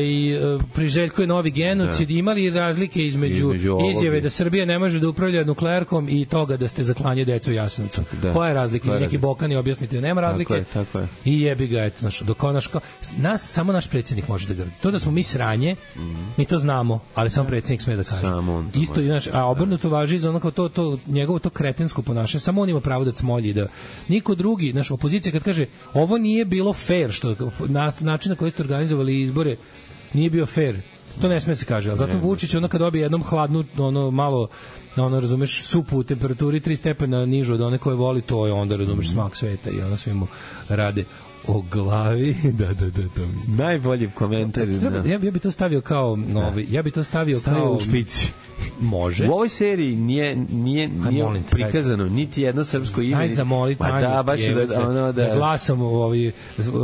priželjkuje novi genocid. Da. Imali razlike između, između izjave da Srbija ne može da upravlja nuklearkom i toga da ste za klanje deca u Jasenovcu. Da. Koja je razlika? Iz neki Bokani objasnite, nema razlike. Tako je, tako je. I jebi ga, eto, naš, dok naš, nas, samo naš predsjednik može da grdi. To da smo mi sranje, mm. mi to znamo, ali samo predsjednik sme da kaže. Isto, znači, a obrnuto važi za onako to, to, njegovo to kretensko ponašanje. Samo on ima pravo da cmolji, da niko drugi, naš opozicija kad kaže ovo nije bilo fair, što način na koji ste organizovali izbore nije bio fair, to ne sme se kaže. A zato Vučić onda kad dobije jednom hladnu, ono malo, ono razumeš, supu u temperaturi tri stepena nižu od one koje voli, to je onda razumeš smak sveta i ono svi mu rade o glavi. Da, da, da, da. Najbolji komentar. Treba, ja, ja bi to stavio kao novi, ja bi to stavio, stavio kao u špici. Može. U ovoj seriji nije nije nije Aj, prikazano niti jedno srpsko ime. Aj zamolit, pa da, baš je, da ono da, da glasom u ovi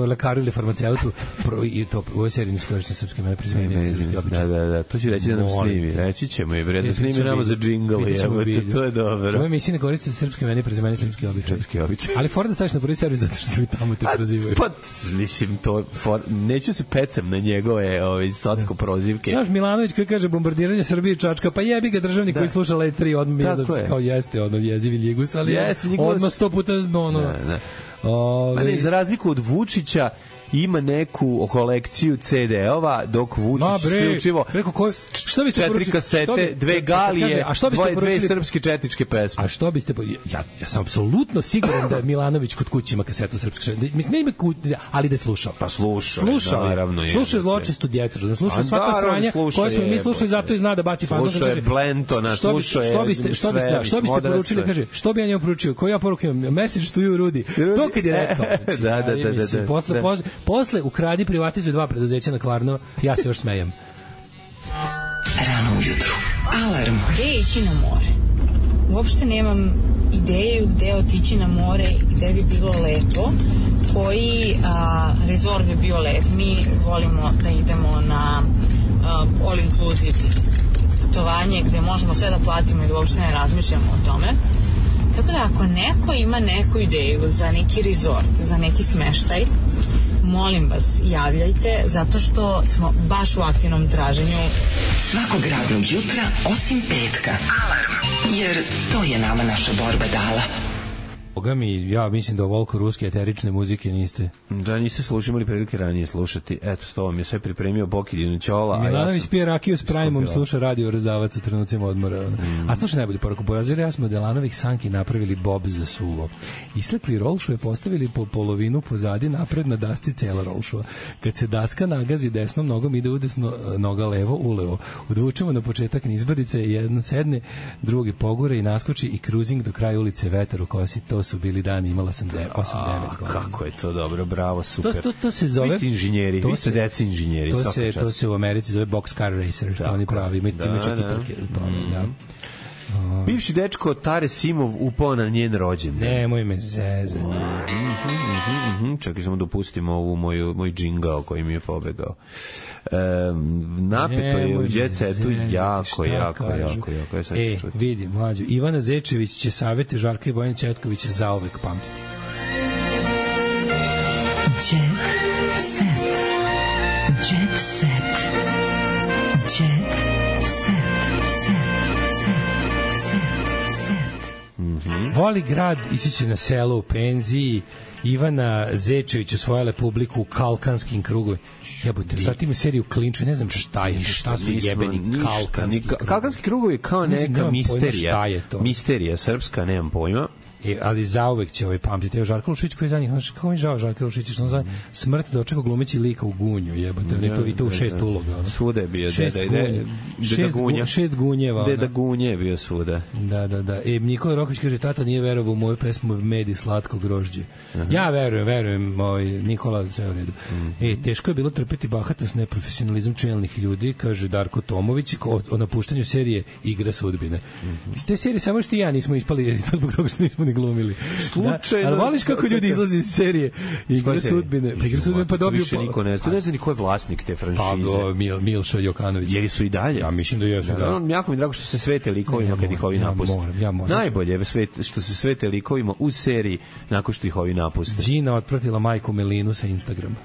lekaru ili farmaceutu pro, i to u ovoj seriji niskorišten srpski ime prezimeni. Da, da, da, to će reći da nam snimi. Reći ćemo je, bre, da snimi nama za džingl, je, to je dobro. Ovo emisija ne koristi srpski ime prezimeni srpski običaj. Srpski običaj. Ali Ford staviš na prvi servis zato što mi tamo te prozivaju. Pa mislim to for, neću se pecam na njegove ove socsko prozivke. Znaš Milanović koji kaže bombardiranje Srbije čačka, pa jebi ga državnik da. Koji sluša L tri odmah je da kao jeste ono jezivi Ljigus, ali yes, odmah sto puta ono. Da, da. Ove... Ne, za razliku od Vučića ima neku kolekciju ce de-ova, dok Vučić isključivo šta biste četiri kasete, bi, dve galije, kaže, a što biste dve, dve srpske četničke pesme. A što biste ja ja sam apsolutno siguran da Milanović kod kuće ima kasetu srpske. Mislim ne ima kuće, ali da je slušao. Pa slušao. Slušao, naravno je. Slušao zločestu djecu, da slušao svaka sranja koje smo mi slušali, zato i zna da baci fazon, kaže. Slušao je Blentona, slušao je. Što biste, što biste, što biste poručili, kaže, što bi ja njemu poručio? Koju ja poruku imam? Message to you, Rudy. To kad je rekao. Da, da, da, da. Posle posle ukradi, privatizuju dva preduzeća na Kvarno, ja se još smejem. Rano ujutru. Alarm. Gde ići na more? Uopšte nemam ideju gde otići na more i gde bi bilo lepo. Koji a, rezort bi bio lep. Mi volimo da idemo na a, all inclusive putovanje gde možemo sve da platimo i da uopšte ne razmišljamo o tome. Tako da ako neko ima neku ideju za neki resort, za neki smeštaj, molim vas, javljajte, zato što smo baš u aktivnom traženju. Svakog radnog jutra, osim petka. Alarm. Jer to je nama naša borba dala. Boga mi, ja mislim da ovoliko ruske eterične muzike niste. Da, niste slušali, imali prilike ranije slušati. Eto, s tobom je sve pripremio Bokidinu Ćola. Milanović pije rakiju s Primom, sluša radio Rezavac u trenucima odmora. Mm. A slušaj najbolju poruku. Borazir, ja smo od Delanovih sanki napravili bob za suvo. Islekli rolšu je postavili po polovinu pozadi, napred na dasci cela rolšova. Kad se daska nagazi desnom nogom, ide udesno, noga levo, ulevo. Udvučemo na početak nizbrdice, jedan sedne, drugi pogore i naskoči i kruzing do kraja ulice Vetar u kosi. To su bili dani, imala sam osam devet godina. Kako je to dobro, bravo, super. To, to, to se zove... Vi ste inženjeri, vi ste deci inženjeri. To se, to se u Americi zove box car racer, što oni pravi, imaju da, čak i trke u tome, mm. da. Uh, Bivši dečko Tare Simov upao na njen rođendan. Nemoj me zezati. Mm -hmm, mm -hmm. Čekaj, samo dopustimo ovu moju, moj džingao koji mi je pobegao. Um, napeto je u Jet Setu jako, jako, jako, jako. Ja e, vidi, mlađo, Ivana Zečević će savete Žarka i Bojana Četkovića zauvek pamtiti. Jet Set. Jet Set. Jet Mm-hmm. Voli grad, ići će na selo u penziji. Ivana Zečević osvojila publiku u kalkanskim krugovima. Jebote, sad ima seriju Klinču, ne znam šta je, šta su jebeni kalkanski krugovi. Kalkanski krugovi kao neka misterija. Misterija srpska, nemam pojma. E, ali zauvek će ovaj pamtiti. Evo Žarko Lušić koji je za njih, znaš, kako mi žao Žarko Lušić, što on zove smrt dočekao glumeći lika u Gunju, jebote, on je to, i to u šest uloga. Ono. Svuda je bio, šest deda, gunje, deda, šest, deda Gunja. Šest gunjeva. Deda Gunje je bio svuda. Da, da, da. E, Nikola Roković kaže, tata nije verovao u moju pesmu Med i slatko grožđe. Uh -huh. Ja verujem, verujem, ovaj, Nikola, sve u redu. Uh -huh. E, teško je bilo trpeti bahatost, neprofesionalizam čelnih ljudi, kaže Darko Tomović, o, o napuštanju serije Igra sudbine. Uh -huh. Iz te serije samo što i ja nismo ispali, zbog toga što nismo ni glumili. Slučajno. Da, ali voliš kako ljudi izlaze iz serije Igra sudbine? Pa Igra sudbine pa dobiju... Više niko ne zna. Ne zna ni ko je vlasnik te franšize. Pa Mil, Milša Jokanović. Jer su i dalje? Ja mislim da jesu, da. da. Jako mi drago što se svete likovima kad ih ovi napuste. Ja moram, ja moram. Najbolje je što se svete likovima u seriji nakon što ih ovi napuste. Gina otpratila majku Melinu sa Instagrama.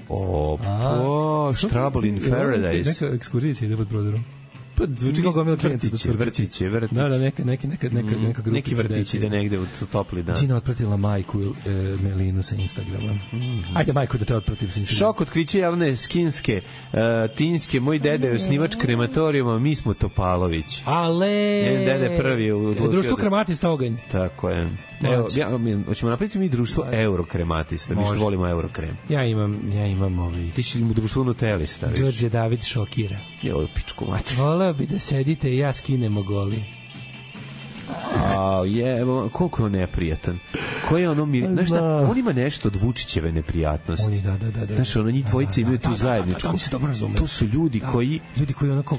O, po, Trouble in Paradise. Neka ekskurzija ide pod prodorom. Pa zvuči kao gomila klijenta. Vrtiće, vrtiće, vrtiće. Da, da, neka, neka, neka, neka, neka grupica. Neki vrtić ide negde u topli dan. Gina otpratila majku e, Melinu sa Instagrama. Mm -hmm. Ajde, majku, da te otpratim sa Instagrama. Šok otkriće javne skinske, uh, tinske, moj dede je osnivač krematorijuma, mi smo Topalović. Ale! Jedan dede prvi u... Društvo krematista oganj. Tako je. Evo, ja, mi, hoćemo napraviti mi društvo eurokrematista, mi što volimo eurokrem. Ja imam, ja imam ovaj... Ti si u društvu nutelista, viš. Đorđe David šokira. Je ovo pičku mati. Voleo bi da sedite i ja skinemo goli. A je, koliko je on neprijatan. Ko je ono mir... Znaš šta, on ima nešto od Vučićeve neprijatnosti. Oni, da, da, da. da. Znaš, ono, njih dvojice imaju tu zajedničku. To su ljudi koji... Ljudi koji onako...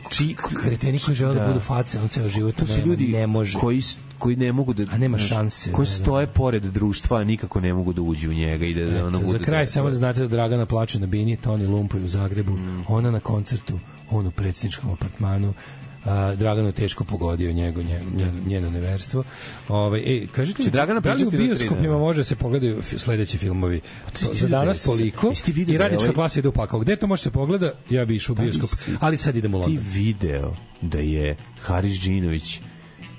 Kreteni koji žele da budu face na ceo život. To su ljudi koji koji ne mogu da a nema šanse koji stoje pored društva, nikako ne mogu da uđu u njega i da, da ono bude. Za kraj samo da znate da Dragana plače na bini, Toni Lumpoj u Zagrebu, mm. ona na koncertu, on u predsjedničkom apartmanu. A, Draganu teško pogodio njego, njeno, njeno neverstvo. Ovaj ej, kažete li, Dragana da li u bioskopima može se pogledaju sledeći filmovi? To za danas toliko i radnička klasa ide u pakao. Gde to može se pogleda? Ja bih išao u bioskop, ali sad idemo u London. Ti video da je Haris Džinović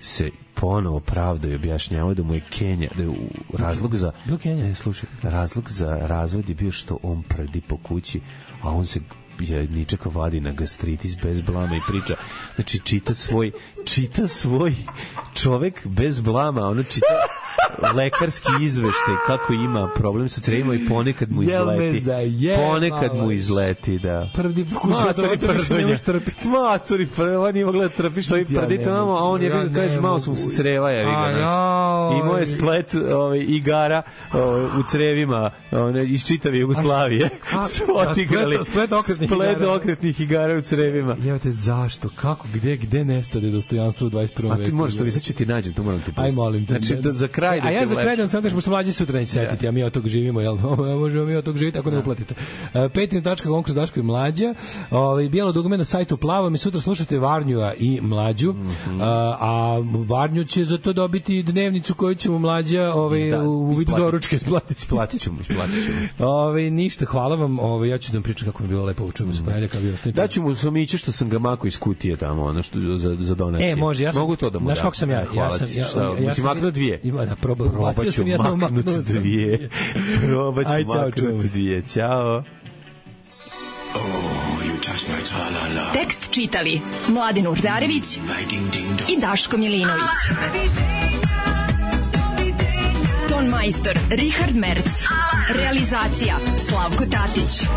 se ponovo pravda i objašnjavao da mu je Kenja, da je razlog za ne, slušaj, razlog za razvod je bio što on prdi po kući, a on se je ničeka vadi na gastritis bez blama i priča. Znači, čita svoj čita svoj čovek bez blama, ono čita lekarski izveštaj kako ima problem sa crevima i ponekad mu izleti. Ponekad mu izleti, da. Prvi pokušao to ne može trpiti. Matori, on nije mogla da trpi što i prdi tamo, a on je bio, kaže, malo su mu se creva, ja vidim. I moje splet ovaj, igara ovaj, u crevima ovaj, iz čitave Jugoslavije su otigrali. Splet okretnih splet okretnih igara u crevima. Jevate, zašto? Kako? Gde? Gde nestade dostojanstvo u dvadeset prvom veku? A ti možeš to, sad ću ti nađem, to moram ti pustiti. Aj, molim te. Znači, za kraj ajde. A ja za kraj da vam samo kažem, pošto mlađi sutra neće setiti, a mi od tog živimo, jel? Možemo mi od tog živiti ako ne uplatite. Petrin tačka com kroz Daško i Mlađa. Ovaj bijelo dugme na sajtu Plavo, mi sutra slušate Varnjua i Mlađu. A Varnju će za to dobiti dnevnicu koju ćemo Mlađa ovaj u vidu doručka isplatiti. Isplatićemo, isplatićemo. Ovaj ništa, hvala vam. Ovaj ja ću da vam pričam kako mi je bilo lepo učujem se ponedjeljak bio ostajem. Daću mu somiće što sam ga mako iz kutije tamo, ono što za za donacije. E, može, ja sam, mogu to da mu dam. Znaš kako sam ja? Ja sam ja, ja, ja sam maknuo dvije. Ima da probam. Probaću sam jedno maknuti dvije. Probaću maknuti dvije. Ćao. Tekst čitali Mladin Urdarević i Daško Milinović. Ton majstor Richard Merc. Realizacija Slavko Tatić.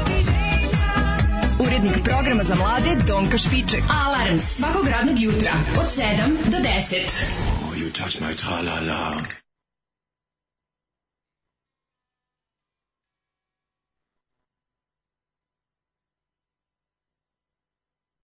Urednik programa za mlade Donka Špiček. Alarms svakog radnog jutra od sedam do deset. You touch my tra-la-la.